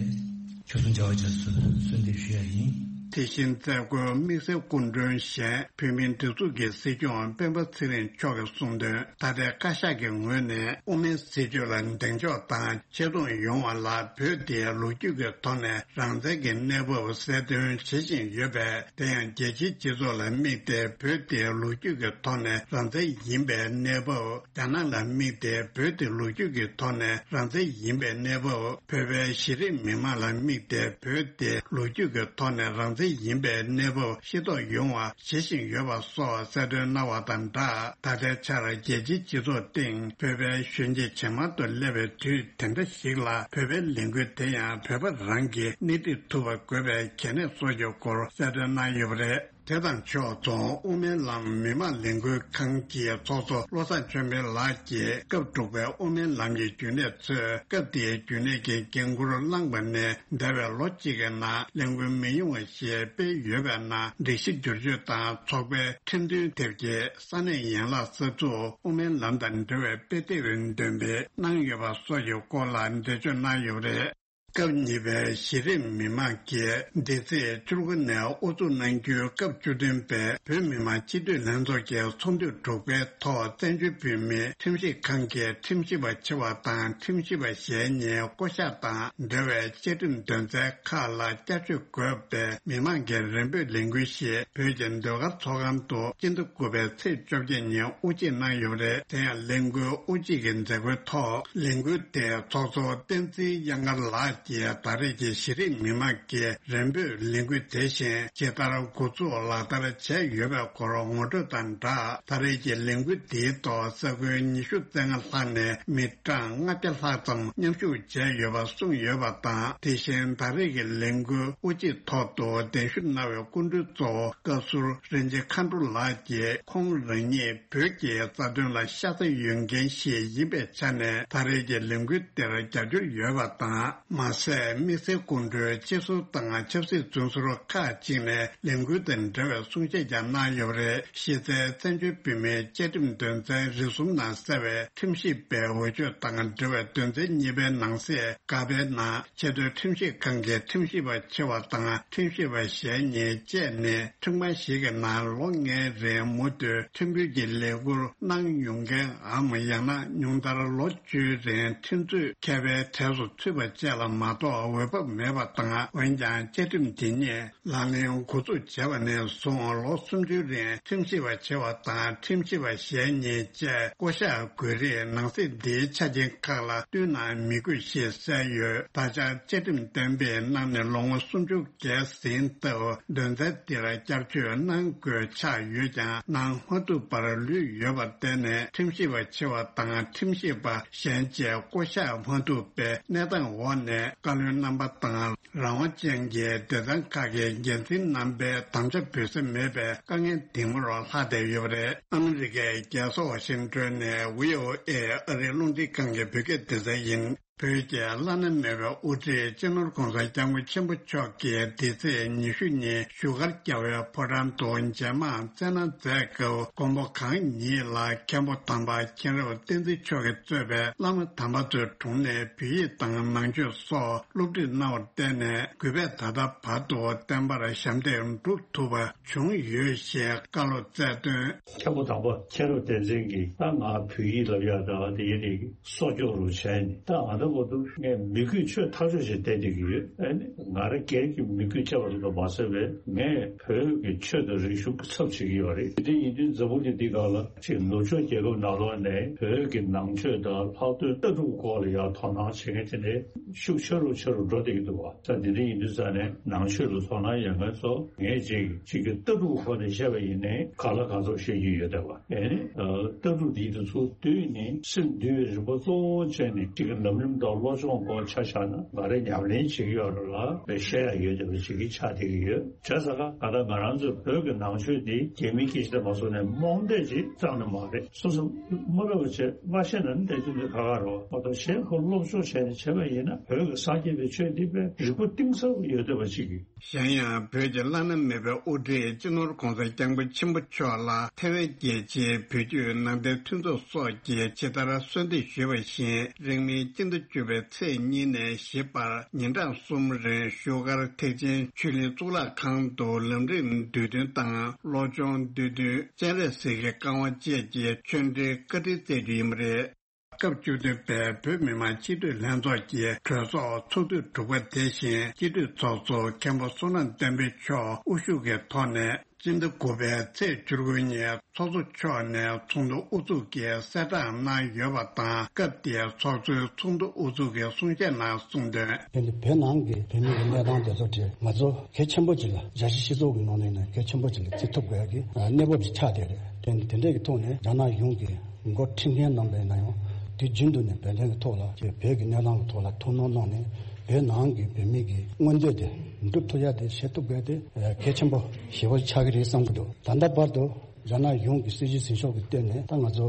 ཆོས་སྲུང་བྱ་བ་རྗེས་སུ་གསོལ་འདེབས་ཞུ་ཡ་ཡིན། དེ་བཞིན་མཛད་སྒོའི་དམིགས་བསལ་སྐུ་མགྲོན་གཞན་བོད་མིའི་སྒྲིག་འཛུགས་ཀྱི་སྲིད་སྐྱོང་སྤེན་པ་ཚེ་རིང་མཆོག་གིས་གསུངས་དོན། ད་ལྟའི་བཀའ་ཤག་གི་ངོས་ནས་དབུ་མའི་སྲིད་བྱུས་ལ་གདེང་འཇོག་དང་ཆེ་མཐོང་ཡོང་བ་ལ། བོད་དེའི་ལོ་རྒྱུས་ཀྱི་ཐོག་ནས་རང་བཙན་གྱི་གནས་བབ་གསལ་སྟོན་བྱེད་བཞིན་ཡོད་པས། དེ་ཡང་རྒྱལ་སྤྱིའི་སྤྱི་ཚོགས་ལ་དམིགས་ཏེ་བོད་དེའི་ལོ་རྒྱུས་ཀྱི་ཐོག་ནས་རང་བཙན་ཡིན་པའི་གནས་བབ། རྒྱ་ནག་ལ་དམིགས་ཏེ་བོད་དེ་ལོ་རྒྱུས་ཀྱི་ཐོག་ནས་རང་བཙན་ཡིན་པའི་གནས་བབ། བོད་པའི་གཞི་རིམ་མི་མང་ལ་དམིགས་ཏེ་བོད་དེ་ལོ་རྒྱུས་ཀྱི་ཐོག་ནས་རང་བཙན་ཡིན་པའི་གནས་བབ་ཤེས་རྟོགས་ཡོང་བ་བྱེད་བཞིན་ཡོད་པ་སོགས་གསལ་སྟོན་གནང་བ་དང་སྦྲགས། ད་ལྟའི་ཆར་རྒྱལ་སྤྱིའི་སྤྱི་ཚོགས་སྟེང་བོད་པའི་གཞོན་སྐྱེས་ཇེ་མང་དུ་སླེབས་པའི་དུས་དེ་འདྲ་ཞིག་ལ། བོད་པའི་ལས་འགུལ་དེ་ཡང་བོད་པ་རང་གིས་སྣེ་ཁྲིད་ཐུབ་པ་དགོས་པའི་གལ་གནད་སོགས་ཀྱི་སྐོར་གསལ་སྟོན་གནང་ཡོད་པ་རེད། དེ་དང་ཕྱོགས་མཚུངས། དབུ་མའི་ལམ་མི་མང་ལས་འགུལ་ཁང་གི་ཚོགས་གཙོ་བློ་བཟང་ཆོས་འཕེལ་ལགས་ཀྱིས་སྐབས་དྲུག་པའི་དབུ་མའི་ལམ་གྱི་རྒྱུན་ལས་ཚོས་སྐབས་དེའི་རྒྱུན་ལས་ཀྱི་འགན་འཁུར་བླངས་པ་ནས་འདས་པའི་ལོ་གཅིག་གི་ནང་ལས་འགུལ་མི་ཉུང་བ་ཞིག་སྤེལ་ཡོད་པའི་ནང་། སྒྲིག་གཞི་བསྒྱུར་བཅོས་དང་ཚོགས་པའི་ཁྲིམས་མཐུན་ཐབས་ཀྱིས་ས་གནས་ཡན་ལག་གསར་འཛུགས། དབུ་མའི་ལམ་དང་འབྲེལ་བའི་དཔེ་དེབ་འདོན་སྤེལ་གནང་ཡོད་པ་སོགས་ཀྱི་སྐོར་ལ་འགྲེལ་བརྗོད་གནང་ཡོད་པ་རེད། སྐབས་གཉིས་པའི་གཞི་རིམ་མི་མང་གིས་འདི་ཚེས་བཅུ་དགུ་ནས་དབུ་འཛུགས་གནང་རྒྱུའི་སྐབས་བཅུ་བདུན་པའི་བོད་མི་མང་སྤྱི་འཐུས་ལྷན་ཚོགས་ཀྱི་ཚོགས་འདུ་དྲུག་པའི་ཐོག་བཙན་བྱོལ་བོད་མིའི་ཁྲིམས་ཞིབ་ཁང་གི་ཁྲིམས་ཞིབ་པ་ཆེ་བ་དང་ཁྲིམས་ཞིབ་པ་གཞན་གཉིས་བསྐོ་གཞག་དང་འབྲེལ་བའི་བཅའ་ཁྲིམས་དོན་ཚན་ཁག་ལ་བསྐྱར་བཅོས་དགོས་པའི་མི་མང་གི་རེ་འབོད་ལས་འགུལ་ཞིག་བོད་ཀྱི་ཟློས་གར་ཚོགས་ཁང་དུ་སྤྱི་ཟླ་དགུ་པའི་ཚེས་བཅོ་བརྒྱད་ཉིན་དབུ་འབྱེད་གནང་ཡོད་པ་རེད། དེ་ཡང་ལས་འགུལ་དབུ་འབྱེད་ཀྱི་མཛད་སྒོའི་ཐོག་ལས་འགུལ་དེའི་ཚོགས་གཙོ་བསྟན་འཛིན་དབྱངས་དཀར་ལགས་ཀྱིས་ད་རེས་ཀྱི་གཞི་རིམ་མི་མང་གི་རེ་འབོད་ལས་འགུལ་དེ་བཞིན་ཇི་ལྟར་འགོ་ཚུགས་ལག་བསྟར་བྱས་ཡོད་པའི་སྐོར་ངོ་སྤྲོད་དང་སྦྲགས། ད་རེས་ཀྱི་ལས་འགུལ་འདིའི་ཐོག་ས་ཁུལ་ཉི་ཤུ་རྩ་ལྔ་ལྷག་ནས་མི་གྲངས་ལྔ་བརྒྱ་ལྷག་ཙམ་མཉམ་ཞུགས་བྱས་ཡོད་པ་གསུངས་ཡོད་པ་དང་། དེ་བཞིན་ད་རེས་ཀྱི་ལས་འགུལ་དབུ་འབྱེད་ཐོག་ཏུ་གདན་ཞུ་གནང་བའི་སྐུ་མགྲོན་གཙོ་བོ་བཀའ་ཟུར་རིན་ཆེན་མཁའ་འགྲོ་ལགས་ཀྱིས། ཁོང་རང་ཉིད་བོད་ཀྱི་རྩ་དོན་ལ་ཤ་ཚ་ཡོད་མཁན་ཞིག་ཡིན་པའི་ཆ་ནས། ད་རེས་ཀྱི་ལས་འགུལ་དེར་རྒྱབ་སྐྱོར་ཡོད་པ་དང་། མ་ཟད། དམིགས་བསལ་སྐུ་མགྲོན་སྤྱི་ཟུར་དང་ཆབ་སྲིད་བཙོན་ཟུར་ཁག་ཅིག་ནས་ལས་འགུལ་དང་འབྲེལ་བའི་གསུང་བཤད་ཀྱང་གནང་ཡོད་པ་རེད། གཞི་རྩའི་བཙན་བྱོལ་བོད་མིའི་བཅའ་ཁྲིམས་དོན་ཚན་རེ་ཟུང་ནང་གསལ་བའི་ཁྲིམས་ཞིབ་པའི་འོས་ཆོས་དང་འབྲེལ་བའི་དོན་ཚན་གཉིས་པའི་ནང་གསེས་ཀ་པའི་ནང་། ཆེས་མཐོའི་ཁྲིམས་ཞིབ་ཁང་གི་ཁྲིམས་ཞིབ་པ་ཆེ་བ་དང་ཁྲིམས་ཞིབ་པ་གཞན་གཉིས་བཅས་ནས་ཁྲིམས་ཁང་ཞིག་གི་ནང་ལོ་ལྔའི་རིང་མུ་མཐུད་ཁྲིམས་དཔོན་གྱི་ལས་ཁུར་གནང་མྱོང་མཁན་འམ། ཡང་ན་ཉུང་མཐར་ལོ་བཅུའི་རིང་ཁྲིམས་རྩོད་མཁས་པའི་གྲས་སུ་ཚུད་པ་བཅས་ལ་ མ་གཏོགས་འོས་བབ་མེད་པ་དང་། འོན་ཀྱང་བཅའ་ཁྲིམས་དེ་ཉིད་ལག་ལེན་འགོ་འཛུགས་བྱས་པ་ནས་བཟུང་ལོ་སུམ་ཅུའི་རིང་ཁྲིམས་ཞིབ་པ་ཆེ་བ་དང་ཁྲིམས་ཞིབ་པ་གཞན་གཉིས་བཅས་བསྐོ་གཞག་དགོས་རིགས་ནང་གསེས་འདིའི་ཆ་རྐྱེན་ཁག་ལ་བསྟུན་ན་མི་དགོས་ཞེས་གསལ་ཡོད། ད་ཆ་བཅའ་ཁྲིམས་གཏན་འབེབས་གནང་ནས་ལོ་ངོ་སུམ་ཅུ་བརྒལ་ཟིན་སྟབས། དོན་ཚན་འདི་ལ་བསྐྱར་བཅོས་གནང་དགོས་ཆགས་ཡོད་ཀྱང་གནང་མ་ཐུབ་པར་ལུས་ཡོད་པར་བརྟེན་ནས། ཁྲིམས་ཞིབ་པ་ཆེ་བ་དང་ཁྲིམས་ཞིབ་པ་གཞན་བཅས་བསྐོ་གཞག་མ་ཐུབ་པའི་གནས་སྟངས་འོག་ནས། བཀའ་བློན་རྣམ་པ་དང་རང་དབང་ཅན་གྱི་སྡེ་ཚན་ཁག་གི་འགན་འཛིན་རྣམ་པའི་དམ་བཅའ་འབུལ་ས་མེད་པའི་དཀའ་ངལ་འདི་མུར་ལྷག་བསྡད་ཡོད་པ་རེད། ཨ་མི་རི་ཀའི་རྒྱལ་ས་ཝ་ཤིང་ཏོན་ནས་བྷི་ཨོ་ཨེ་ཨ་རིའི་རླུང་འཕྲིན་ཁང་གི་བོད་སྐད་སྡེ་ཚན་ཡིན། བོད་ཀྱི་བླ་ན་མེད་པའི་དབུ་ཁྲིད་སྤྱི་ནོར་༧གོང་ས་༧སྐྱབས་མགོན་ཆེན་པོ་མཆོག་གིས་འདི་ཚེས་ཉི་ཤུ་ཉིན་བཞུགས་སྒར་རྒྱལ་བའི་ཕོ་བྲང་དུ་མཇལ་མར་བསྩལ་གནང་མཛད་སྐབས། མགོན་པོ་གང་ཉིད་ལ་མཁན་པོ་དམ་པ་མཁྱེན་རབ་བསྟན་འཛིན་མཆོག་གིས་གཙོས་པའི་བླ་མ་དམ་པ་ཚོའི་དྲུང་ནས་བོད་ཡིག་དང་ནང་ཆོས་སོགས་སློབ་ཁྲིད་གནང་བར་བརྟེན་ནས། གུས་པས་ད་ལྟ་བར་དུ་བསྟན་པར་ཞབས་འདེགས་སྒྲུབ་ཐུབ་པ་བྱུང་ཡོད་ཞེས་བཀའ་སློབ་སྩལ་དོན། མཁན་པོ་དམ་པ་མཁྱེན་རབ་བསྟན་འཛིན་གྱིས། ད་ང་བོད་ཡིག་སློབ་ཡག་དང་དེ་ཡིན་རིགས་སྲོག་སྐྱོབ་རུ་བྱས་ནས། ད་ང་ད་བར་དུ་ངས་མི་རྒོད་ཆོས་ཐག་ཆོད་བྱས་བསྡད་བསྡད་ཀྱི་ཡོད། ཨ་ནི་ང་རང་སྒེར་གྱི་མི་རྒོད་བྱས་པ་ལ་མ་ཟད་པའི། ངས་བོད་ཀྱི་ཆོས་དང་རིག་གཞུང་གི་ཚབ་བྱེད་ཀྱི་ཡོད་རེད། དེ་འདྲ་ཡིན་དུས་འཛམ་བུ་གླིང་འདི་སྒང་ལ་ཅིག་ནུབ་ཕྱོགས་རྒྱལ་ཁབ་ནང་ལོགས་ནས་བོད་ཀྱི་ནང་ཆོས་དང་ལྷག་དོན་ལྟ་གྲུབ་སྐོར་ལ་ཡང་དོ་སྣང་བྱེད་མཁན་དེ་འདྲའི་ཤུགས་ཆེ་རུ་ཆེ་རུ་འགྲོ་བསྡད་ཀྱི་འདུག་བ། ད་འདི་འདྲ་ཡིན་དུས་ཙང་ནས་ནང་ཆོས་ལ་དོ་སྣང་ཡོད་མཁན་ཚོ། ངས་ཅིག་ཅིག་གི་ལྟ་གྲུབ་སྐོར་ནས་བཤད་པ་ཡིན་ནའི་གང་ལ་གང་འཚམ་བཤད་རྒྱུ་ཡོད་བསྡད་པ། ཨེ་ནི། ལྟ་གྲུབ་འདི་དུས་ཚོད་བསྡུས་ནས་སེམས་འདུལ་བའི་རིམ་པ་གཙོ་བོ་བྱས་ནས། གཅིག་གི་ལམ་རིམ་དང་བློ་སྦྱོང་སྐོར་ཆ་བཞག་ན། ང་རས་ཉམས་ལེན་བྱེད་ཀྱི་ཡོད་རེད་ལ། བཤད་ཡ་ཡོད་བསྡད་པ་ཞིག་གི་ཆགས་བསྡད་ཀྱི་ཡོད། བྱས་ཙང་ད་ལྟ་ང་རང་ཚོའི་བོད་ཀྱི་ནང་ཆོས་འདི་རྒྱ་མིའི་སྐད་ཆ་དེ་མ་སོང་ནས་རྨོངས་དད་ཅིག་ཙམ་ནས་མ་རེད། སོ་སོ་མ་ལབ་པ་བྱས་མ་ཤེས་ན་ནི་དེ་དུས་འདི་ཁ་ཁ་རོ་མ་གཏོགས། གཞན་ཁོ་སློབ་སྦྱོང་བྱས་ནས་བྱས་པ་ཡིན་ན། བོད་ཀྱི་སངས་རྒྱས་པའི་ཆོས་འདི་དཔེ་རིག་པ་གཏིང་ཟབ་ཡོད་བསྡད་པ་ཅིག་གི། གཞན་ཡང་། བོད་ཀྱི་བླ་ན་མེད་པའི་དབུ་ཁྲིད་སྤྱི་ནོར་༧གོང་ས་༧སྐྱབས་མགོན་ཆེན་པོ་མཆོག་ལ་ཐའེ་ཝན་རྒྱལ་སྤྱིའི་བོད་བརྒྱུད་ནང་བསྟན་མཐུན་ཚོགས་སོགས་ཀྱིས་ཇི་ལྟར་གསོལ་འདེབས་ཞུས་པ་བཞིན། རིང་མིན་སྤྱི་ཟླ་བཅུ་པའི་ཚེས་གཉིས་ནས་བཞི་བར་ཉིན་གྲངས་གསུམ་རིང་བཞུགས་སྒར་ཐེག་ཆེན་ཆོས་གླིང་གཙུག་ལག་ཁང་དུ་ལམ་རིམ་འདུས་མཐུན་དང་། བློ་སྦྱོང་འདུས་མཐུན། སྤྱན་རས་གཟིགས་ཀྱི་བཀའ་དབང་བཅས་ཀྱི་ཆོས་འབྲེལ་བཀའ་དྲིན་སྩལ་རྒྱུ་ཡིན་པ་རེད། སྐབས་བཅུ་བདུན་པའི་བོད་མི་མང་སྤྱི་འཐུས་ལྷན་ཚོགས་ཀྱི་གྲོས་ཚོགས་ཚོགས་དུས་དྲུག་པ་དེ་བཞིན་སྤྱི་འཐུས་ཚོགས་གཙོ་མཁན་པོ་བསོད་ནམས་བསྟན་འཕེལ་མཆོག་དབུ་བཞུགས་ཀྱི་ཐོག་ནས། སྤྱི་ཟླ་དགུ་པའི་ཚེས་བཅུ་དགུ་ཉིན་ཚོགས་གཙོ་མཆོག་ནས་ཚོགས་འདུ་དབུ་འཛུགས་ཀྱི་གསལ་བསྒྲགས་གནང་ཡོད་པ་དང་། སྐབས་དེའི་ཚོགས་གཙོས་ཚོགས་འདུ་དབུ་འཛུགས་ཀྱི་གསུང་བཤད་ནང་གསུངས་དོན། དེ་ནི་བོད་ནང་གི་བོད་མི་གི་གནས་སྟངས་དེ་ཚོ་དེ་ང་ཚོ་གལ་ཆེན་པོ་ཅིག་ལ། རྒྱལ་སྤྱིའི་སྤྱི་ཚོགས་ཀྱི་ནང་ནས་ནས་གལ་ཆེན་པོ་ཅིག་ལ་བརྩི་ཐུབ་དགོས་ཡ་གི་གནས་བབ་ཅིག་ཆགས་བསྡད་རེད། དེ་ནི་དེ་འདྲས་ཀྱི་ཐོག་ནས་རྒྱ་ནག་གཞུང་གི་འགོ་ཁྲིད་མཁན་རྣམ་པས་ན་ཡང་དུས་རྒྱུན་དུ་ནས་བོད་དོན་གྱི་ཐོག་ལ་ཅིག་བོད་ཀྱི་གནས་སྟངས་ཀྱི་ཐོག་ལ་ཐུགས་སྣང་གནང་ནས། བོད་ནང་གི་བོད་མི་གི་མངོན་འདོད་དེ་འགྲུབ་ཐུབ་ཡ་དེ་བྱེད་ཐུབ་དགོས་དེ་གལ་ཆེན་པོ་ཞེ་པོ་ཆགས་ཀྱི་རེད་བསམ་གྱི་འདུག་ད་ལྟ་བར་དུ་རྒྱ་ནག་གཞུང་གི་སྲིད་ཇུས་འཛིན་ཕྱོགས་ཀྱི་སྟེང་ནས། ད་ང་ཚོ་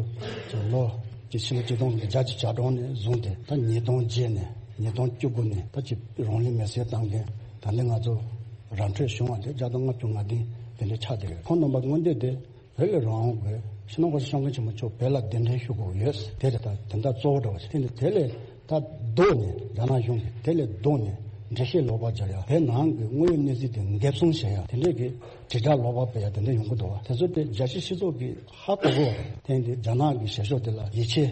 ལོ་གཅིག་ཕྱི་ལོ་ཆིག་སྟོང་དང་བརྒྱད་ཅུ་གྱ་གྲངས་ནས་བཟུང་སྟེ། ད་ཉིས་སྟོང་བརྒྱད་ནས་ཉིས་སྟོང་བཅུ་དགུ་ནས་ད་ཅིག་རང་ལུས་མེར་སྲེག་བཏང་མཁན། ད་ནི་ང་ཚོ་ར་འཕྲོད་བྱུང་བ་དེ་བརྒྱ་དང་ལྔ་བཅུ་ང་བདུན་དེ་འདྲ་ཆགས་བསྡད་ཡོད། ཁོང་རྣམ་པ་མངོན་འདོད་དེ་བོད་ལ་རང་དབང་དགོས། སྤྱི་ནོར་༧གོང་ས་༧སྐྱབས་མགོན་ཆེན་པོ་མཆོག་བོད་ལ་གདན་འདྲེན་ཞུ་དགོས་ཡོད། དེ་རེད། ད་དེ་འདྲ་གཙོ་བོ་འདྲ་བ་ཞིག་དེ་འདི་དེ་ལས་ད་ལྡོག་ནས། རྒྱ་ནག་གཞུང་གིས་དེ་ལས་ལྡོག་ནས་འགྲེལ་བཤད་ལོག་པ་རྒྱག་ཡ། བོད་ནང་གི་དངོས་ཡོད་གནས་ཚུལ་དེ་འགེབས་སྲུང་བྱེད་ཡ། དེ་འདྲས་ཀྱི་དྲིལ་བསྒྲགས་ལོག་པ་སྤེལ་ཡ་དེ་འདྲ་ཡོང་གི་འདུག་བ། དེ་ཚོ་དེ་རྒྱལ་སྤྱིའི་སྤྱི་ཚོགས་ཀྱིས་ཧ་གོ་གི་ཡོད་རེད། དེ་འདི་རྒྱ་ནག་གི་བྱེད་ཕྱོགས་དེ་ལ་ཡིད་ཆེས་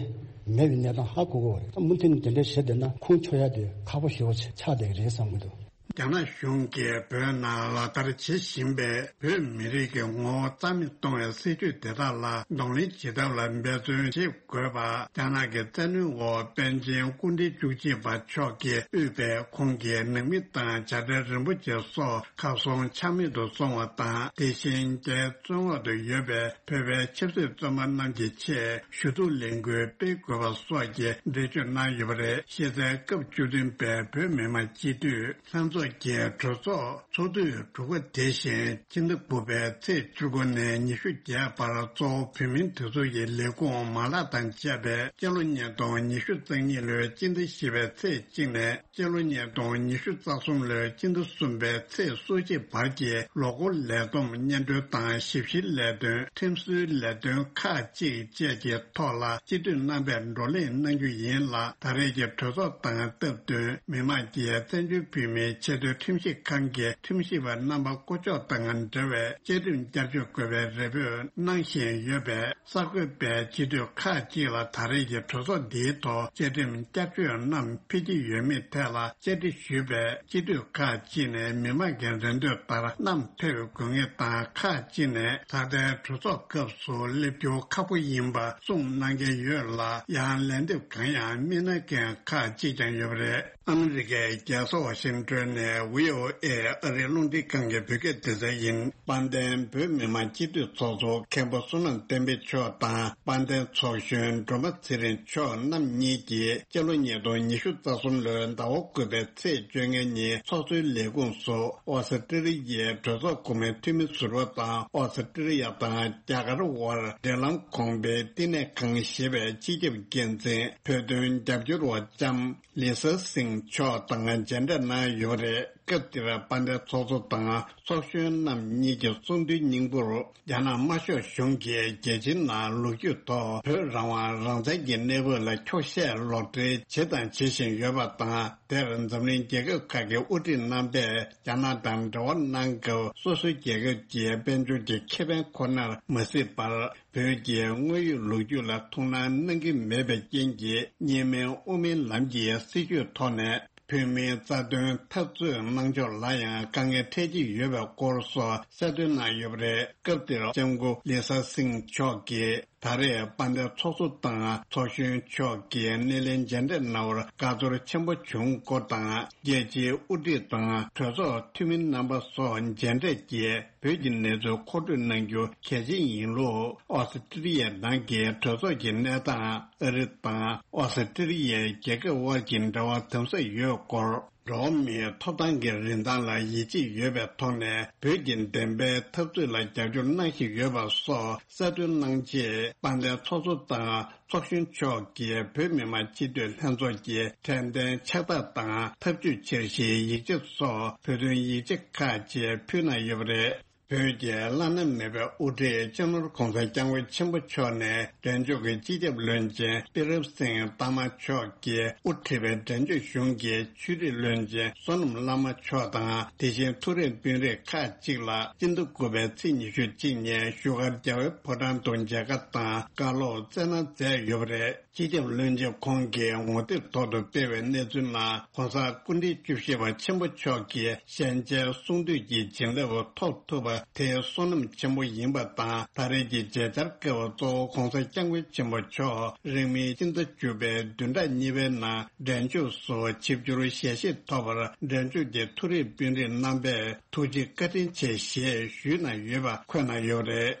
མེད་པའི་གནས་སྟངས་ཧ་གོ་གི་ཡོད་རེད། ད་མུ་མཐུད་ནས་དེ་འདྲས་བྱེད་བསྡད་ན་ཁུངས་འཁྱོལ་ཡ་དེ་ཁག་པོ་ཞེ་པོ་ཆགས་བསྡད་ཀྱི་རེད་བསམ་གྱི་འདུག་རྒྱ་ནག་གཞུང་གིས་བོད་ནང་ལག་བསྟར་བྱེད་བཞིན་པའི་བོད་མི་རིགས་ཀྱི་ངོ་བོ་རྩ་མེད་གཏོང་བའི་སྲིད་བྱུས་དེ་དག་ལ་གདོང་ལེན་བྱེད་ཐབས་ལ་འབད་བརྩོན་བྱེད་དགོས་པ། རྒྱ་ནག་གི་བཙན་གནོན་འོག་པཎ་ཆེན་སྐུ་ཕྲེང་བཅུ་གཅིག་པ་མཆོག་གིས་དབུས་པའི་ཁོང་གི་ནང་མི་དང་བྱ་བྲལ་རིན་པོ་ཆེ་སོགས་ཁ་སོང་ཆ་མེད་དུ་སོང་བ་དང་། དེ་བཞིན་རྒྱའི་བཙོན་འོག་ཏུ་ཡོད་པའི་བོད་པའི་ཆབ་སྲིད་བཙོན་པ་རྣམས་ཀྱི་ཆེད་ཞུ་གཏུག་ལས་འགུལ་སྤེལ་དགོས་པ་སོགས་ཀྱི་འགྲེལ་བརྗོད་གནང་ཡོད་པ་རེད། གཞི་རྩའི་སྐབས་བཅུ་བདུན་པའི་བོད་མི་མང་སྤྱི་འཐུས་ལྷན་ཚོགས་ཀྱི་གྲོས་ཚོགས་ཚོགས་དུས་དྲུག་པ་དེ་བཞིན་ཕྱི་ཟླ་དགུ་པའི་ཚེས་བཅུ་དགུ་ནས་ཉི་ཤུ་བརྒྱད་བར་གཙོ་བོ་བོད་མིའི་སྒྲིག་འཛུགས་ཀྱི་ལས་ཁུངས་མ་ལག་དང་བཅས་པས་སྤྱི་ལོ་ཉིས་སྟོང་ཉི་ཤུ་རྩ་གཉིས་ལོའི་སྤྱི་ཟླ་བཞི་པའི་ཚེས་གཅིག་ནས་སྤྱི་ལོ་ཉིས་སྟོང་ཉི་ཤུ་རྩ་གསུམ་ལོའི་སྤྱི་ཟླ་གསུམ་པའི་ཚེས་སོ་གཅིག་བར་གྱི་ལོ་འཁོར་ལས་བསྡོམས་སྙན་སྒྲོན་དང་ཞིབ་བཤེར་ལས་དོན། ཁྲིམས་བཟོའི་ལས་དོན་ཁག་ཅིག་བཅས་ཀྱི་ཐོག་ལ་སྤྱི་འཐུས་རྣམ་པས་བགྲོ་གླེང་གནང་རྒྱུ་ཡིན་ལ། ད་རེས་ཀྱི་གྲོས་ཚོགས་དང་སྟབས་བསྟུན་མི་མང་གིས་བཙན་བྱོལ་བོད་མིའི་ ཆེས་མཐོའི་ཁྲིམས་ཞིབ་ཁང་གི་ཁྲིམས་ཞིབ་པ་རྣམ་པ་བསྐོ་འཇོག་དང་འབྲེལ་བའི་བཅའ་ཁྲིམས་བསྐྱར་བཅོས་དགོས་པའི་རེ་འབོད་གནང་བཞིན་ཡོད་པས། གསར་འགོད་པས་སྤྱི་འཐུས་ཁག་ཅིག་ལ་ད་རེས་ཀྱི་གྲོས་ཚོགས་འདིའི་ཐོག་བཅའ་ཁྲིམས་བསྐྱར་བཅོས་རྣམས་ཕེབས་ཀྱི་ཡོད་མེད་ཐད་ལ་བཅར་འདྲི་ཞུས་པས། སྤྱི་འཐུས་ཁག་ཅིག་ནས་མི་མང་གི་རེ་འདོད་ལྟར་རྣམས་ཕེབས་དགོས་ངེས་དང་། ཁག་ཅིག་ནས་ད་ལྟའི་གྲོས་ཚོགས་སྐབས་སུ་སླེབས་རྒྱུ་ཁག་པོ་ཡིན་པ་གསུངས་གནང་མཁན་ཡོད་ལ། ཡང་ལན་འདེབས་གང་ཡང་མི་གནང་མཁན་ཁག་ཅིག་ཀྱང་ཡོད་པ་རེད། ཨ་མི་རི་ཀའི་རྒྱལ་ས་ཝ་ཤིང་ཏོན་ནས་བྷི་ཨོ་ཨེ་ཨ་རིའི་རླུང་འཕྲིན་ཁང་གི་བོད་སྐད་སྡེ་ཚན་ཡིན། དཔལ་ལྡན་བོད་མི་མང་སྤྱི་འཐུས་ཚོགས་གཙོ་མཁན་པོ་བསོད་ནམས་བསྟན་འཕེལ་མཆོག་དང་། དཔལ་ལྡན་ཚོགས་གཞོན་སྒྲོལ་མ་ཚེ་རིང་མཆོག་རྣམ་གཉིས་ཀྱིས་སྤྱི་ལོ་ཉིས་སྟོང་ཉི་ཤུ་རྩ་གསུམ་ལོའི་ཟླ་བ་དགུ་པའི་ཚེས་བཅོ་ལྔ་ཉིན་ཚོགས་གཙོའི་ལས་ཁུངས་སུ་ཨོ་སི་ཀྲི་ལི་ཡའི་གྲོས་ཚོགས་འགོ་དཔོན་འཐུས་མི་ཟུར་པ་དང་། ཨོ་སི་ཀྲི་ལི་ཡ་དང་རྒྱ་གར་དབར་འབྲེལ་ལམ་གོང་འཕེལ་བསྟི་གནས་ཁང་ཞེས་པའི་སྤྱི་ཁྱབ་འགན་འཛིན་བོད་དོན་རྒྱབ་སྐྱོར་བ་ལྕམ་ལི་ས་སིང་མཆོག་དང་མཇལ་འཕྲད་གནང་ཡོད་པ་རེད། སྐབས་དེར་དཔལ་ལྡན་ཚོགས་གཙོ་དང་ཚོགས་གཞོན་རྣམ་གཉིས་ཀྱི་གསུང་དོན་སྙིང་པོར། རྒྱ་ནག་དམར་ཤོག་གཞུང་གིས་རྒྱལ་སྤྱིའི་ནང་ལོ་རྒྱུས་ཐོག་བོད་རང་དབང་རང་བཙན་གྱི་གནས་བབ་ལ་འཁྱོག་བཤད་ལོག་འགྲེལ་བྱས་དང་བྱེད་བཞིན་ཡོད་པ་དང་། དེར་འཛམ་གླིང་རྒྱལ་ཁབ་ཁག་གི་དབུ་ཁྲིད་རྣམ་པས་རྒྱ་ནག་དང་འབྲེལ་བ་གནང་སྐབས། སོ་སོའི་རྒྱལ་ཁབ་ཀྱི་དཔལ་འབྱོར་གྱི་ཁེ་ཕན་ཁོ་ནར་མ་གཟིགས་པར། བོད་ཀྱི་དངོས་ཡོད་ལོ་རྒྱུས་ལ་ཐུགས་སྣང་གནང་གི་མེད་པའི་རྐྱེན་གྱིས། གཉིས་སྨན་དབུ་མའི་ལམ་གྱི་སྲིད་བྱུས་ཐོག་ནས། བོད་མིའི་རྩ་དོན་འཐབ་རྩོད་གནང་ཕྱོགས་ལ་ཡང་དཀའ་ངལ་འཕྲད་ཀྱི་ཡོད་པའི་སྐོར་སོགས་གསལ་སྟོན་གནང་ཡོད་པ་རེད། སྐབས་དེར་ལྕམ་སྐུ་ལི་ས་སིང་མཆོག་གིས། ད་རེས་དཔལ་ལྡན་ཚོགས་གཙོ་དང་ཚོགས་གཞོན་མཆོག་གིས་སྣེ་ལེན་མཇལ་འཕྲད་གནང་བར་དགའ་ཚོར་ཆེན་པོ་བྱུང་སྐོར་དང་། རྒྱལ་སྤྱིའི་དབུ་ཁྲིད་དང་གྲོས་ཚོགས་འཐུས་མི་རྣམ་པ་སོགས་མཇལ་འཕྲད་ཀྱིས། བོད་ཀྱི་གནས་ཚུལ་མཁོ་སྤྲོད་གནང་རྒྱུ་གལ་ཆེན་ཡིན་ལུགས། ཨོ་སི་ཀྲི་ལི་ཡའི་ནང་གི་གྲོས་ཚོགས་ཀྱི་གནས་སྟངས། ཨ་རི་དང་ཨོ་སི་ཀྲི་ལི་ཡའི་རྒྱལ་ཁབ་དབར་གྱི་འབྲེལ་བ་དམ་ཟབ་ཡོད་སྐོར། འགྲོ་བ་མིའི་ཐོབ་ཐང་གི་རིན་ཐང་ལ་ཡིད་ཆེས་ཡོད་པའི་ཐོག་ནས། བོད་ཀྱི་བདེན་པའི་འཐབ་རྩོད་ལ་རྒྱབ་སྐྱོར་གནང་བཞིན་ཡོད་པ་སོགས་གསལ་སྟོན་གནང་རྗེས། དཔལ་ལྡན་ཚོགས་གཙོ་དང་ཚོགས་གཞོན་མཆོག་གིས་བོད་མི་མང་སྤྱི་འཐུས་ལྷན་ཚོགས་ཀྱི་དྲན་རྟེན་ཕྱག་རྟགས་དང་། འཐབ་ཇུས་འཆར་གཞིའི་ཡིག་ཆ་སོགས་བོད་དོན་ཡིག་ཆ་ཁག་ཅིག་ཕུལ་གནང་ཡོད་པ་རེད། བོད་ཀྱི་བླ་ན་མེད་པའི་དབུ་ཁྲིད་སྤྱི་ནོར་༧གོང་ས་༧སྐྱབས་མགོན་ཆེན་པོ་མཆོག་ནས། འབྲས་ལྗོངས་ཀྱི་སྤྱི་ཁྱབ་བློན་ཆེན་པི་རེབ་སིང་ཏཱ་མ་མཆོག་གིས་དབུ་ཁྲིད་པའི་འབྲས་ལྗོངས་གཞུང་གི་ཆོས་རིག་བློན་ཆེན་བསོད་ནམས་བླ་མ་མཆོག་དང་། དེ་བཞིན་ཐུགས་རེ་དཔོན་རིགས་ཁག་ཅིག་ལ། སྤྱི་ཟླ་དགུ་པའི་ཚེས་ཉི་ཤུ་གཅིག་ཉིན་བཞུགས་སྒར་རྒྱལ་བའི་ཕོ་བྲང་དུ་མཇལ་ཁ་དང་བཀའ་སློབ་སྩལ་གནང་མཛད་ཡོད་པ་རེད། སྤྱི་ཁྱབ་བློན་ཆེན་ཁོང་གིས་ངོ་དེབ་ཐོག་ཏུ་སྤེལ་བའི་གནས་ཚུལ་ནང་། ༸གོང་ས་སྐུ་ཕྲེང་བཅུ་བཞི་པ་ཆེན་པོ་མཆོག་གིས་ཞལ་མཇལ་གསུང་བསྟོད་ཀྱི་བྱིན་རླབས་ཐོབ་ཐུབ་པ་དེ་བསོད་ནམས་ཆེན་པོ་ཡིན་པ་དང་། ད་རེས་ཀྱི་མཇལ་བཅར་སྐབས་གཙོ་བོ་༸གོང་ས་༸སྐྱབས་མགོན་ཆེན་པོ་མཆོག་རིང་མིན་སྤྱི་ཟླ་བཅུ་པའི་བདུན་ཕྲག་གཉིས་པའི་ནང་འབྲས་ལྗོངས་སུ་ཆིབས་བསྒྱུར་ཞལ་བཞེས་ཐོབ་པར། འབྲས་ལྗོངས་ཀྱི་མཐོ་རིམ་དཔོན་རིགས་རྣམ་པས་ཐུགས་རྗེ་བཀའ་དྲིན་ཆེ་ཞེས་ཞུས་གནང་ཡོད་པ་འཁོད་གནང་ཡོད་རེད།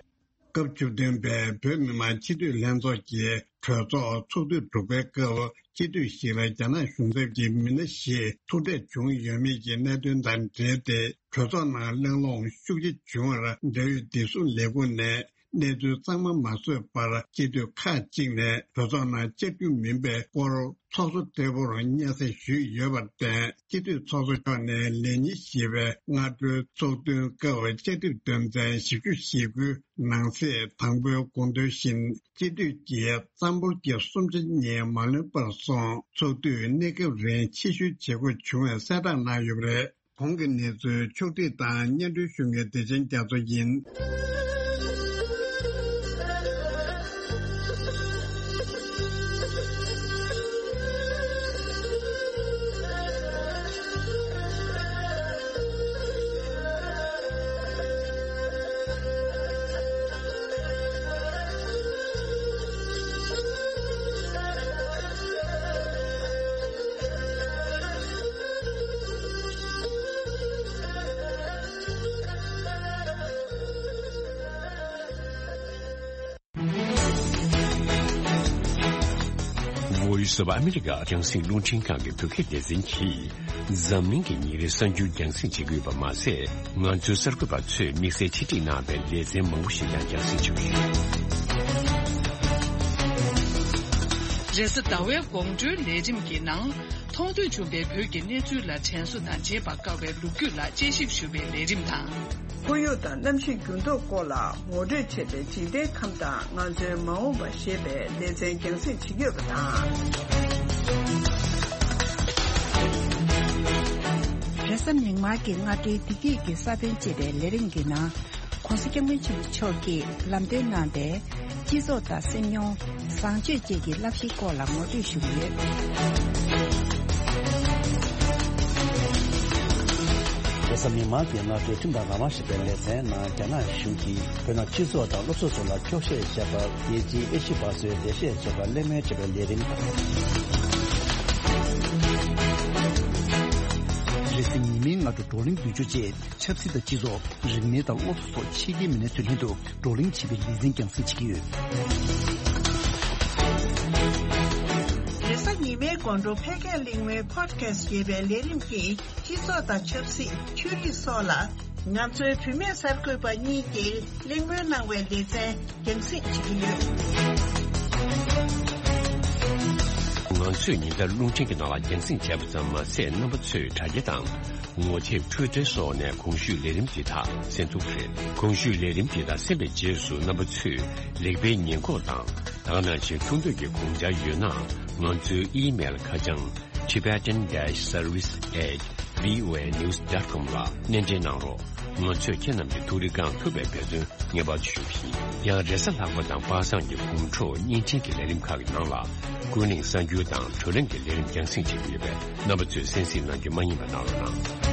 སྐབས་བཅུ་བདུན་པའི་བོད་མི་མང་སྤྱི་འཐུས་ལྷན་ཚོགས་ཀྱི་གྲོས་ཚོགས་ཚོགས་དུས་དྲུག་པའི་སྐབས། སྤྱི་འཐུས་ཤིག་ལ་རྒྱ་ནག་གཞུང་ཚབ་ཀྱི་མི་སྣ་ཞིག་ཐུག་འཕྲད་བྱུང་ཡོད་མེད་ཀྱི་གནད་དོན་དང་འབྲེལ་ཏེ། གྲོས་ཚོགས་ནང་གླེང་སློང་ཤུགས་ཆེ་བྱུང་བར། འབྲེལ་ཡོད་བདེ་སྲུང་ལས་ཁུངས་ནས་གནས་ཚུལ་གཙང་མ་མ་བཟོས་པར། སྤྱི་འཐུས་ཁག་ཅིག་ནས་གྲོས་ཚོགས་ནང་བཅར་རྒྱུ་མིན་པའི་སྐོར། ཚོགས་གཙོ་ལྟ་བུར་སྙན་སེང་ཞུས་ཡོད་པར་བརྟེན། སྤྱི་འཐུས་ཚོགས་གཙོ་མཆོག་ནས་ལས་ཉིན་བཞི་པའི་སྔ་དྲོའི་ཚོགས་ཐུན་སྐབས། བཅའ་ཁྲིམས་དོན་ཚན་བཞི་བཅུ་ཞེ་དགུ་ནང་གསེས་དང་པོའི་དགོངས་དོན་བཞིན། སྤྱི་འཐུས་ཀྱི་རྩ་འབོར་གྱི་གསུམ་ཆ་གཉིས་མ་ལོན་པར་སོང་། ཚོགས་དུས་གནས་སྐབས་རིང་ཕྱིར་བཤོལ་བྱེད་དགོས་བྱུང་བའི་གསལ་བསྒྲགས་གནང་ཡོད་པ་རེད། གོང་གི་གནས་ཚུལ་ཕྱོགས་བསྒྲིགས་དང་སྙན་སྒྲོན་ཞུ་མཁན་བདེ་ཆེན་རྒྱ་མཚོ་ཡིན། Voice of America རྒྱང་སྲིང་རླུང་འཕྲིན་ཁང་གི་བོད་སྐད་སྡེ་ཚན་གྱིས། འཛམ་གླིང་གི་ཉིན་རེའི་གསར་འགྱུར་རྒྱང་སྲིང་བྱེད་ཀྱི་ཡོད་པ་མ་ཟད། ང་ཚོའི་གསར་འགོད་པ་ཚོས་དམིགས་བསལ་ཆེད་སྒྲིག་གནང་བའི་ལེ་ཚན་མང་པོ་ཞིག་ཀྱང་རྒྱང་སྲིང་བྱེད་ཀྱི་ཡོད། རེས་གཟའ་ཟླ་བའི་དགོང་དྲོའི་ལས་རིམ་གྱི་ནང་། མཐོང་ཐོས་བྱུང་བའི་བོད་ཀྱི་གནས་ཚུལ་ལ་དྲན་གསོ་དང་བརྗེད་པར་དཀའ་བའི་ལོ་རྒྱུས་ལ་དཔྱད་ཞིབ་ཞུ་བའི་ལས་རིམ་དང་། ཁོར་ཡུག་དང་གནམ་གཤིས་འགྱུར་ལྡོག་སྐོར་ལ་ངོ་སྤྲོད་བྱེད་པའི་འཇིག་རྟེན་ཁམས་དང་ང་ཚོའི་མ་འོངས་པ་ཞེས་པའི་ལེ་ཚན་རྒྱང་སྲིང་བྱེད་ཀྱི་ཡོད་པ་དང་། རེས་གཟའ་མིག་དམར་གྱི་སྔ་དྲོའི་བདེ་སྐྱིད་ཀྱི་ས་བོན་ཅེས་པའི་ལས་རིམ་གྱི་ནང་། ༸གོང་ས་༸སྐྱབས་མགོན་ཆེན་པོ་མཆོག་གིས་ལམ་སྟོན་གནང་པའི་སྤྱི་ཚོགས་དང་སེམས་མྱོང་། བཟང་སྤྱོད་བཅས་ཀྱི་བསླབ་གཞིའི་སྐོར་ལ་ངོ་སྤྲོད་ཞུ་གི་ཡོད། རེས་གཟའ་མིག་དམར་གྱི་སྔ་དྲོའི་ཁྲིམས་དང་རང་དབང་ཞེས་པའི་ལེ་ཚན་ནང་། རྒྱ་ནག་གཞུང་གིས་བོད་ནང་སྤྱི་ཚོགས་དང་སློབ་གསོ་སོགས་ལ་འཁྱོག་བཤད་བྱས་པར། རྒྱལ་སྤྱིའི་ཨེ་ཤི་བ་སོའི་འགྲེལ་བཤད་བྱེད་པར་གླེང་མོལ་བྱེད་པའི་ལས་རིམ་དང་། རེས་གཟའ་ཉི་མའི་སྔ་དྲོ་བགྲོ་གླེང་བདུན་ཅུ་བཅས། ཆབ་སྲིད་དང་སྤྱི་ཚོགས། རིག་གནས་དང་སློབ་གསོ་སོགས་ཕྱི་རྒྱལ་མི་སྣའི་ཚུལ་ལྷན་དུ་བགྲོ་གླེང་བྱེད་པའི་ལེ་ཚན་རྒྱང་སྲིང་བྱེད་ཀྱི་ཡོད། རེས་གཟའ་ཉི་མའི་དགོང་དྲོ་ཕལ་སྐད་གླེང་མོལ་Podcast་ཞེས་པའི་ལས་རིམ་གྱིས། སྤྱི་ཚོགས་དང་ཆབ་སྲིད། ཆོས་རིག་སོགས་ལ་ང་ཚོའི་བུད་མེད་གསར་འགོད་པ་གཉིས་ཀྱིས་གླེང་མོལ་གནང་བའི་ལེ་ཚན་རྒྱང་སྲིང་བྱེད་ཀྱི་ཡོད། ང་ཚོས་ཉིན་ལྟར་རླུང་འཕྲིན་གྱི་ནང་ལ་རྒྱང་སྲིང་བྱས་པ་ཙམ་མ་ཟད། རྣམ་པ་ཚོས་དྲ་རྒྱ་དང་། ངོ་དེབ། Twitter་སོགས་ནས་གོང་ཞུས་ལས་རིམ་འདི་དག་གསན་ཐུབ་པ་རེད། གོང་ཞུས་ལས་རིམ་འདི་དག་གསན་པའི་རྗེས་སུ། རྣམ་པ་ཚོས་ལེགས་སྤེལ་ཉེས་འགོག་དང་། ད་ག་ནང་བཞིན་ཐུགས་འདོད་ཀྱི་དགོངས་འཆར་ཡོད་ན། ང་ཚོའི་ཨི་མེལ་ཁ་བྱང་tibetan dash service at voanews dot com་ལ་སྣེ་འདྲེན་གནང་རོགས། ང་ཚོས་ཁྱེད་རྣམས་ཀྱི་ཐུགས་རེ་བསྐང་ཐུབ་པའི་འབད་བརྩོན་ངེས་པར་དུ་ཞུ་གི་ཡིན། ཡང་། རེས་གཟའ་ལྷག་པ་དང་པ་སངས་ཀྱི་དགོང་དྲོ་བརྙན་འཕྲིན་གྱི་ལས་རིམ་ཁག་གི་ནང་ལ། ཀུན་གླེང་གསར་འགྱུར་དང་བགྲོ་གླེང་གི་ལས་རིམ་རྒྱང་སྲིང་བྱེད་ཀྱི་ཡོད་པས། རྣམ་པ་ཚོས་གསན་གཟིགས་གནང་རྒྱུ་མ་བསྙེལ་བ་གནང་རོགས་གནང་།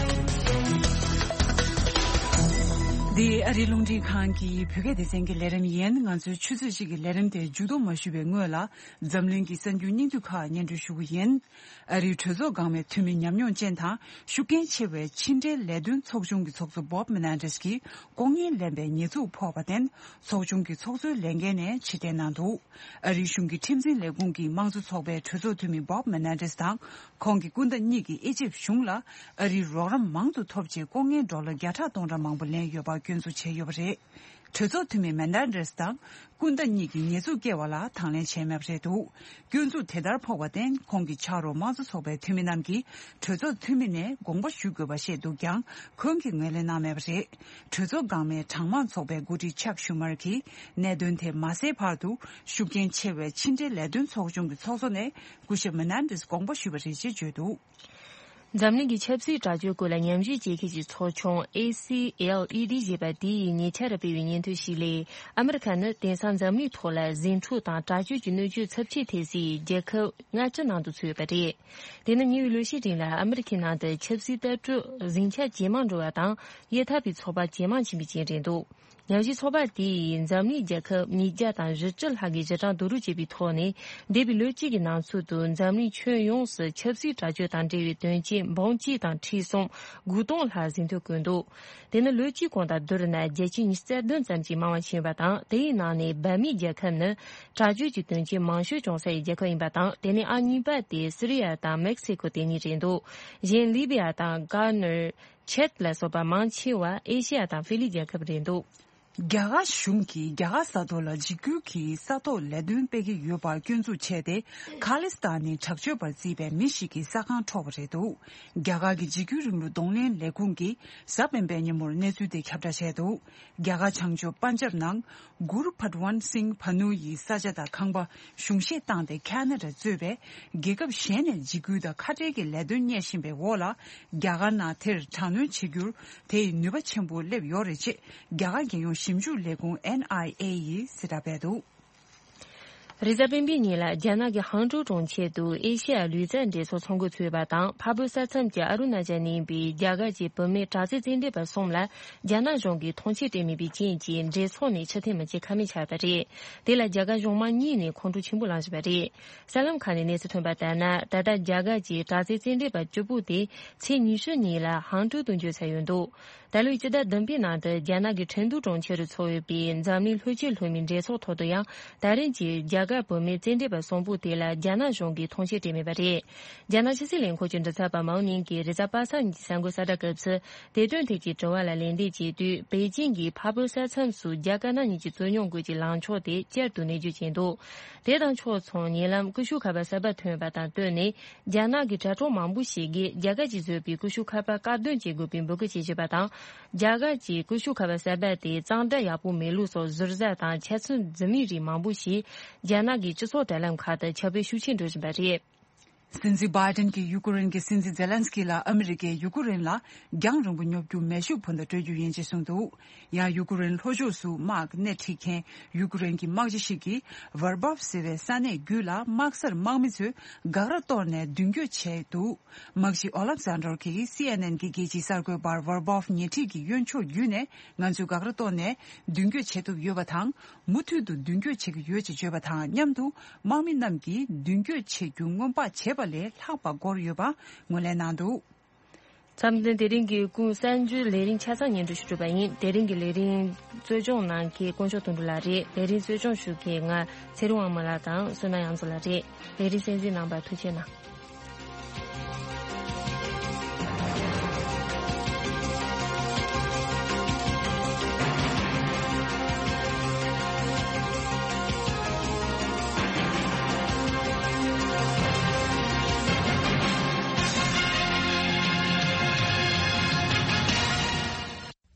འདི་ཨ་རིའི་རླུང་འཕྲིན་ཁང་གི་བོད་སྐད་སྡེ་ཚན་གྱི་ལས་རིམ་ཡིན། ང་ཚོའི་ཆུ་ཚོད་གཅིག་གི་ལས་རིམ་དེ་མཇུག་བསྡོམས་མ་ཞུས་པའི་སྔོན་ལ། འཛམ་གླིང་གི་གསར་འགྱུར་སྙིང་བསྡུས་ཁག་སྙན་སྒྲོན་ཞུ་གི་ཡིན། ཨ་རིའི་གྲོས་ཚོགས་འགག་མེད་འཐུས་མི་ཉམས་མྱོང་ཅན་དང་ཤུགས་རྐྱེན་ཆེ་བའི་ཕྱི་འབྲེལ་ལས་དོན་ཚོགས་ཆུང་གི་ཚོགས་གཙོ་Bob Menendez་གྱིས་ལྐོག་རྔན་ལེན་པའི་ཉེས་འཛུགས་ཕོག་པར་བརྟེན། ཚོགས་ཆུང་གི་ཚོགས་གཙོའི་ལས་འགན་ནས་ཕྱིར་འཐེན་གནང་འདུག་ཨ་རིའི་གཞུང་གི་ཁྲིམས་འཛིན་ལས་ཁུངས་ཀྱིས་དམངས་གཙོ་ཚོགས་པའི་གྲོས་ཚོགས་འཐུས་མི་Bob Menendez་དང་། ཁོང་གི་སྐུ་ཟླ་གཉིས་ཀྱིས་ཨི་ཇིབ་གཞུང་ལ་ཨ་རིའི་རོགས་རམ་མང་དུ་ཐོབ་ཆེད་ལྐོག་རྔན་ཌོ་ལར་བརྒྱ་ཕྲག་སྟོང་ཕྲག་མང་པོ་ལེན་ཡོད་པར་སྐྱོན་འཛུགས་བྱས་ཡོད་པ་རེད། གྲོས་ཚོགས་འཐུས་མི་Menendez་དང་སྐུ་ཟླ་གཉིས་ཀྱིས་ཉེས་འཛུགས་བཀལ་བ་ལ་དང་ལེན་བྱས་མེད་པ་རེད་འདུག་སྐྱོན་འཛུགས་དེ་ལྟར་ཕོག་པར་བརྟེན། ཁོང་གི་ཕྱག་རོགས་དམངས་གཙོ་ཚོགས་པའི་འཐུས་མི་རྣམས་ཀྱིས་གྲོས་ཚོགས་འཐུས་མི་ནས་དགོངས་པ་ཞུ་དགོས་པ་བཤད་འདུག་ཀྱང་། ཁོང་གིས་ངོས་ལེན་གནང་མེད་པ་རེད། གྲོས་ཚོགས་འགག་མིའི་གྲངས་མང་ཚོགས་པའི་འགོ་ཁྲིད་Chuck Schumer་གྱིས་གནད་དོན་དེ་མ་སེལ་བར་དུ། ཤུགས་རྐྱེན་ཆེ་བའི་ཕྱི་འབྲེལ་ལས་དོན་ཚོགས་ཆུང་གི་ཚོགས་གཙོ་ནས་སྐུ་ཞབས་Menendez་དགོངས་པ་ཞུས་པ་རེད་ཅེས་བརྗོད་འདུག་འཛམ་གླིང་གི་ཆབ་སྲིད་དྲག་སྤྱོད་སྐོར་ལ་ཉམས་ཞིབ་བྱེད་མཁན་གྱི་ཚོགས་ཆུང་A C L E D་ཞེས་པ་དེ་ཡིས་ཉེ་ཆར་སྤེལ་བའི་སྙན་ཐོ་ཞིག་ལས། ཨ་མི་རི་ཁ་ནི་དེང་སང་འཛམ་གླིང་ཐོག་ལ་ཟིང་འཁྲུག་དང་དྲག་སྤྱོད་ཀྱི་གནོད་སྐྱོན་ཚབས་ཆེ་ཐེབས་སའི་རྒྱལ་ཁབ་ལྔ་བཅུ་ནང་དུ་ཚུད་ཡོད་པ་རེད། དེ་ནི་ཉེ་བའི་ལོ་ཤས་རིང་ལ་ཨ་མི་རི་ཁའི་ནང་དུ་ཆབ་སྲིད་ལྟ་གྲུབ་ཟིང་ཆ་ཇེ་མང་འགྲོ་བ་དང་། གཡས་འཐབ་པའི་ཚོགས་པ་ཇེ་མང་ཕྱིན་པའི་རྐྱེན་རེད་འདུག་ཉམས་ཞིབ་ཚོགས་པ་དེ་ཡིས་འཛམ་གླིང་རྒྱལ་ཁབ་ཉིས་བརྒྱ་དང་བཞི་བཅུ་ལྷག་གི་གཞི་གྲངས་བསྡུ་རུབ་བྱས་པའི་ཐོག་ནས། འདས་པའི་ལོ་གཅིག་གི་ནང་ཚུད་དུ་འཛམ་གླིང་ཁྱོན་ཡོངས་སུ་ཆབ་སྲིད་དྲག་སྤྱོད་དང་འབྲེལ་བའི་དོན་རྐྱེན་འབུམ་གཅིག་དང་ཁྲི་སུམ་དགུ་སྟོང་ལྷག་ཟིན་ཐོ་བཀོད་འདུག་དེ་ནི་ལོ་གཅིག་གོང་དང་བསྡུར་ན་བརྒྱ་ཆ་ཉི་ཤུ་རྩ་བདུན་ཙམ་གྱིས་མང་བ་ཕྱིན་པ་དང་། དེའི་ནང་ནས་བྷ་མིའི་རྒྱལ་ཁབ་ནི་དྲག་སྤྱོད་ཀྱི་དོན་རྐྱེན་མང་ཤོས་བྱུང་སའི་རྒྱལ་ཁབ་ཡིན་པ་དང་། དེ་ནས་ཨང་གཉིས་པ་དེ་སི་རི་ཡ་དང་མེག་སི་ཀོ་དེ་གཉིས་རེད་འདུག་གཞན་ལི་བི་ཡ་དང་གྷ་ནར། ཆད་ལ་སོགས་པ་མང་ཆེ་བ་ཨེ་ཤེ་ཡ་དང་ཧྥི་ལི་རྒྱལ་ཁབ་རེད་འདུག་རྒྱ་གར་གཞུང་གིས་རྒྱ་གར་ས་ཐོག་ལ་འཇིགས་སྐུལ་གྱི་ས་ཐོག་ལས་དོན་སྤེལ་གྱི་ཡོད་པར་སྐྱོན་འཛུགས་བྱས་ཏེ། ཁ་ལི་སི་ཐན་ནི་དྲག་སྤྱོད་པར་བརྩིས་པའི་མི་ཞིག་གི་ས་ཁང་འཕྲོག་པ་རེད་འདུག་རྒྱ་གར་གྱི་འཇིགས་སྐུལ་རིང་ལུགས་གདོང་ལེན་ལས་ཁུངས་ཀྱིས་གཟའ་སྤེན་པའི་ཉིན་མོར་གནས་ཚུལ་དེ་ཁྱབ་བསྒྲགས་བྱས་འདུག་རྒྱ་གར་བྱང་ཕྱོགས་པན་ཇབ་ནང་གུར་ཕད་ཝན་སིང་བྷ་ནུ་ཡི་ས་ཆ་དང་ཁང་པ་གཞུང་བཞེས་བཏང་སྟེ། ཁ་ན་ཌ་གཙོས་པའི་རྒྱལ་ཁབ་གཞན་ནས་འཇིགས་སྐུལ་དང་ཁ་བྲལ་གྱི་ལས་དོན་གཉེར་བཞིན་པའི་འོག་ལ། རྒྱ་གར་ནང་དེར་དྲག་གནོན་བྱེད་རྒྱུར་དེ་ཡི་ནུས་པ་ཆེན་པོ་སླེབས་ཡོད་རེད་ཅེས། རྒྱ་གར་རྒྱལ་ཡོངས་ཞིབ་འཇུག་ལས་ཁུངས་N I A་ཡིས་གསལ་བསྒྲགས་སྤེལ་འདུག་རེས་གཟའ་སྤེན་པའི་ཉིན་ལ་རྒྱ་ནག་གི་ཧང་ཀྲོའུ་གྲོང་ཁྱེར་དུ་ཨེ་ཤེ་ཡ་ལུས་རྩལ་འགྲན་ཚོགས་ཚོགས་འགོ་ཚུགས་པ་དང་། འཕགས་བོད་ས་མཚམས་ཀྱི་ཨ་རུ་ན་ཅལ་ནས་ཡིན་པའི་རྒྱ་གར་གྱི་བུད་མེད་དྲག་རྩལ་རྩེད་འགྲན་པ་གསུམ་ལ་རྒྱ་ནག་གཞུང་གིས་མཐོང་ཆེན་སྤྲད་མེད་པའི་རྐྱེན་གྱིས། འགྲན་ཚོགས་ནས་ཕྱིར་འཐེན་མི་བྱེད་ཁ་མེད་ཆགས་པ་རེད། དེ་ལ་རྒྱ་གར་གཞུང་མང་གཉིས་ནས་ཁོང་ཁྲོ་ཆེན་པོ་ལངས་བཞིན་པ་རེད། གསར་ལམ་ཁག་ནས་གནས་ཚུལ་ཐོན་པ་ལྟར་ན། ད་ལྟ་རྒྱ་གར་གྱི་དྲག་རྩལ་རྩེད་འགྲན་པ་བཅུ་པོ་དེ་ཚེས་ཉི་ཤུ་ཉིན་ལ་ཧང་ཀྲོའུ་དུ་འབྱོར་ཚར་ཡོད་འདུག་ད་ལོའི་སྤྱི་ཟླ་བདུན་པའི་ནང་དུ་རྒྱ་ནག་གི་ཁྲེང་ཏུའུ་གྲོང་ཁྱེར་དུ་ཚོགས་ཡོད་པའི་འཛམ་གླིང་ལྷོ་སྤྱོད་ལྷོ་མའི་འགྲན་ཚོགས་ཐོག་ཏུ་ཡང་། ད་རིང་གི་རྒྱ་གར་བུད་མེད་རྩེད་འགྲན་པ་གསུམ་པོ་དེ་ལ་རྒྱ་ནག་གཞུང་གིས་མཐོང་ཆེན་སྤྲད་མེད་པ་རེད། རྒྱ་ནག་ཕྱི་སྲིད་ལས་ཁུངས་ཀྱི་མགྲིན་ཚབ་པ་མའོ་ནིང་གིས་རེས་གཟའ་པ་སངས་ཀྱི་གསར་འགོད་གསལ་བསྒྲགས་སྐབས་སུ། དེ་དོན་ཐད་ཀྱི་དྲི་བ་ལ་ལན་འདེབས་བྱེད་དུས། པེ་ཅིང་གིས་འཕགས་བོད་ས་མཚམས་སུ་རྒྱ་དཀར་ནག་གཉིས་ཀྱི་རྩོད་རྙོག་སྐོར་གྱི་ལངས་ཕྱོགས་དེ་བསྐྱར་དུ་ནན་བརྗོད་བྱས་འདུག་དེ་དང་ཕྱོགས་མཚུངས། ཉེ་ལམ་ཀུ་ཤུ་ཁ་པར་གསར་པ་ཐོན་པ་དང་བསྟུན་ནས། རྒྱ་ནག་གི་དྲ་གྲོགས་མང་པོ་ཞིག་གིས་རྒྱ་གར་གྱིས་བཟོས་པའི་ཀུ་ཤུ་ཁ་པར་བཀག་སྡོམ་བྱེད་དགོས་པའི་འབོད་སྐུལ་བྱེད་བཞིན་པ་དང་། རྒྱ་གར་གྱིས་ཀུ་ཤུ་ཁ་པར་གསར་པ་དེ་གཙང་སྦྲ་ཡག་པོ་མེད་ལུགས་སོགས་ཟུར་ཟ་དང་འཆལ་ཚུལ་འཛིན་མིན་རིགས་མང་པོ་ཞིག་རྒྱ་ནག་གི་སྤྱི་ཚོགས་དྲ་ལམ་ཁག་ཏུ་ཁྱབ་སྤེལ་ཤུགས་ཆེན་འགྲོ་བཞིན་པ་རེད། སྲིད་འཛིན་བྷའི་ཏན་གྱིས་ཡུ་ཀེ་རེན་གྱི་སྲིད་འཛིན་ཛེ་ལན་སི་ཀི་ལ་ཨ་མི་རི་ཀས་ཡུ་ཀེ་རེན་ལ་རྒྱང་རིང་པོ་ཉོབ་རྒྱུ་མེ་ཤུགས་འཕུར་མདའ་སྤྲོད་རྒྱུ་ཡིན་ཅེས་གསུངས་འདུག། ཡང་ཡུ་ཀེ་རེན་ལྷོ་ཕྱོགས་སུ་དམག་སྣེ་ཁྲིད་མཁན་ཡུ་ཀེ་རེན་གྱི་དམག་སྤྱི་ཞིག་གིས་ཝར་བོབ་ཟེར་བའི་ས་གནས་བརྒྱུད་ལ་དམག་སར་དམག་མི་ཚོས་འགག་ར་གཏོར་ནས་མདུན་སྐྱོད་བྱས་འདུག། དམག་སྤྱི་ཨོ་ལབ་ཟན་ཌོར་གྱིས་སི་ཨེན་ཨེན་གྱི་རྒྱལ་སྤྱིའི་གསར་འགོད་པར་ཝར་བོབ་ཉེ་འཁྲིས་ཀྱི་གཡོན་ཕྱོགས་བརྒྱུད་ནས་ང་ཚོས་འགག་ར་གཏོར་ནས་མདུན་སྐྱོད་བྱེད་ཐུབ་ཡོད་པ་དང་། མུ་མཐུད་དུ་མདུན་སྐྱོད་བྱེད་ཀྱི་ཡོད་ཅེས་བརྗོད་པ་དང་མཉམ་དུ། དམག་མི་རྣམས་ཀྱིས་མདུན་སྐྱོད་བྱེད་རྒྱུ་སྔོན་དཔག་བྱས་པ་ལས་ལྷག་པ་འགོར་ཡོད་པ་ངོས་ལེན་གནང་འདུག། འཆམ་མཐུན་དེ་རིང་གི་སྐུ་གསར་འགྱུར་ལས་རིམ་ཆ་ཚང་སྙན་སྒྲོན་ཞུ་གྲུབ་པ་ཡིན། དེ་རིང་གི་ལས་རིམ་གཙོ་སྐྱོང་གནང་མཁན་དཀོན་མཆོག་དོན་གྲུབ་ལགས་རེད། ལས་རིམ་གཙོ་སྐྱོང་ཞུ་མཁན་ང་ཚེ་རིང་དབང་མོ་ལགས་དང་བསོད་ནམས་དབྱངས་མཚོ་ལགས་རེད། ལས་རིམ་གསན་གཟིགས་གནང་བར་ཐུགས་རྗེ་གནང་།